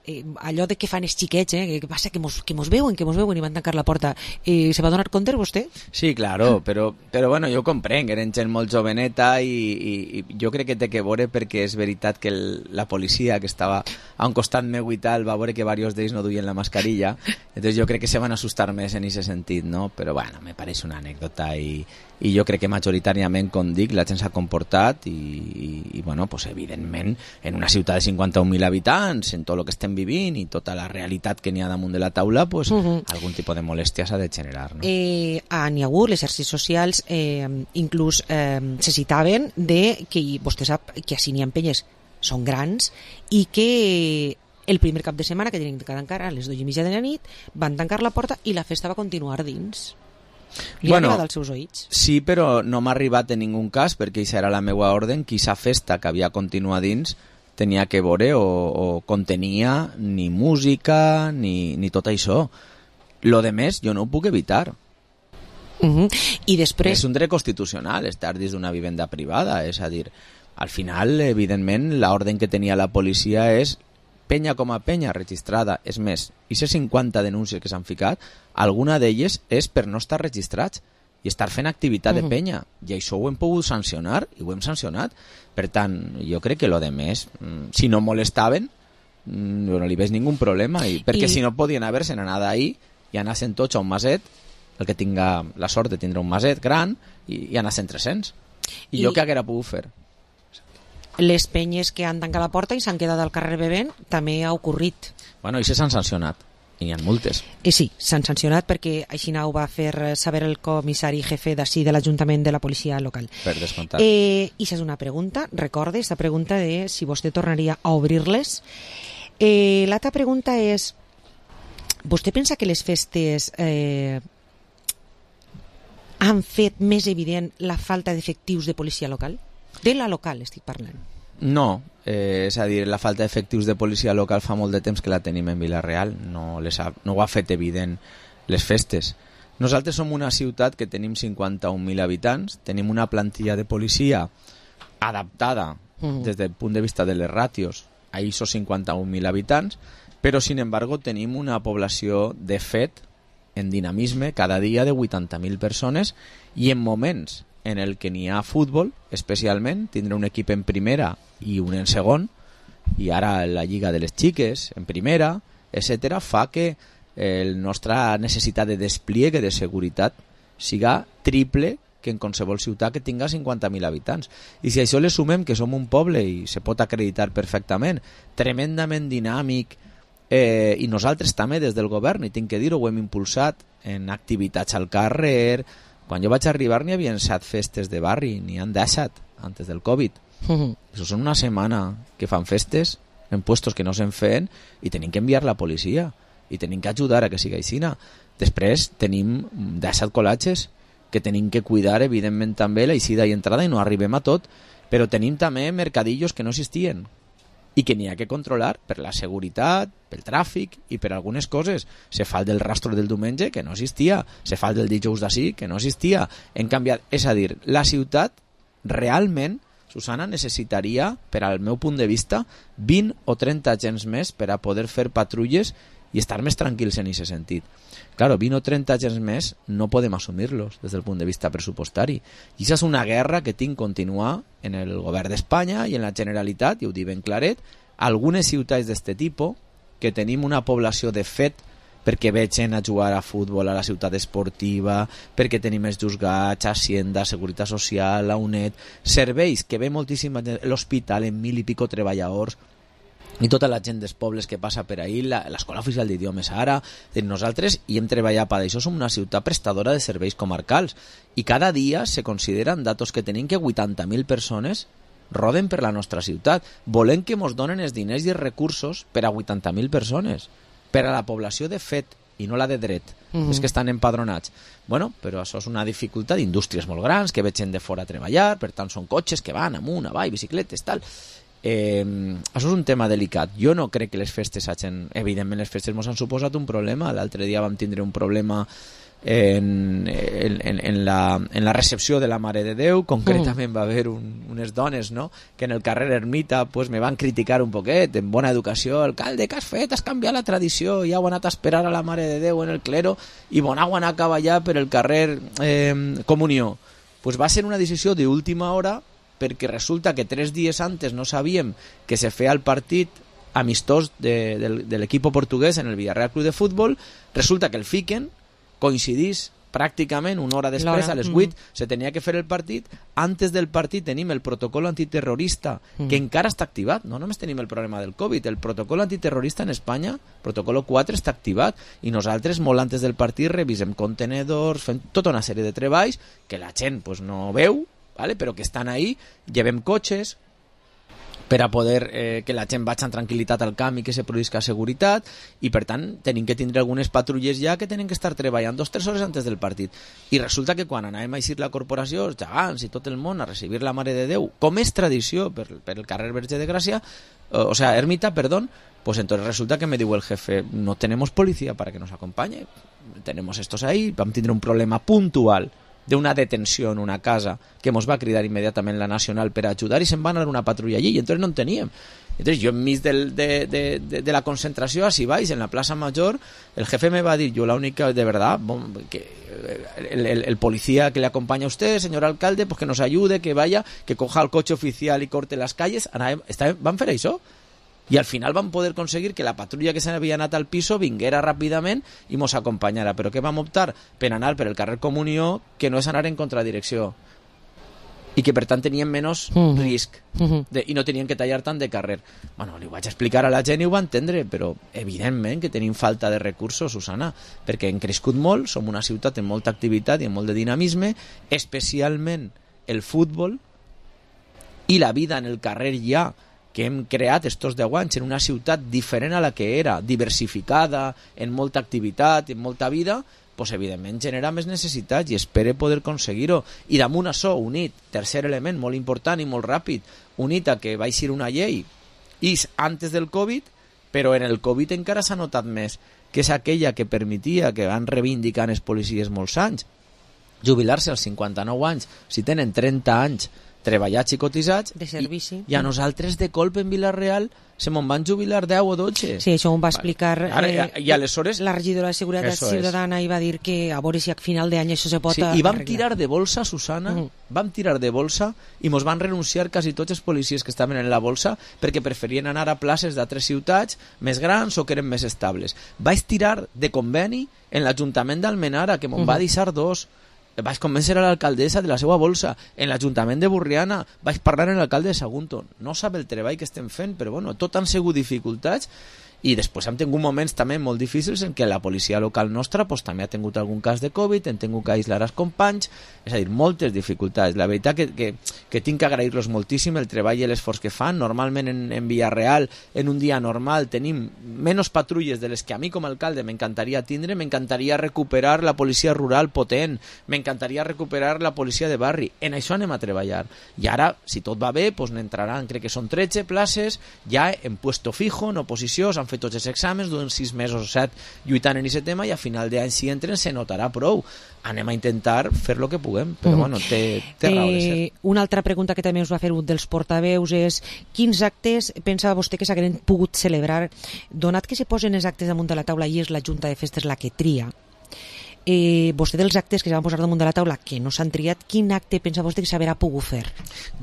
[SPEAKER 4] eh, allò de que fan els xiquets, eh, que passa que mos, que mos veuen, que mos veuen i van tancar la porta. Eh, se va donar compte vostè? Sí,
[SPEAKER 22] claro, però, però bueno, jo comprenc, eren gent molt joveneta i, i, i jo crec que té que veure perquè és veritat que el, la policia que estava a un costat meu i tal va veure que diversos d'ells no duien la mascarilla, entonces jo crec que se van assustar més en aquest sentit, no? Però bueno, me pareix una anècdota i, i jo crec que majoritàriament, com dic, la gent s'ha comportat i, i, i bueno, pues evidentment en una ciutat de cinquanta-un mil habitants, en tot el que estem vivint i tota la realitat que n'hi ha damunt de la taula, pues, uh-huh. algun tipus de molèstia s'ha de generar. No?
[SPEAKER 4] Eh, n'hi ha hagut, les xarxes socials eh, inclús eh, se citaven de que vostè sap que així n'hi ha penyes, són grans i que el primer cap de setmana que tenien que tancar a les dues i mitja de la nit van tancar la porta i la festa va continuar dins. Li
[SPEAKER 22] bueno,
[SPEAKER 4] ha arribat als seus oïts?
[SPEAKER 22] Sí, però no m'ha arribat en ningú cas perquè això era la meva ordre, que aquesta festa que havia continuat dins tenia que veure o, o contenia ni música ni, ni tot això. Lo de més jo no ho puc evitar.
[SPEAKER 4] Uh-huh. I després...
[SPEAKER 22] És un dret constitucional estar dins d'una vivenda privada, és a dir, al final, evidentment, l'ordre que tenia la policia és penya com a penya registrada. És més, i ces cinquanta denúncies que s'han ficat, alguna d'elles és per no estar registrats i estar fent activitat uh-huh. de penya. I això ho hem pogut sancionar i ho hem sancionat. Per tant, jo crec que lo de més, si no molestaven, no li veig ningú problema. I, perquè I... si no podien haver-se'n anat ahir i anar-se'n tots a un maset, el que tinga la sort de tindre un maset gran, i, i anar-se'n tres-cents. I, I jo què haguera pogut fer?
[SPEAKER 4] Les penyes que han tancat la porta i s'han quedat al carrer bevent també ha ocorrit.
[SPEAKER 22] Bueno, i se s'han sancionat. I n'hi ha moltes.
[SPEAKER 4] Eh, sí, s'han sancionat perquè així ho va fer saber el comissari jefe d'ací de l'Ajuntament de la policia local.
[SPEAKER 22] Per descomptat.
[SPEAKER 4] Eh, I és una pregunta, recorde, aquesta pregunta de si vostè tornaria a obrir-les. Eh, L'altra pregunta és, vostè pensa que les festes eh, han fet més evident la falta d'efectius de policia local? De la local estic parlant.
[SPEAKER 22] No, eh, és a dir, la falta d'efectius de policia local fa molt de temps que la tenim en Vila-real, no, les ha, no ho ha fet evident les festes. Nosaltres som una ciutat que tenim cinquanta-un mil habitants, tenim una plantilla de policia adaptada mm. des del punt de vista de les ràtios a esos cinquanta-un mil habitants, però sin embargo tenim una població de fet en dinamisme cada dia de vuitanta mil persones i en moments en el que n'hi ha futbol, especialment, tindre un equip en primera i un en segon, i ara la Lliga de les Xiques en primera, etcètera, fa que el nostra necessitat de despliegue de seguretat siga triple que en qualsevol ciutat que tinga cinquanta mil habitants. I si a això le sumem que som un poble, i se pot acreditar perfectament, tremendament dinàmic, eh, i nosaltres també des del govern, i tinc que dir-ho, ho hem impulsat en activitats al carrer. Quan jo vaig arribar n'hi havia set festes de barri, n'hi han deixat antes del Covid. Uh-huh. Això són una setmana que fan festes en puestos que no se'n feien i tenim que enviar la policia i tenim que ajudar a que sigui així. Després tenim deixat col·latges que tenim que cuidar, evidentment també la eixida i entrada, i no arribem a tot, però tenim també mercadillos que no existien i que n'hi ha que controlar per la seguretat, pel tràfic i per algunes coses. Se fa el del rastro del diumenge, que no existia. Se fa el del dijous d'ací, que no existia. Hem canviat. És a dir, la ciutat realment, Susana, necessitaria, per al meu punt de vista, vint o trenta agents més per a poder fer patrulles i estar més tranquils en aquest sentit. Claro, vint o trenta agents més no podem assumir-los des del punt de vista pressupostari. I això és una guerra que tinc continuar en el govern d'Espanya i en la Generalitat, i ho dic ben claret, algunes ciutats d'este tipus, que tenim una població de fet perquè vegin a jugar a futbol a la ciutat esportiva, perquè tenim els juzgats, Hacienda, Seguretat Social, la U N E D, serveis que ve moltíssima gent, l'hospital en mil i pico treballadors, i tota la gent dels pobles que passa per ahí, l'escola oficial d'idiomes ara, nosaltres hi hem treballat per això, som una ciutat prestadora de serveis comarcals, i cada dia se consideren datos que tenim que vuitanta mil persones roden per la nostra ciutat. Volem que ens donen els diners i els recursos per a vuitanta mil persones, per a la població de fet i no la de dret, mm-hmm. és que estan empadronats. Bueno, però això és una dificultat d'indústries molt grans que vegin de fora a treballar, per tant són cotxes que van amunt, avall, bicicletes, tal. Eh, això és un tema delicat. Jo no crec que les festes hagin... Evidentment les festes ens han suposat un problema. L'altre dia vam tindre un problema en, en, en, la, en la recepció de la Mare de Déu. Concretament va haver un, unes dones, no?, que en el carrer Ermita pues, me van criticar un poquet, en bona educació: alcalde, què has fet? Has canviat la tradició, ja heu anat a esperar a la Mare de Déu en el clero i bon heu anat cap allà per el carrer eh, Comunió. Pues va ser una decisió d'última hora, perquè resulta que tres dies antes no sabíem que se feia el partit amistós de, de, de l'equip portuguès en el Villarreal Club de Futbol. Resulta que el fiquen, coincidís pràcticament una hora després, a les vuit, mm. se tenia que fer el partit. Antes del partit tenim el protocol antiterrorista, mm. que encara està activat. No només tenim el problema del Covid, el protocol antiterrorista en Espanya, protocol quatre, està activat, i nosaltres molt antes del partit revisem contenedors, fem tota una sèrie de treballs que la gent pues, no veu, ¿vale? Però que estan ahí, llevem cotxes per a poder eh, que la gent vagi amb tranquil·litat al camp i que se produïsca seguretat, i per tant tenim que tindre algunes patrulles ja que tenen que estar treballant dos o tres hores antes del partit. I resulta que quan anàvem a eixir la corporació, els gegants i tot el món, a recibir la Mare de Déu, com és tradició per, per el carrer Verge de Gràcia, o, o sea, Ermita, perdón, pues entonces resulta que me diu el jefe: no tenemos policía para que nos acompañe, tenemos estos ahí. Vam tindre un problema puntual d'una detenció en una casa que ens va cridar immediatament la Nacional per ajudar, i se'n van anar una patrulla allí, i entonces no en teníem. Entonces yo enmig del, de, de, de, de la concentració, así vais, en la Plaza Mayor, el jefe me va a decir: yo la única, de verdad, bon, que el, el, el policía que le acompaña a usted, señor alcalde, pues que nos ayude, que vaya, que coja el coche oficial y corte las calles. Van fer això? I al final vam poder aconseguir que la patrulla que s'havia anat al piso vinguera ràpidament i mos acompanyara. Però què vam optar? Per anar per el carrer Comunió, que no és anar en contradirecció, i que per tant tenien menys uh-huh. risc uh-huh. de, i no tenien que tallar tant de carrer. Bueno, li ho vaig explicar a la gent i ho va entendre, però evidentment que tenim falta de recursos, Susana, perquè hem crescut molt, som una ciutat amb molta activitat i amb molt de dinamisme, especialment el futbol i la vida en el carrer ja, que hem creat estos deu anys en una ciutat diferent a la que era, diversificada, en molta activitat, en molta vida, pues, evidentment genera més necessitats i espere poder aconseguir-ho. I damunt això, unit, tercer element molt important i molt ràpid, unit a que va eixir una llei is antes del Covid, però en el Covid encara s'ha notat més, que és aquella que permetia, que van reivindicant els policies molts anys, jubilar-se als cinquanta-nou anys, si tenen trenta anys treballats i cotitzats,
[SPEAKER 4] de servici.
[SPEAKER 22] I, i a nosaltres de colp en Vila-real se me'n van jubilar deu o dotze.
[SPEAKER 4] Sí, això ho va explicar
[SPEAKER 22] Ara,
[SPEAKER 4] eh,
[SPEAKER 22] i aleshores,
[SPEAKER 4] la regidora de Seguretat Ciutadana i va dir que a veure si a final d'any això se pot
[SPEAKER 22] sí,
[SPEAKER 4] arreglar.
[SPEAKER 22] I vam tirar de bolsa, Susana, mm. vam tirar de bolsa i mos van renunciar quasi tots els policies que estaven en la bolsa perquè preferien anar a places d'altres ciutats més grans o que eren més estables. Vaig tirar de conveni en l'Ajuntament d'Almenara, que me'n mm. va deixar dos. Vaig convèncer a l'alcaldessa de la seva bolsa. En l'Ajuntament de Burriana vaig parlar amb l'alcalde de Sagunto. No sap el treball que estem fent, però bueno, tot han sigut dificultats. I després hem tingut moments també molt difícils en què la policia local nostra pues, també ha tingut algun cas de Covid, hem tingut que aïslar els companys, és a dir, moltes dificultats. La veritat que, que, que tinc que agrair-los moltíssim el treball i l'esforç que fan. Normalment en, en Villarreal, en un dia normal, tenim menys patrulles de les que a mi com a alcalde m'encantaria tindre, m'encantaria recuperar la policia rural potent, m'encantaria recuperar la policia de barri. En això anem a treballar. I ara, si tot va bé, pues, n'entraran, crec que són tretze places, ja en puesto fijo, en oposició, s'han fet tots els exàmens, duen sis mesos o set lluitant en aquest tema i a final d'any si entren se notarà prou. Anem a intentar fer el que puguem, però mm-hmm. bueno, té, té raó de ser.
[SPEAKER 4] Eh, una altra pregunta que també us va fer un dels portaveus és quins actes pensava vostè que s'hagueren pogut celebrar, donat que se posen els actes damunt de la taula i és la Junta de Festes la que tria. Eh, vostè dels actes que se van posar damunt de la taula que no s'han triat, quin acte pensa vostè que s'haurà pogut fer?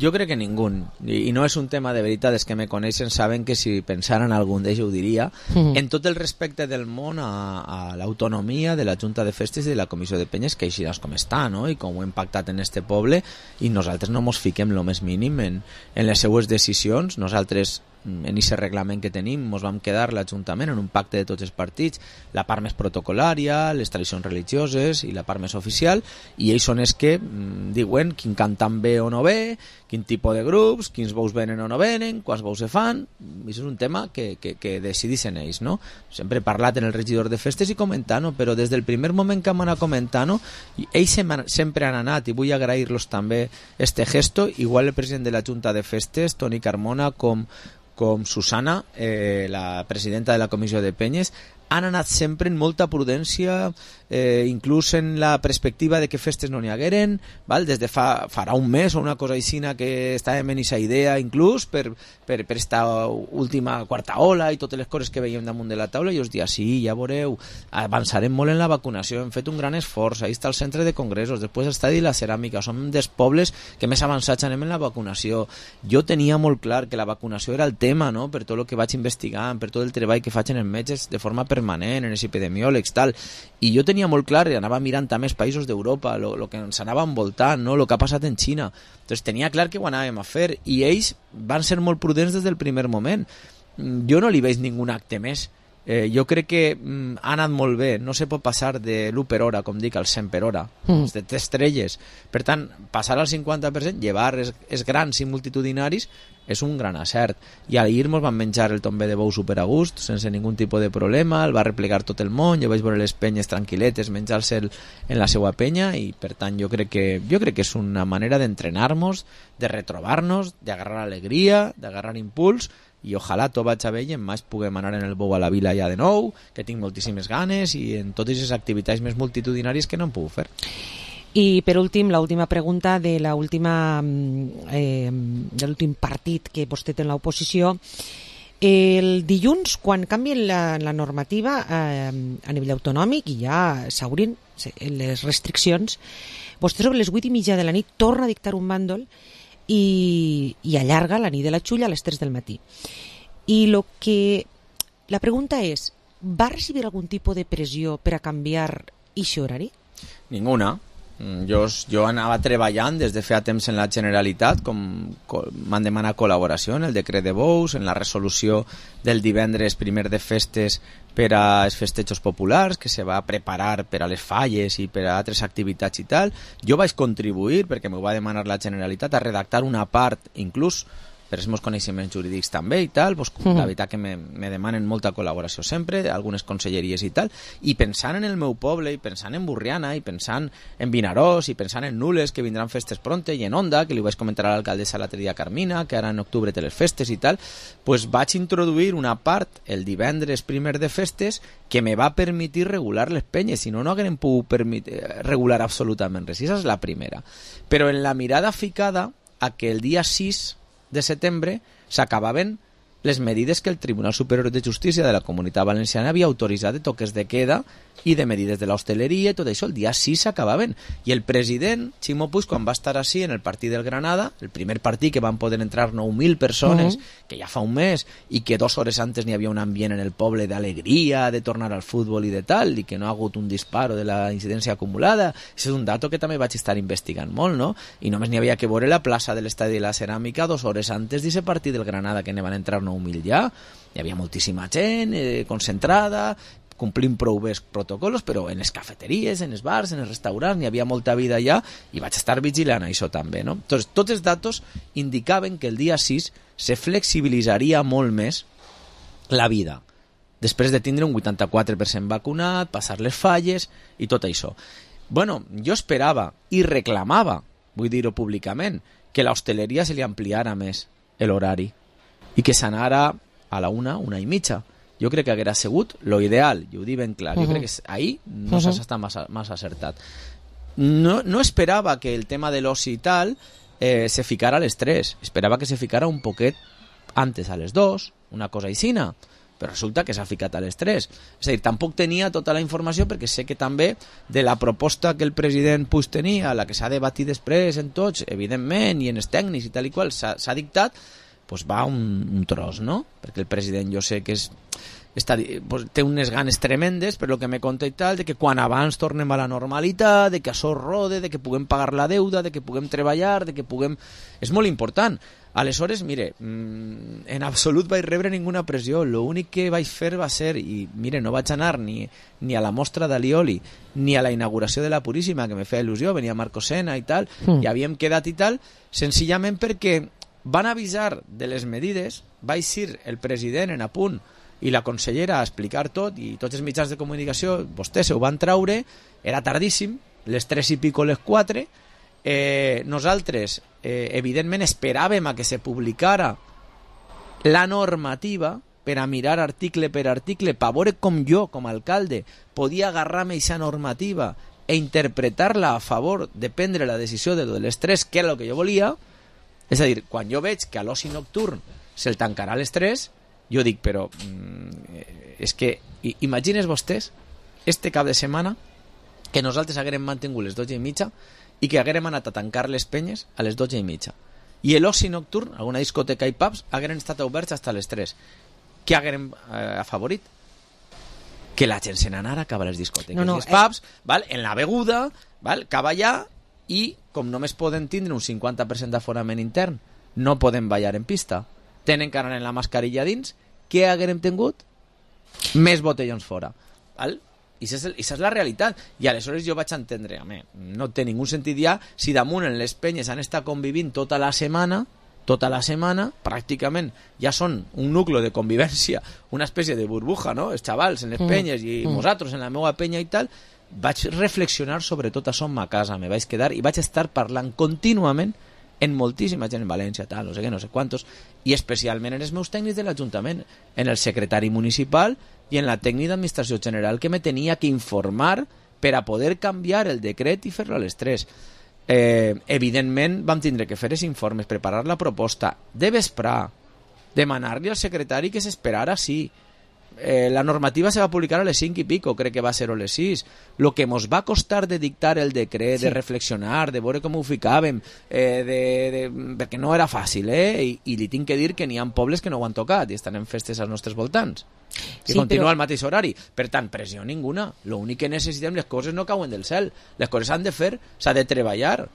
[SPEAKER 22] Jo crec que ningú, i, i no és un tema de veritat, és que me coneixen, saben que si pensaran algun d'ells ho diria, mm-hmm. en tot el respecte del món a, a l'autonomia de la Junta de Festes i de la Comissió de Penyes, que així és com està, no? I com ho hem pactat en este poble, i nosaltres no mos fiquem lo més mínim en, en les seues decisions. Nosaltres en aquest reglament que tenim mos vam quedar l'Ajuntament en un pacte de tots els partits, la part més protocolària, les tradicions religioses i la part més oficial, i ells són els que mm, diuen quin cantant ve o no ve, quin tipus de grups, quins bous venen o no venen, quants bous se fan. Això és un tema que, que, que decidissin ells, no? Sempre he parlat en el regidor de festes i comentant-ho, però des del primer moment que hem anat comentant-ho, ells sempre han anat, i vull agrair-los també este gesto, igual el president de la Junta de Festes, Toni Carmona, com com Susana, eh, la presidenta de la Comissió de Penyes, han anat sempre en molta prudència, eh, inclús en la perspectiva de que festes no n'hi hagueren, val? Des de fa, farà un mes o una cosa així que estàvem en aquesta idea, inclús per, per, per esta última quarta ola i totes les coses que veiem damunt de la taula, i us dia, sí, ja veureu, avançarem molt en la vacunació, hem fet un gran esforç, ahí està el centre de congressos, després està la ceràmica, som dels pobles que més avançats anem en la vacunació. Jo tenia molt clar que la vacunació era el tema, no?, per tot el que vaig investigant, per tot el treball que faig en els metges de forma permanent, en els epidemiòlegs, tal, i jo tenia molt clar, i anava mirant també els països d'Europa, el que ens anava envoltant, no? El que ha passat en Xina, doncs tenia clar que ho anàvem a fer, i ells van ser molt prudents des del primer moment. Jo no li veig ningun acte més. Eh, jo crec que mm, ha anat molt bé, no se pot passar de l'u per hora, com dic, al cent per hora, mm. de tres estrelles. Per tant, passar al cinquanta per cent, llevar els, els grans i multitudinaris, és un gran acert. I ahir mos van menjar el tombe de bou super a gust, sense ningun tipus de problema, el va replegar tot el món, jo vaig veure les penyes tranquil·letes, menjar-se en la seva penya, i per tant jo crec que, jo crec que és una manera d'entrenar-nos, de retrobar-nos, d'agarrar alegria, d'agarrar impuls, i ojalà tot vaig a bé i en maig puguem anar en el bou a la vila ja de nou, que tinc moltíssimes ganes, i en totes les activitats més multitudinàries que no hem pogut fer.
[SPEAKER 4] I per últim, l'última pregunta de l'última eh, de l'últim partit que vostè té en l'oposició. El dilluns, quan canvien la, la normativa eh, a nivell autonòmic i ja s'obrin les restriccions, vostè sobre les vuit i mitja de la nit torna a dictar un bàndol i, i allarga la nit de la Xulla a les tres del matí. I lo que la pregunta és, va recibir algun tipus de pressió per a canviar aquest horari?
[SPEAKER 22] Ninguna. Jo, jo anava treballant des de feia temps en la Generalitat, com, com m'han demanat col·laboració en el decret de bous, en la resolució del divendres primer de festes per als festejos populars, que se va preparar per a les falles i per a altres activitats i tal. Jo vaig contribuir, perquè m'ho va demanar la Generalitat, a redactar una part, inclús per els meus coneixements jurídics també i tal, pues, uh-huh. la veritat que me, me demanen molta col·laboració sempre, algunes conselleries i tal, i pensant en el meu poble, i pensant en Burriana, i pensant en Vinaròs, i pensant en Nules, que vindran festes pronte, i en Onda, que li vaig comentar a l'alcaldessa l'altre dia Carmina, que ara en octubre té les festes i tal, pues vaig introduir una part el divendres primer de festes que me va permetir regular les penyes, si no, no haguem pogut permitir, regular absolutament res. I esa és la primera. Però en la mirada ficada a que el dia sis de setembre s'acabaven les medides que el Tribunal Superior de Justícia de la Comunitat Valenciana havia autoritzat de toques de queda i de medides de l'hostaleria i tot això. El dia sis s'acabaven. I el president, Ximo Puig, quan va estar així en el partit del Granada, el primer partit que van poder entrar nou mil persones, uh-huh. que ja fa un mes, i que dues hores antes n'hi havia un ambient en el poble d'alegria, de tornar al futbol i de tal, i que no ha hagut un disparo de la incidència acumulada. Això és un dato que també vaig estar investigant molt, no? I només n'hi havia que veure la plaça de l'Estadi de la Ceràmica dues hores antes d'aquest partit del Granada, que ne van entrar nou mil ja. Hi havia moltíssima gent eh, concentrada, complint prou bé els protocols, però en les cafeteries, en els bars, en els restaurants, hi havia molta vida allà i vaig estar vigilant això també, no? Entonces, tots els datos indicaven que el dia sis se flexibilitzaria molt més la vida, després de tindre un vuitanta-quatre per cent vacunat, passar les falles i tot això. Bueno, jo esperava i reclamava, vull dir-ho públicament, que l'hostaleria se li ampliara més l'horari i que s'anara a la una, una i mitja. Jo crec que haguera sigut lo ideal, i ho dic ben clar. Jo uh-huh. crec que ahí no uh-huh. s'ha estat massa, massa acertat. No, no esperava que el tema de l'oci i tal eh, se ficara a les tres. Esperava que se ficara un poquet antes, a les dos, una cosa aixina, però resulta que s'ha ficat a les tres. És a dir, tampoc tenia tota la informació, perquè sé que també de la proposta que el president Puig tenia, la que s'ha debatit després en tots, evidentment, i en els tècnics i tal i qual, s'ha, s'ha dictat, pues va un, un tros, no? Perquè el president jo sé que és, està, pues, té unes ganes tremendes, per lo que me conta i tal, de que quan abans tornem a la normalitat, de que això rode, de que puguem pagar la deuda, de que puguem treballar, de que puguem... És molt important. Aleshores, mire, en absolut vaig rebre ninguna pressió. L'únic que vaig fer va ser, i mire, no vaig anar ni, ni a la mostra d'Alioli, ni a la inauguració de la Puríssima, que me feia il·lusió, venia Marco Sena i tal, mm. i havíem quedat i tal, senzillament perquè van avisar de les medides, va eixir el president en apunt i la consellera a explicar tot, i tots els mitjans de comunicació, vostès ho van traure, era tardíssim, les tres i pico, les quatre, eh, nosaltres eh, evidentment esperàvem a que se publicara la normativa per a mirar article per article, per veure com jo, com a alcalde, podia agarrar-me aquesta normativa e interpretar-la a favor de prendre la decisió de les tres, que era el que jo volia. És a dir, quan jo veig que a l'oci nocturn se'l tancarà a les tres, jo dic, però mm, és que imagines vostès este cap de setmana que nosaltres haguérem mantingut les dotze i mitja i que haguérem anat a tancar les penyes a les dotze i mitja. I l'oci nocturn, alguna discoteca i pubs, hagueren estat oberts fins a les tres. Què haguérem eh, afavorit? Que la gent se n'anara cap a les discoteques no, no, i els pubs, eh... val? En la beguda, val? Cap allà, i com només poden tindre un cinquanta per cent d'aforament intern, no poden ballar en pista, tenen que anar en la mascarilla dins, què haguérem tingut? Més botellons fora, val? I això és, és la realitat. I aleshores jo vaig entendre, home, no té ningú sentit ja si damunt en les penyes han estat convivint tota la setmana, tota la setmana, pràcticament ja són un nucli de convivència, una espècie de burbuja, no? Els xavals en les penyes i mm. nosaltres en la meva penya i tal. Vaig reflexionar sobre tot això en ma casa, me vaig quedar i vaig estar parlant contínuament en moltíssima gent en València, tal, no sé què, no sé quantos, i especialment en els meus tècnics de l'Ajuntament, en el secretari municipal i en la tècnica d'administració general, que me tenia que informar per a poder canviar el decret i fer-lo a les tres. Eh, evidentment vam tindre que fer els informes, preparar la proposta, de vesprar, demanar-li al secretari que s'esperara, sí. Eh, la normativa se va publicar a les cinc i pico, crec que va ser a les sis. Lo que mos va costar de dictar el decret, sí. de reflexionar, de veure com ho ficàvem, eh, de, de, perquè no era fàcil, eh? I, i li tinc que dir que n'hi ha pobles que no ho han tocat i estan en festes als nostres voltants, que sí, continua però... al mateix horari. Per tant, pressió ninguna. L'únic que necessitem, les coses no cauen del cel, les coses s'han de fer, s'ha de treballar.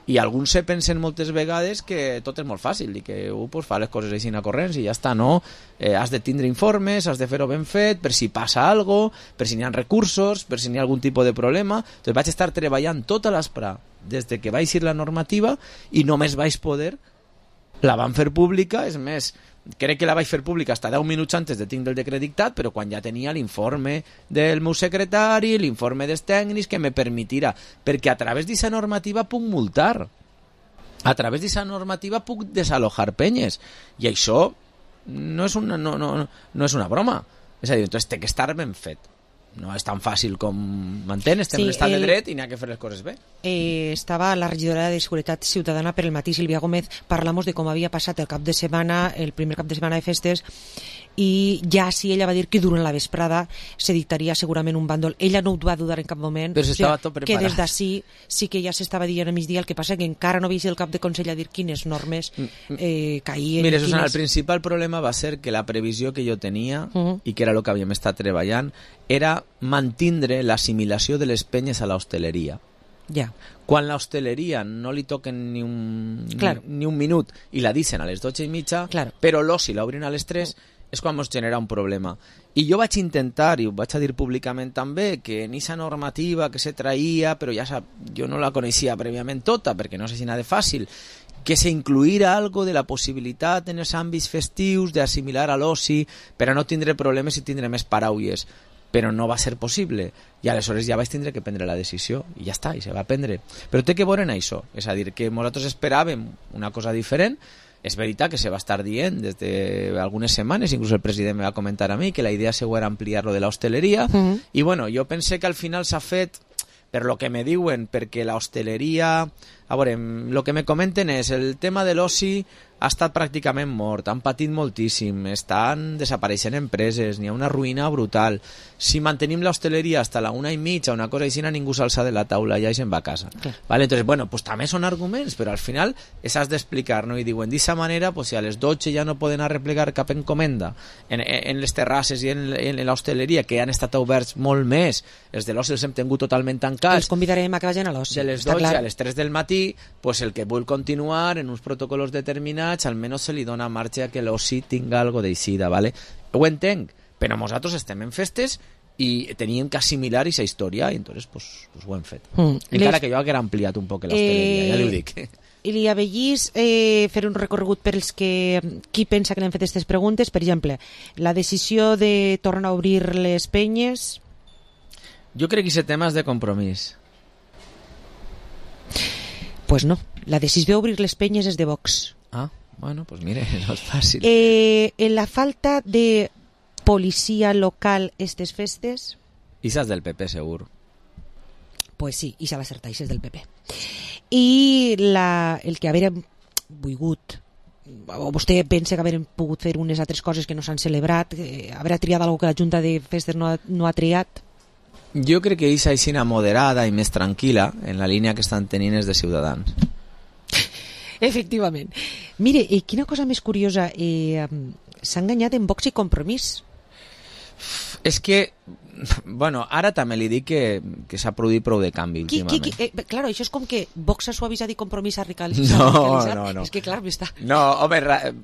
[SPEAKER 22] I alguns se pensen moltes vegades que tot és molt fàcil i que uh, pues, fa les coses així a corrents i ja està, no? Eh, has de tindre informes, has de fer-ho ben fet, per si passa algo, per si n'hi ha recursos, per si n'hi ha algun tipus de problema. Entonces vaig estar treballant tota l'espera des de que va eixir la normativa i només vaig poder La van fer pública, és més, crec que la vaig fer pública fins deu minuts antes de tindre el decret dictat, però quan ja tenia l'informe del meu secretari, l'informe dels tècnics que me permetirà, perquè a través d'aquesta normativa puc multar, a través d'aquesta normativa puc desalojar penyes, i això no és una, no, no, no és una broma, és a dir, doncs té que estar ben fet. No és tan fàcil com m'entén, estem sí, en l'estat el... de dret i n'hi ha que fer les coses bé.
[SPEAKER 4] Eh, estava la regidora de Seguretat Ciutadana per el matí, Sílvia Gómez, parlamos de com havia passat el cap de setmana, el primer cap de setmana de festes, i ja sí, ella va dir que durant la vesprada se dictaria segurament un bàndol. Ella no ho va dudar en cap moment.
[SPEAKER 22] Però s'estava o sigui, tot preparat.
[SPEAKER 4] Que des d'ací sí que ja s'estava dient a migdia, el que passa que encara no havia el cap de Consell a dir quines normes eh, caïen.
[SPEAKER 22] Mira, Susana, quines... el principal problema va ser que la previsió que jo tenia, uh -huh. i que era el que havíem estat treballant, era mantindre l'assimilació de les penyes a l'hostaleria.
[SPEAKER 4] Ja.
[SPEAKER 22] Quan l'hostaleria no li toquen ni un,
[SPEAKER 4] claro.
[SPEAKER 22] ni, ni un minut i la dicen a les dotze i mitja,
[SPEAKER 4] claro.
[SPEAKER 22] però l'oci l'obrin a les tres, és quan ens genera un problema. I jo vaig intentar, i ho vaig a dir públicament també, que en aquesta normativa que se traïa, però ja sap, jo no la coneixia prèviament tota, perquè no sé si n'ha de fàcil, que se incluïra algo de la possibilitat en els àmbits festius d'assimilar a l'oci per a no tindre problemes i tindre més paraules. Però no va ser possible, i aleshores ja vaig tindre que prendre la decisió, i ja està, i se va prendre. Però té que veure en això, és a dir, que nosaltres esperàvem una cosa diferent. És veritat que se va estar dient des d'algunes setmanes, inclús el president me va comentar a mi que la idea seva era ampliar-lo de l'hostaleria, uh -huh. i bueno, jo pensé que al final s'ha fet per lo que me diuen, perquè la hostaleria, a veure, el que me comenten és el tema de l'oci ha estat pràcticament mort, han patit moltíssim, estan desapareixent empreses, n'hi ha una ruïna brutal. Si mantenim l'hostaleria hasta la una i mitja, una cosa així, ningú s'alça de la taula, ja se'n va a casa. Okay. Vale, entonces, bueno, pues també són arguments, però al final has d'explicar, no? I diuen, d'aquesta manera, pues, si a les dotze ja no poden arreplegar cap encomenda en, en les terrasses i en, en l'hostaleria, que han estat oberts molt més, els de l'oci els hem tingut totalment tancats.
[SPEAKER 4] Els convidarem a que vagin a l'oci.
[SPEAKER 22] De les dotze a les tres del matí, pues el que vull continuar en uns protocols determinats, almenys se li dona marge a que l'oci tinga algo d'eixida, ¿vale? Ho entenc, però nosaltres estem en festes i teníem que assimilar aquesta història i entonces pues, pues ho hem fet. Mm. Encara Les... que jo haguera ampliat un poc l'hostaleria, eh... ja li ho dic.
[SPEAKER 4] I li avellís eh, fer un recorregut per als que qui pensa que l'han fet aquestes preguntes, per exemple, la decisió de tornar a obrir les penyes.
[SPEAKER 22] Jo crec que aquest tema és de compromís.
[SPEAKER 4] Pues no, la decisió d'obrir les penyes és de Vox.
[SPEAKER 22] Ah, bueno, pues mire, no és fàcil.
[SPEAKER 4] Eh, en la falta de policia local estes festes...
[SPEAKER 22] Ixas del P P, segur.
[SPEAKER 4] Pues sí, ixa va ser taixes del P P. I la, el que haver volgut, o vostè pensa que haver pogut fer unes altres coses que no s'han celebrat, eh, haver triat alguna que la Junta de Festes no ha, no ha triat?
[SPEAKER 22] Jo crec que ixa aixina moderada i més tranquil·la en la línia que estan tenint els de Ciutadans.
[SPEAKER 4] Efectivament. Mire, eh, quina cosa més curiosa, eh, s'ha enganyat en Vox i Compromís.
[SPEAKER 22] És que, bueno, ara també li dic que, que s'ha produït prou de canvi
[SPEAKER 4] qui,
[SPEAKER 22] últimament.
[SPEAKER 4] Qui, qui, eh, claro, això és com que Vox ha suavitzat i Compromís ha radicalitzat.
[SPEAKER 22] No, no, no.
[SPEAKER 4] És que, clar, està...
[SPEAKER 22] No, home,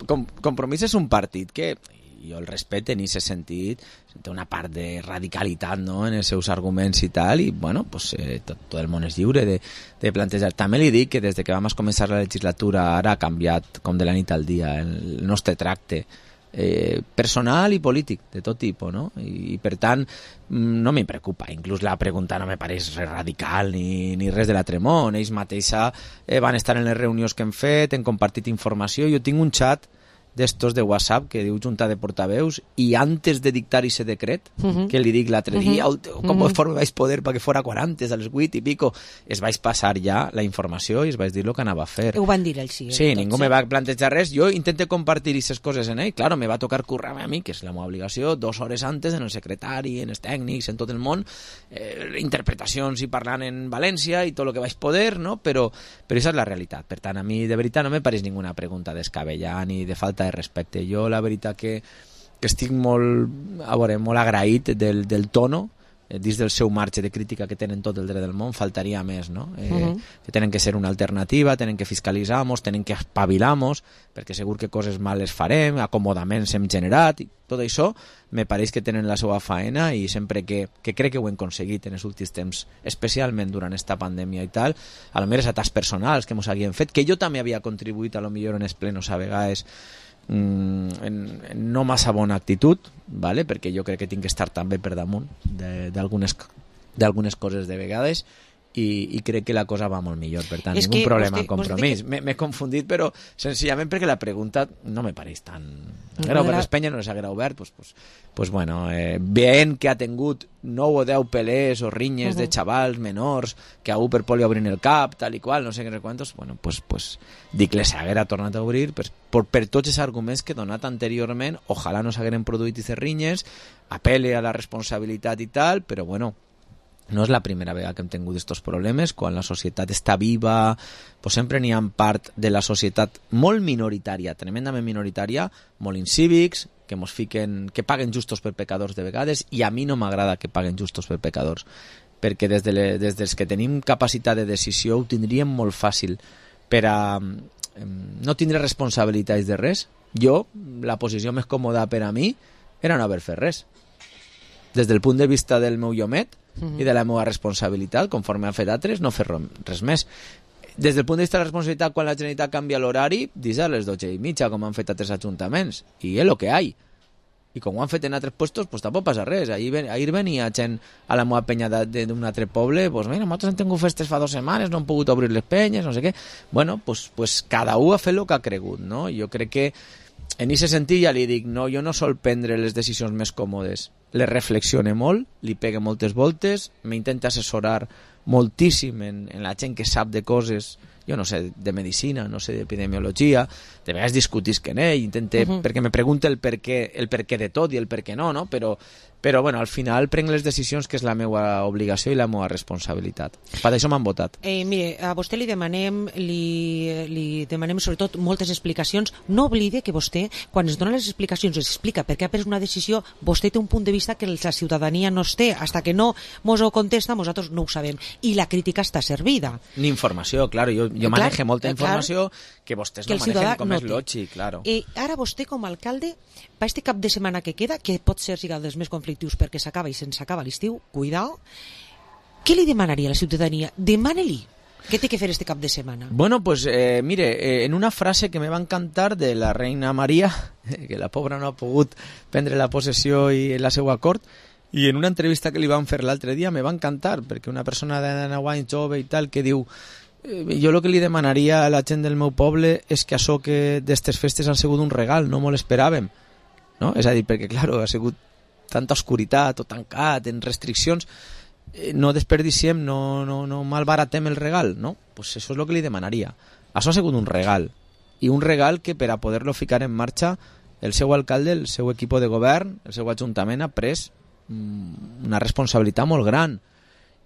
[SPEAKER 22] com, Compromís és un partit que jo el respecte en aquest sentit, té una part de radicalitat, no?, en els seus arguments i tal, i bueno, pues, eh, tot, tot el món és lliure de, de plantejar. També li dic que des de que vam començar la legislatura ara ha canviat com de la nit al dia el nostre tracte eh, personal i polític de tot tipus, no? I, i per tant no me preocupa, inclús la pregunta no me pareix res radical ni, ni res de la tremor. Ells mateixa eh, van estar en les reunions que hem fet, hem compartit informació. Jo tinc un xat d'estos de WhatsApp que diu Junta de Portaveus i antes de dictar ese decret, uh -huh. que li dic l'altre dia, uh -huh. com uh -huh. forma vaig poder perquè fora quaranta a les vuit i pico, es vaig passar ja la informació i es vaig dir el que anava a fer.
[SPEAKER 4] Ho van dir ells, sí.
[SPEAKER 22] Sí, ningú me va plantejar res. Jo intento compartir aquestes coses en ell. Claro, me va tocar currar a mi, que és la meva obligació, dos hores antes en el secretari, en els tècnics, en tot el món, eh, interpretacions i parlant en València i tot el que vaig poder, no? Però, però això és la realitat. Per tant, a mi de veritat no me pareix ninguna pregunta descabellada ni de falta de respecte. Jo la veritat que, que estic molt, a veure, molt agraït del, del tono eh, dins del seu marge de crítica que tenen tot el dret del món, faltaria més, no? Eh,
[SPEAKER 4] Uh-huh.
[SPEAKER 22] que tenen que ser una alternativa, tenen que fiscalitzar-nos, tenen que espavilar-nos, perquè segur que coses males farem, acomodaments hem generat, i tot això me pareix que tenen la seva faena, i sempre que, que crec que ho hem aconseguit en els últims temps, especialment durant esta pandèmia i tal, a lo millor és a tasks personals que mos haguien fet, que jo també havia contribuït a lo millor en els plenos a vegades mm, en, en no massa bona actitud, vale? Perquè jo crec que tinc que estar també per damunt d'algunes d'algunes coses de vegades, i, i crec que la cosa va molt millor, per tant,
[SPEAKER 4] És
[SPEAKER 22] ningú
[SPEAKER 4] que
[SPEAKER 22] problema
[SPEAKER 4] vostè-
[SPEAKER 22] en compromís.
[SPEAKER 4] vostè
[SPEAKER 22] M'he m'he confundit, però senzillament perquè la pregunta no me pareix tan... Haguera obert l'Espanya, no les haguera obert, pues, pues, pues bueno, eh, veient que ha tingut nou o deu pelés o rinyes de
[SPEAKER 4] Mhm.
[SPEAKER 22] xavals menors que a un per poli obrin el cap, tal i qual, no sé què quantos, bueno, pues, pues dic, les haguera tornat a obrir per, per, per tots els arguments que he donat anteriorment, ojalà no s'hagueren produït aquestes rinyes, apel·le a la responsabilitat i tal, però bueno, no és la primera vegada que hem tingut aquests problemes. Quan la societat està viva, pues sempre n'hi ha part de la societat molt minoritària, tremendament minoritària, molt incívics, que mos fiquen, que paguen justos per pecadors de vegades, i a mi no m'agrada que paguen justos per pecadors, perquè des, de le, des dels que tenim capacitat de decisió ho tindríem molt fàcil per a eh, no tindre responsabilitats de res. Jo, la posició més còmoda per a mi era no haver fet res. Des del punt de vista del meu llomet,
[SPEAKER 4] Mhm.
[SPEAKER 22] i de la meva responsabilitat, conforme han fet altres, no fer res més. Des del punt de vista de la responsabilitat, quan la Generalitat canvia l'horari, dis a les dotze i mitja, com han fet altres ajuntaments, i és el que hi ha. I com ho han fet en altres puestos, pues tampoc passa res. Ahir, ven, ahir venia gent a la meva penya d'un altre poble, pues mira, nosaltres hem tingut festes fa dues setmanes, no hem pogut obrir les penyes, no sé què. Bueno, pues, pues cada un ha fet el que ha cregut, no? Jo crec que en aquest sentit ja li dic, no, jo no sol prendre les decisions més còmodes. Les reflexione molt, li pegue moltes voltes, m'intenta assessorar moltíssim en, en la gent que sap de coses, jo no sé, de medicina, no sé, d'epidemiologia, de vegades discutisc en ell, intente,
[SPEAKER 4] Uh-huh.
[SPEAKER 22] perquè me pregunta el per què, el per què de tot i el per què no, no? Però, però bueno, al final prenc les decisions, que és la meva obligació i la meva responsabilitat. Per això m'han votat.
[SPEAKER 4] Eh, mire, a vostè li demanem, li, li demanem sobretot moltes explicacions. No oblide que vostè, quan es dona les explicacions, es explica per què ha pres una decisió, vostè té un punt de vista que la ciutadania no es té. Hasta que no mos ho contesta, nosaltres no ho sabem. I la crítica està servida.
[SPEAKER 22] Ni informació, claro, jo, jo
[SPEAKER 4] Clar,
[SPEAKER 22] manejo molta
[SPEAKER 4] eh,
[SPEAKER 22] informació que vostès
[SPEAKER 4] que
[SPEAKER 22] no
[SPEAKER 4] el ciutadà
[SPEAKER 22] manejen com
[SPEAKER 4] no
[SPEAKER 22] és
[SPEAKER 4] té.
[SPEAKER 22] lògic, claro.
[SPEAKER 4] I ara vostè, com a alcalde, per este cap de setmana que queda, que pot ser siga dels més conflictius perquè s'acaba i se'ns acaba l'estiu, cuidao, què li demanaria a la ciutadania? Demane-li què té que fer este cap de setmana.
[SPEAKER 22] Bueno, pues eh, mire, eh, en una frase que me va encantar de la reina Maria, que la pobra no ha pogut prendre la possessió i la seva cort, i en una entrevista que li van fer l'altre dia me va encantar, perquè una persona de nou anys jove i tal, que diu eh, jo el que li demanaria a la gent del meu poble és que això que d'estes festes han sigut un regal, no molt esperàvem, no? És a dir, perquè, claro, ha sigut tanta oscuritat, tot tancat, en restriccions, eh, no desperdiciem, no, no, no malbaratem el regal, no? Pues això és el que li demanaria. Això ha sigut un regal, i un regal que per a poder-lo ficar en marxa el seu alcalde, el seu equip de govern, el seu ajuntament ha pres mm, una responsabilitat molt gran,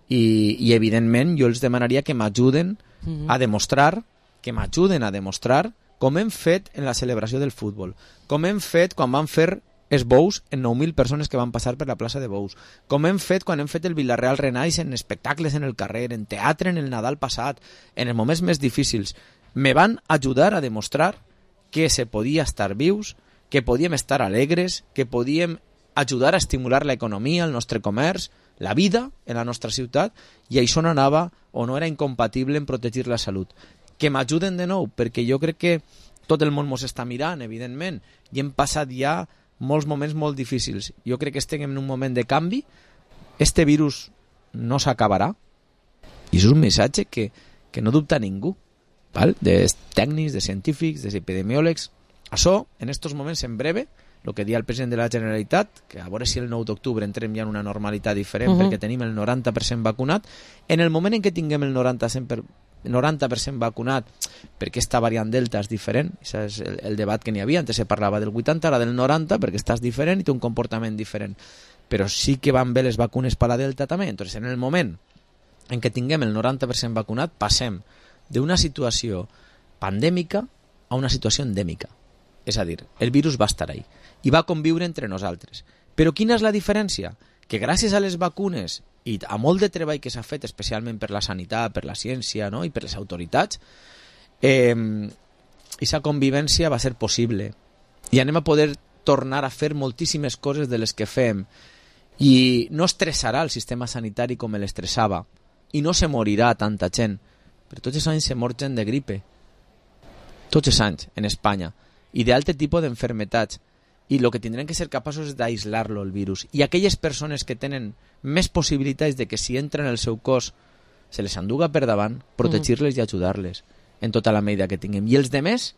[SPEAKER 22] i, i evidentment jo els demanaria que m'ajuden
[SPEAKER 4] Mhm.
[SPEAKER 22] a demostrar, que m'ajuden a demostrar com hem fet en la celebració del futbol, com hem fet quan van fer els bous en nou mil persones que van passar per la plaça de Bous, com hem fet quan hem fet el Villarreal Renaix en espectacles en el carrer, en teatre en el Nadal passat, en els moments més difícils. Me van ajudar a demostrar que se podia estar vius, que podíem estar alegres, que podíem ajudar a estimular l'economia, el nostre comerç, la vida en la nostra ciutat, i això no anava o no era incompatible en protegir la salut. Que m'ajuden de nou, perquè jo crec que tot el món mos està mirant, evidentment, i hem passat ja molts moments molt difícils. Jo crec que estem en un moment de canvi, este virus no s'acabarà, i és un missatge que, que no dubta ningú, val? De tècnics, de científics, de epidemiòlegs. Això, en estos moments, en breve, el que dia el president de la Generalitat, que a veure si el nou d'octubre entrem ja en una normalitat diferent,
[SPEAKER 4] Uh-huh.
[SPEAKER 22] perquè tenim el noranta per cent vacunat, en el moment en què tinguem el noranta per cent per noranta per cent vacunat, perquè esta variant Delta és diferent, això és el, el debat que n'hi havia, antes se parlava del vuitanta, ara del noranta, perquè estàs diferent i té un comportament diferent, però sí que van bé les vacunes per la Delta també. Entonces, en el moment en què tinguem el noranta per cent vacunat, passem d'una situació pandèmica a una situació endèmica. És a dir, el virus va estar ahí i va conviure entre nosaltres. Però quina és la diferència? que gràcies a les vacunes i a molt de treball que s'ha fet, especialment per la sanitat, per la ciència, no? I per les autoritats, eh, aquesta convivència va ser possible. I anem a poder tornar a fer moltíssimes coses de les que fem. I no estressarà el sistema sanitari com l'estressava. I no se morirà tanta gent. Però tots els anys se mor gent de gripe. Tots els anys, en Espanya. I d'altre tipus d'enfermetats. I el que tindrem que ser capaços és d'aïslar-lo, el virus. I aquelles persones que tenen més possibilitats de que si entren en el seu cos se les enduga per davant, protegir-les i ajudar-les en tota la medida que tinguem. I els demés,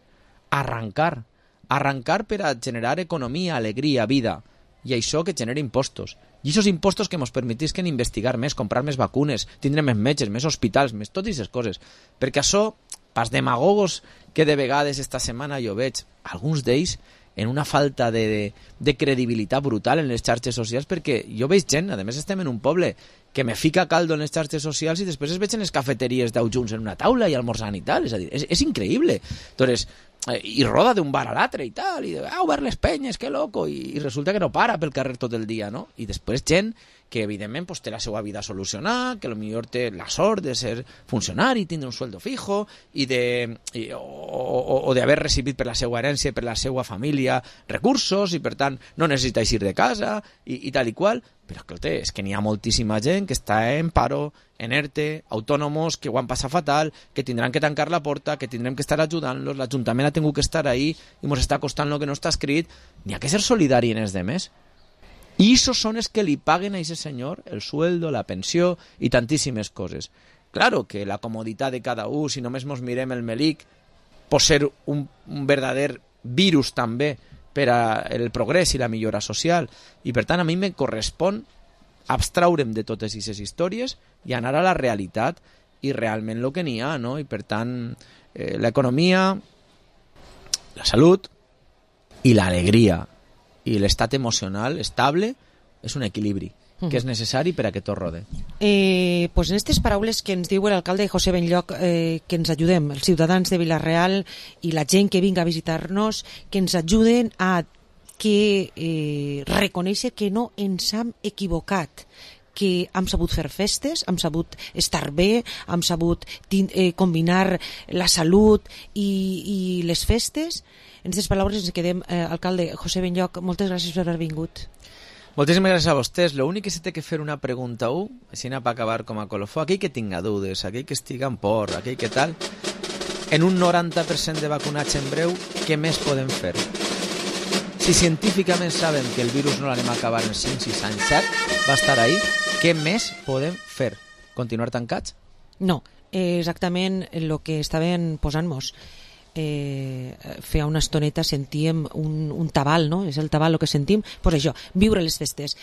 [SPEAKER 22] arrancar. Arrancar per a generar economia, alegria, vida. I això que genera impostos. I aquests impostos que ens permetisquen investigar més, comprar més vacunes, tindre més metges, més hospitals, més totes aquestes coses. Perquè això, pas demagogos que de vegades esta setmana jo veig, alguns d'ells en una falta de, de, de credibilitat brutal en les xarxes socials, perquè jo veig gent, a més estem en un poble que me fica caldo en les xarxes socials i després es veig en les cafeteries deu junts en una taula i almorzant i tal, és a dir, és, és increïble. Entonces, eh, i roda d'un bar a l'altre i tal, i ah, obert les penyes, que loco, i, i resulta que no para pel carrer tot el dia, no? I després gent que evidentment pues, té la seva vida solucionada, que potser té la sort de ser funcionari, tindre un sueldo fijo, i de, i, o, o, o d'haver recibit per la seva herència, per la seva família, recursos, i per tant no necessita eixir de casa, i, i tal i qual. Però escolta, és que n'hi ha moltíssima gent que està en paro, en ERTE, autònomos que ho han passat fatal, que tindran que tancar la porta, que tindrem que estar ajudant-los, l'Ajuntament ha tingut que estar ahí i ens està costant el que no està escrit. N'hi ha que ser solidari en els demés. I esos són els que li paguen a aquest senyor el sueldo, la pensió i tantíssimes coses. Claro que la comoditat de cada un, si només mos mirem el melic, pot ser un, un verdader virus també per al progrés i la millora social. I per tant a mi me correspon abstraure'm de totes aquestes històries i anar a la realitat i realment el que n'hi ha, no? I per tant eh, l'economia, la salut i l'alegria i l'estat emocional estable és un equilibri que és necessari per a que tot rode.
[SPEAKER 4] Eh, pues en aquestes paraules que ens diu l'alcalde José Benlloc, eh, que ens ajudem, els ciutadans de Vila-real i la gent que vinga a visitar-nos, que ens ajuden a que eh, reconèixer que no ens hem equivocat, que hem sabut fer festes, hem sabut estar bé, hem sabut eh, combinar la salut i, i les festes. En aquestes paraules ens quedem. Eh, alcalde José Benlloc, moltes gràcies per haver vingut.
[SPEAKER 22] Moltíssimes gràcies a vostès. L'únic que se té que fer una pregunta a un, així per acabar com a colofó, aquell que tinga dudes, aquell que estiga en por, aquell que tal, en un noranta per cent de vacunats en breu, què més podem fer? Si científicament sabem que el virus no l'anem a acabar en cinc, sis anys, set, va estar ahí, què més podem fer? Continuar tancats?
[SPEAKER 4] No, eh, exactament el que estaven posant-nos. Eh, feia una estoneta sentíem un, un tabal, no? És el tabal el que sentim, pues això, viure les festes.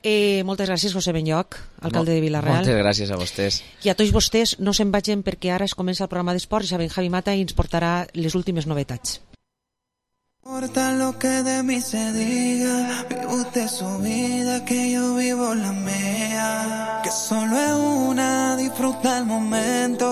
[SPEAKER 4] Eh, moltes gràcies José Benlloc, alcalde de Vila-real.
[SPEAKER 22] Moltes gràcies a vostès.
[SPEAKER 4] I a tots vostès no se'n vagin perquè ara es comença el programa d'esports i saben Javi Mata i ens portarà les últimes novetats.
[SPEAKER 10] No importa lo que de mí se diga, vive usted su vida, que yo vivo la mía, que solo es una, disfruta el momento.